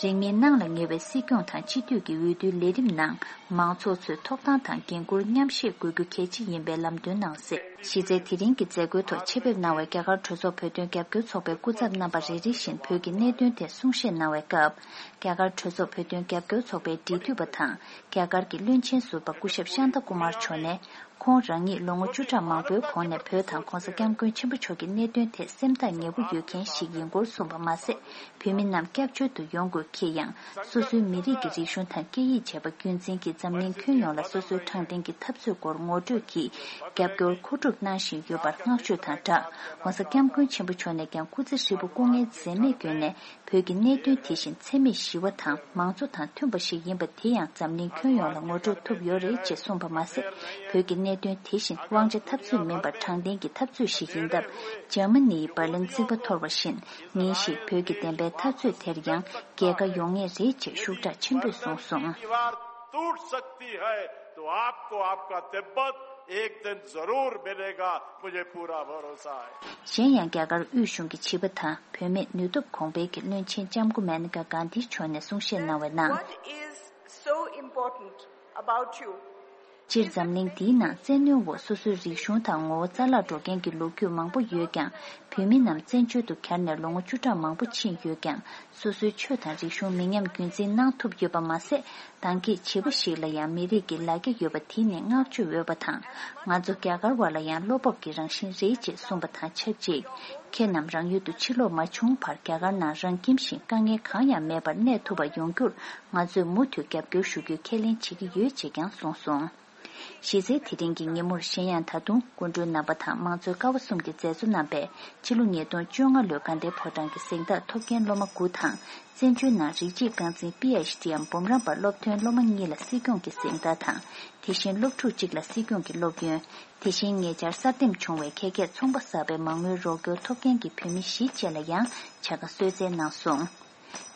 རིང་མིན་གནང་ལ་ཉེ་བའི་སྲིད་སྐྱོང་དང་སྤྱི་འཐུས་ཀྱི་འོས་བསྡུའི་ལས་རིམ་ནང་མང་ཚོགས་ཚོས་ཐོབ་ཐང་དང་འགན་འཁུར་མཉམ་བཞེས་དགོས་རྒྱུ་གལ་ཆེ་ཡིན་པའི་ལམ་སྟོན་གནང་གསལ། གཞི་རྩའི་དེ་རིང་གི་མཛད་སྒོའི་ཐོག་ཆེད་ཕེབས་གནང་བའི་རྒྱ་གར་གྲོས་ཚོགས་བོད་དོན་རྒྱབ་སྐྱོར་ཚོགས་པའི་སྐུ་ཚབ་རྣམ་པ་རེ་རེ་བཞིན་བོད་ཀྱི་གནད་དོན་ཐད་གསུང་བཤད་གནང་བའི་སྐབས། རྒྱ་གར་གྲོས་ཚོགས་བོད་དོན་རྒྱབ་སྐྱོར་ཚོགས་པའི་འབྲེལ་མཐུད་པ་དང་རྒྱ་གར་གྱི་བློན་ཆེན་ཟུར་པ་སྐུ་ཞབས་ཤཱན་ཏཱ་ཀུ་མར་མཆོག་ནས། ཁོང་རང་ཉིད་ལོ་ངོ་བཅུ་ཕྲག་མང་པོའི་གོང་ནས་བོད་དང་༧གོང་ས་༧སྐྱབས་མགོན་ཆེན་པོ་མཆོག་གི་གནད་དོན་ཐད་སེམས་ཐག་ཉེ་པོ་ཡོད་མཁན་ཞིག་ཡིན་སྐོར་གསུངས་པ་མ་ཟད། བོད་མི་རྣམས་སྐྱབས་བཅོལ་དུ་ཡོང་དགོས་ཁེལ་ཡང་། སོ་སོའི་མི་རིགས་ཀྱི་རིག་གཞུང་དང་སྐད་ཡིག་བཅས་པ་རྒྱུན་འཛིན་གྱིས་འཛམ་གླིང་ཁྱོན་ཡོངས་ལ་སོ་སོའི་དྲང་བདེན་གྱི་འཐབ་རྩོད་སྐོར་ངོ་སྤྲོད་ཀྱིས་རྒྱབ་སྐྱོར་མཁོ་སྒྲུབ་གནང་བཞིན་ཡོད་པར་བསྔགས་བརྗོད་དང་སྦྲགས། ༧གོང་ས་༧སྐྱབས་མགོན་ཆེན་པོ་མཆོག་ནས་ཀྱང་སྐུ་ཚེ་ཧྲིལ་པོ་སྐུ་ངལ་འཛེམས་མེད་བསྐྱོན་ནས། བོད་ཀྱི་གནད་དོན་དེ་བཞིན་འཚེ་མེད་ཞི་བ་དང་མང་གཙོ་དང་མཐུན་པ་ཞིག་ཡིན་པ་དེ་ཡང་འཛམ་གླིང་ཁྱོན་ཡོངས་ལ་ངོ་སྤྲོད་ཐུབ་ཡོད་རེད་ཅེས་གསུངས་པ་མ་ཟད། བོད་ཀྱི་གནད་དོན་དེ་བཞིན་དབང་ཆ་འཐབ་རྩོད་མིན་པར་དྲང་བདེན་གྱི་འཐབ་རྩོད་ཞིག་ཡིན་སྟབས། འཇར་མ་ནིའི་འབར་ལིན་རྩིག་པ་འཐོར་བ་བཞིན་ཉིན་ཞིག་བོད་ཀྱི་བདེན་པའི་འཐབ་རྩོད་དེར་ཡང་རྒྱལ་ཁ་ཡོང་ངེས་རེད་ཅེས་ཤུགས་དྲག་ཆེན་པོས་གསུངས་སོང་། एक दिन जरूर मिलेगा, मुझे पूरा भरोसा है। གཞན་ཡང་རྒྱ་གར་དབུས་གཞུང་གི་བྱིས་པ་དང་བུད་མེད་ནུས་སྟོབས་གོང་སྤེལ་གྱི་བློན་ཆེན་ལྕམ་སྐུ་མེ་ནེ་ཀ་གྷན་དྷི་མཆོག་ནས་གསུང་བཤད་གནང་བའི་ནང་། What is so important about you? སྤྱིར་འཛམ་གླིང་འདིའི་ནང་བཙན་གནོན་འོག་སོ་སོའི་རིག་གཞུང་དང་ངོ་བོ་རྩ་བརླག་འགྲོ་མཁན་གྱི་ལོ་རྒྱུས་མང་པོ་ཡོད་ཀྱང་། བོད་མི་རྣམས་བཙན་བྱོལ་དུ་གྱར་ནས་ལོ་ངོ་བཅུ་ཕྲག་མང་པོ་ཕྱིན་ཡོད་ཀྱང་། སོ་སོའི་ཆོས་དང་རིག་གཞུང་མི་ཉམས་རྒྱུན་འཛིན་གནང་ཐུབ་ཡོད་པ་མ་ཟད། ད་གིན་བྱིས་པ་ཞིག་ལ་ཡང་མི་རིགས་ཀྱི་ལ་རྒྱ་ཡོད་པ་དེ་ནི་བསྔགས་བརྗོད་འོས་པ་དང་། ང་ཚོ་རྒྱ་གར་བ་ལ་ཡང་བློ་སྤོབས་ཀྱི་རང་བཞིན་རེད་ཅེས་གསུངས་པ་དང་ཆབས་ཅིག་ཁྱེད་རྣམས་རང་ཡུལ་དུ་ཕྱིར་ལོག་མ་བྱུང་བར་རྒྱ་གར་ནང་རང་ཁྱིམ་བཞིན་དཀའ་ངལ་གང་ཡང་མེད་པར་གནས་ཐུབ་པ་ཡོང་རྒྱུར་ང་ཚོས་མུ་མཐུད་རྒྱབ་སྐྱོར་ཞུ་རྒྱུའི་ཁས་ལེན་བྱེད་ཀྱི་ཡོད་ཅེས་ཀྱང་གསུངས་སོང་། གཞི་རྩའི་དེ་རིང་གི་ཉིན་མོར་གཞན་ཡང་ད་དུང་སྐུ་མགྲོན་རྣམ་པ་དང་མང་གཙོའི་ཀ་བ་གསུམ་གྱི་མཛད་གཙོ་རྣམ་པས་ཕྱི་ལོ་ཉིས་སྟོང་བཅོ་ལྔ་ལོའི་དགའ་ལྡན་ཕོ་བྲང་གི་གཟེངས་རྟགས་ཐོབ་མཁན་སློབ་མ་དགུ་དང་། བཙན་བྱོལ་ནང་རིགས་གཅིག་རྐང་འཛིན་པི་ཨེཆ་ཌི་འམ་འབུམ་རམས་པ་སློབ་ཐོན་སློབ་མ་གཉིས་ལ་སྲིད་སྐྱོང་གི་གཟེངས་རྟགས་དང་། དེ་བཞིན་སློབ་ཕྲུག་གཅིག་ལ་སྲིད་སྐྱོང་གི་སློབ་ཡོན། དེ་བཞིན་ཉེ་ཆར་གསར་འདེམས་བྱུང་བའི་ཁྱད་ཁྱད་ཚོང་པ་གསར་པའི་མ་དངུལ་རོགས་སྐྱོར་ཐོབ་མཁན་གྱི་བོད་མི་བཞི་བཅས་ལ་ཡང་བྱ་དགའ་གསོལ་སྩལ་གནང་སོང་།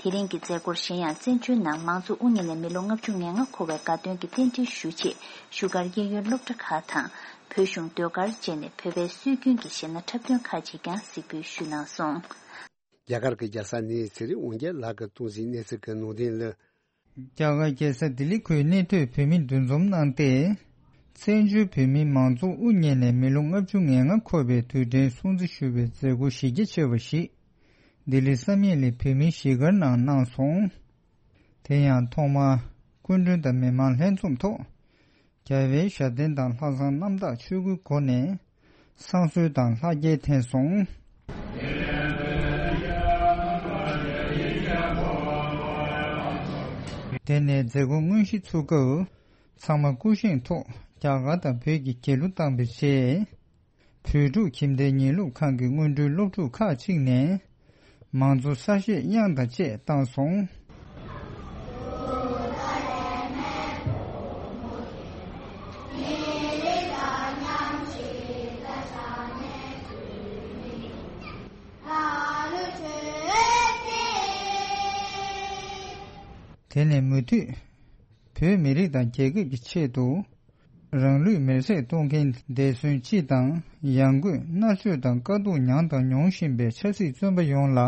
དེ་རིང་གི་མཛད་སྒོར་གཞན་ཡང་བཙན་བྱོལ་ནང་མང་གཙོ་དབུ་བརྙེས་ནས་མི་ལོ་ལྔ་བཅུ་ང་ལྔ་འཁོར་བའི་དགའ་སྟོན་གྱི་རྟེན་འབྲེལ་ཞུ་ཆེད་བཞུགས་སྒར་གཡས་གཡོན་སློབ་གྲྭ་ཁག་དང་། བོད་གཞུང་ཟློས་གར་བཅས་ནས་བོད་པའི་སྲོལ་རྒྱུན་གྱི་གཞས་སྣ་འཁྲབ་སྟོན་ཁག་ཅིག་ཀྱང་གཟིགས་འབུལ་ཞུས་གནང་སོང་། རྒྱ་གར་གྱི་རྒྱལ་ས་ནི་ཚེ་རིང་དབང་རྒྱལ་ལགས་ཀྱིས་གཏོང་ཟིན་གནས་ཚུལ་གྱི་ནང་དོན་ལ། རྒྱ་གར་རྒྱལ་ས་ལྡི་ལི་ཁུལ་གནས་སྡོད་བོད་མི་འདུ་འཛོམས་གནང་སྟེ། བཙན་བྱོལ་བོད་མིའི་མང་གཙོ་དབུ་བརྙེས་ནས་མི་ལོ་ལྔ་བཅུ་ང་ལྔ་འཁོར་བའི་དུས་དྲན་སྲུང་བརྩི་ཞུ་བའི་མཛད་སྒོ་གཞི་རྒྱ་ཆེ་བ་ཞིག་ལྡི་ལི་བསམ་ཡས་གླིང་བོད་མིའི་གཞིས་སྒར་ནང་གནང་སོང་། དེ་ཡང་ཐོག་མར་སྐུ་མགྲོན་དང་མི་མང་ལྷན་འཛོམས་ཐོག་རྒྱལ་བའི་ཞབས་བརྟན་དང་ལྷག་བསམ་རྣམ་དག་ཆོས་སྐུའི་སྒོ་ནས་བསང་གསོལ་དང་ལྷ་རྒྱལ་འཐེན་སོང་། དེ་ནས་མཛད་སྒོ་དངོས་གཞི་ཚུགས་སྐབས་ཚང་མ་སྐུ་བཞེངས་ཐོག་རྒྱ་གར་དང་བོད་ཀྱི་རྒྱལ་གླུ་བཏང་བའི་རྗེས། བོད་ཕྲུག་ཁྱིམ་སྡེ་ཉིན་ལུགས་ཁང་གི་སྔོན་འགྲོའི་སློབ་ཕྲུག་ཁག་ཅིག་ནས་མང་གཙོ་གསར་བཞད་དབྱངས་དང་བཅས་བཏང་སོང་། དེ་ནས་མུ་མཐུད་བོད་མི་རིགས་དང་རྒྱལ་ཁབ་ཀྱི་ཆེད་དུ། རང་ལུས་མེར་སྲེག་གཏོང་མཁན་འདས་གསོན་སྤྱི་དང་ཡང་སྒོས་མནར་གཅོད་དང་དཀའ་སྡུག་མྱངས་དང་མྱོང་བཞིན་པའི་ཆབ་སྲིད་བཙོན་པ་ཡོངས་ལ་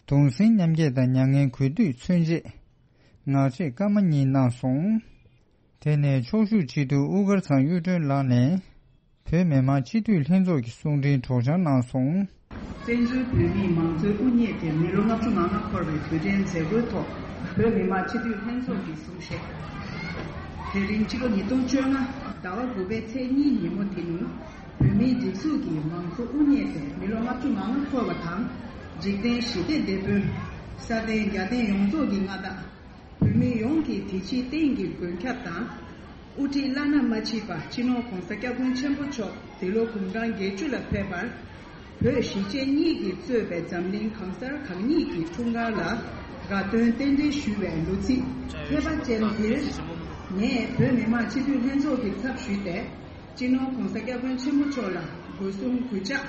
གདུང་སེམས་མཉམ་སྐྱེད་དང་མྱ་ངན་གུས་འདུད་མཚོན་ཆེད་ངག་བཅད་སྐར་མ་གཉིས་གནང་སོང་། དེ་ནས་ཕྱོགས་བཞུགས་སྤྱི་འཐུས་དབུ་དཀར་ཚང་གཡུ་སྒྲོན་ལགས་ནས་བོད་མི་མང་སྤྱི་འཐུས་ལྷན་ཚོགས་ཀྱི་གསུང་འཕྲིན་སྒྲོག་སྦྱང་གནང་སོང་། བཙན་བྱོལ་བོད་མིའི་མང་གཙོའི་དབུ་བརྙེས་ཏེ་མི་ལོ་ལྔ་བཅུ་ང་ལྔ་འཁོར་བའི་དུས་དྲན་མཛད་སྒོའི་ཐོག་བོད་མི་མང་སྤྱི་འཐུས་ལྷན་ཚོགས་ཀྱི་གསུང་བཤད། དེ་རིང་སྤྱི་ལོ་ཉིས་སྟོང་བཅོ་ལྔ་ཟླ་བ་དགུ་པའི་ཚེས་གཉིས་ཉིན་མོ་འདི་ནི་བོད་མིའི་སྒྲིག་འཛུགས་ཀྱི་མང་གཙོ་དབུ་བརྙེས་ཏེ་མི་ལོ་ལྔ་བཅུ་ང་ལྔ་འཁོར་བ་དང་། འཇིག་རྟེན་ཞི་བདེ་སྡེ་དཔོན། ས་སྟེང་རྒྱལ་བསྟན་ཡོངས་རྫོགས་ཀྱི་མངའ་བདག་བོད་མི་ཡོངས་ཀྱི་དེ་ཕྱིའི་རྟེན་གྱི་མགོན་སྐྱབས་དང་། དབུ་ཁྲིད་བླ་ན་མ་མཆིས་པ་སྤྱི་ནོར་༸གོང་ས་༸སྐྱབས་མགོན་ཆེན་པོ་མཆོག་འདི་ལོ་དགུང་གྲངས་བརྒྱད་ཅུ་ལ་ཕེབས་པར། བོད་གཞིས་བྱེས་གཉིས་ཀྱིས་གཙོས་པའི་འཛམ་གླིང་གང་སར་གང་ཉིད་ཀྱི་འཁྲུངས་སྐར་ལ་དགའ་སྟོན་རྟེན་འབྲེལ་ཞུ་བའི་ལོ་ཚིགས་ཁྱད་པར་ཅན་འདིར། ངས་བོད་མི་མང་སྤྱི་འཐུས་ལྷན་ཚོགས་ཀྱི་ཚབ་ཞུས་ཏེ། སྤྱི་ནོར་༸གོང་ས་༸སྐྱབས་མགོན་ཆེན་པོ་མཆོག་ལ་སྒོ་གསུམ་གུས་ཕྱག་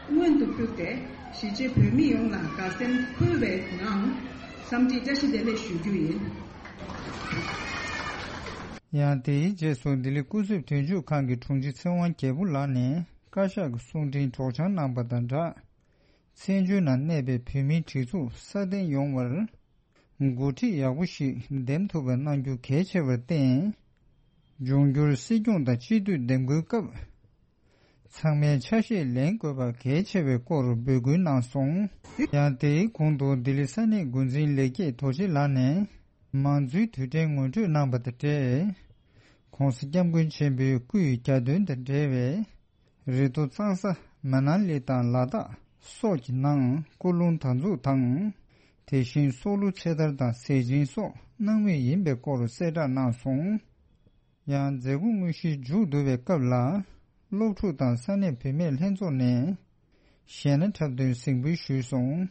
སྔོན་དུ་ཕུལ་ཏེ། གཞིས་བྱེས་བོད་མི་ཡོངས་ལ་དགའ་སེམས་འཁོལ་བའི་ངང་འཚམས་འདྲི་བཀྲ་ཤིས་བདེ་ལེགས་ཞུ་རྒྱུ་ཡིན། ཡང་དེའི་རྗེས་སུ་ལྡི་ལི་སྐུ་ཚབ་དོན་གཅོད་ཁང་གི་དྲུང་ཆེ་ཚེ་དབང་རྒྱལ་པོ་ལགས་ནས་བཀའ་ཤག་གི་གསུང་འཕྲིན་སྒྲོག་སྦྱང་གནང་པ་དང་སྦྲགས། བཙན་བྱོལ་ནང་གནས་པའི་བོད་མིའི་སྒྲིག་འཛུགས་སྲ་བརྟན་ཡོང་བར། འགོ་ཁྲིད་ཡག་པོ་ཞིག་འདེམས་ཐུབ་པ་གནང་རྒྱུ་གལ་ཆེ་བར་བརྟེན། འབྱུང་འགྱུར་སྲིད་སྐྱོང་དང་སྤྱི་འཐུས་འདེམས་བསྐོའི་སྐབས། ཚང་མས་ཆ་ཤས་ལེན་དགོས་པ་གལ་ཆེ་བའི་སྐོར་འབོད་སྐུལ་གནང་སོང་། ཡང་དེའི་གོང་དུ་ལྡི་ལི་ས་གནས་འགོ་འཛིན་ལེགས་སྐྱེས་རྡོ་རྗེ་ལགས་ནས་མང་གཙོའི་དུས་དྲན་ངོ་སྤྲོད་གནང་པ་དང་འབྲེལ། ༸གོང་ས་༸སྐྱབས་མགོན་ཆེན་པོའི་སྐུའི་གྱ་སྟོན་དང་འབྲེལ་བའི། རི་མཐོ་གཙང་ས་མ་ན་ལི་དང་ལ་དྭགས་སོགས་ཀྱི་ནང་སྐུ་རླུང་དར་འཛུགས་དང་། དེ་བཞིན་སྲོག་བླུ་ཚེ་ཐར་དང་ཟས་སྦྱིན་སོགས་གནང་མུས་ཡིན་པའི་སྐོར་གསལ་བསྒྲགས་གནང་སོང་། ཡང་མཛད་སྒོ་དངོས་གཞི་མཇུག་བསྡུ་བའི་སྐབས་ལ། སློབ་ཕྲུག་དང་ས་གནས་བུད་མེད་ལྷན་ཚོགས་ནས་གཞས་སྣ་འཁྲབ་སྟོན་གཟིགས་འབུལ་ཞུས་སོང་།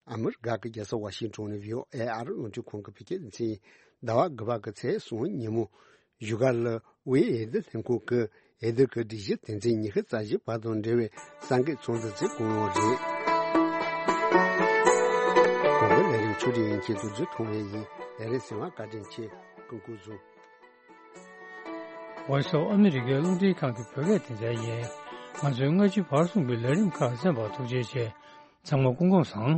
ཨ་མི་རི་ཀ་གི་རྒྱལ་ས་ཝ་ཤིང་ཊོན་ནས་བྷི་ཨོ་ཨེ་ཨ་རི་རླུང་འཕྲིན་ཁང་གི་བོད་སྐད་སྡེ་ཚན། ཟླ་བ་དགུ་པ་གི་ཚེས་གསུམ་ཉིན་མོ། བཞུགས་སྒར་ལ་དབུས་འོས་བསྡུ་ལྷན་ཁང་གི་འོས་བསྡུ་གི་སྒྲིག་གཞི་དོན་ཚན་ཉི་ཤུ་རྩ་བཞི་པ་དང་འབྲེལ་བའི་གསར་འགོད་ཚོགས་འདུ་དེ་གོ་ཡོང་རེད། གོང་གི་ལས་རིམ་ཆུ་སྒྲིག་ཡན་ཆད་དུ་བརྒྱུད་གཏོང་བ་ཡིན། ལས་རིམ་གསན་པར་བཀའ་དྲིན་ཆེ། སྐུ་ཁམས་བཟང་། Voice of America རླུང་འཕྲིན་ཁང་གི་བོད་སྐད་སྡེ་ཚན་ཡིན། ང་ཚོའི་སྔ་ཕྱི་བར་གསུམ་གྱི་ལས་རིམ་ཁག་གསན་པར་ཐུགས་རྗེ་ཆེ། ཚང་མ་སྐུ་ཁམས་བཟང་།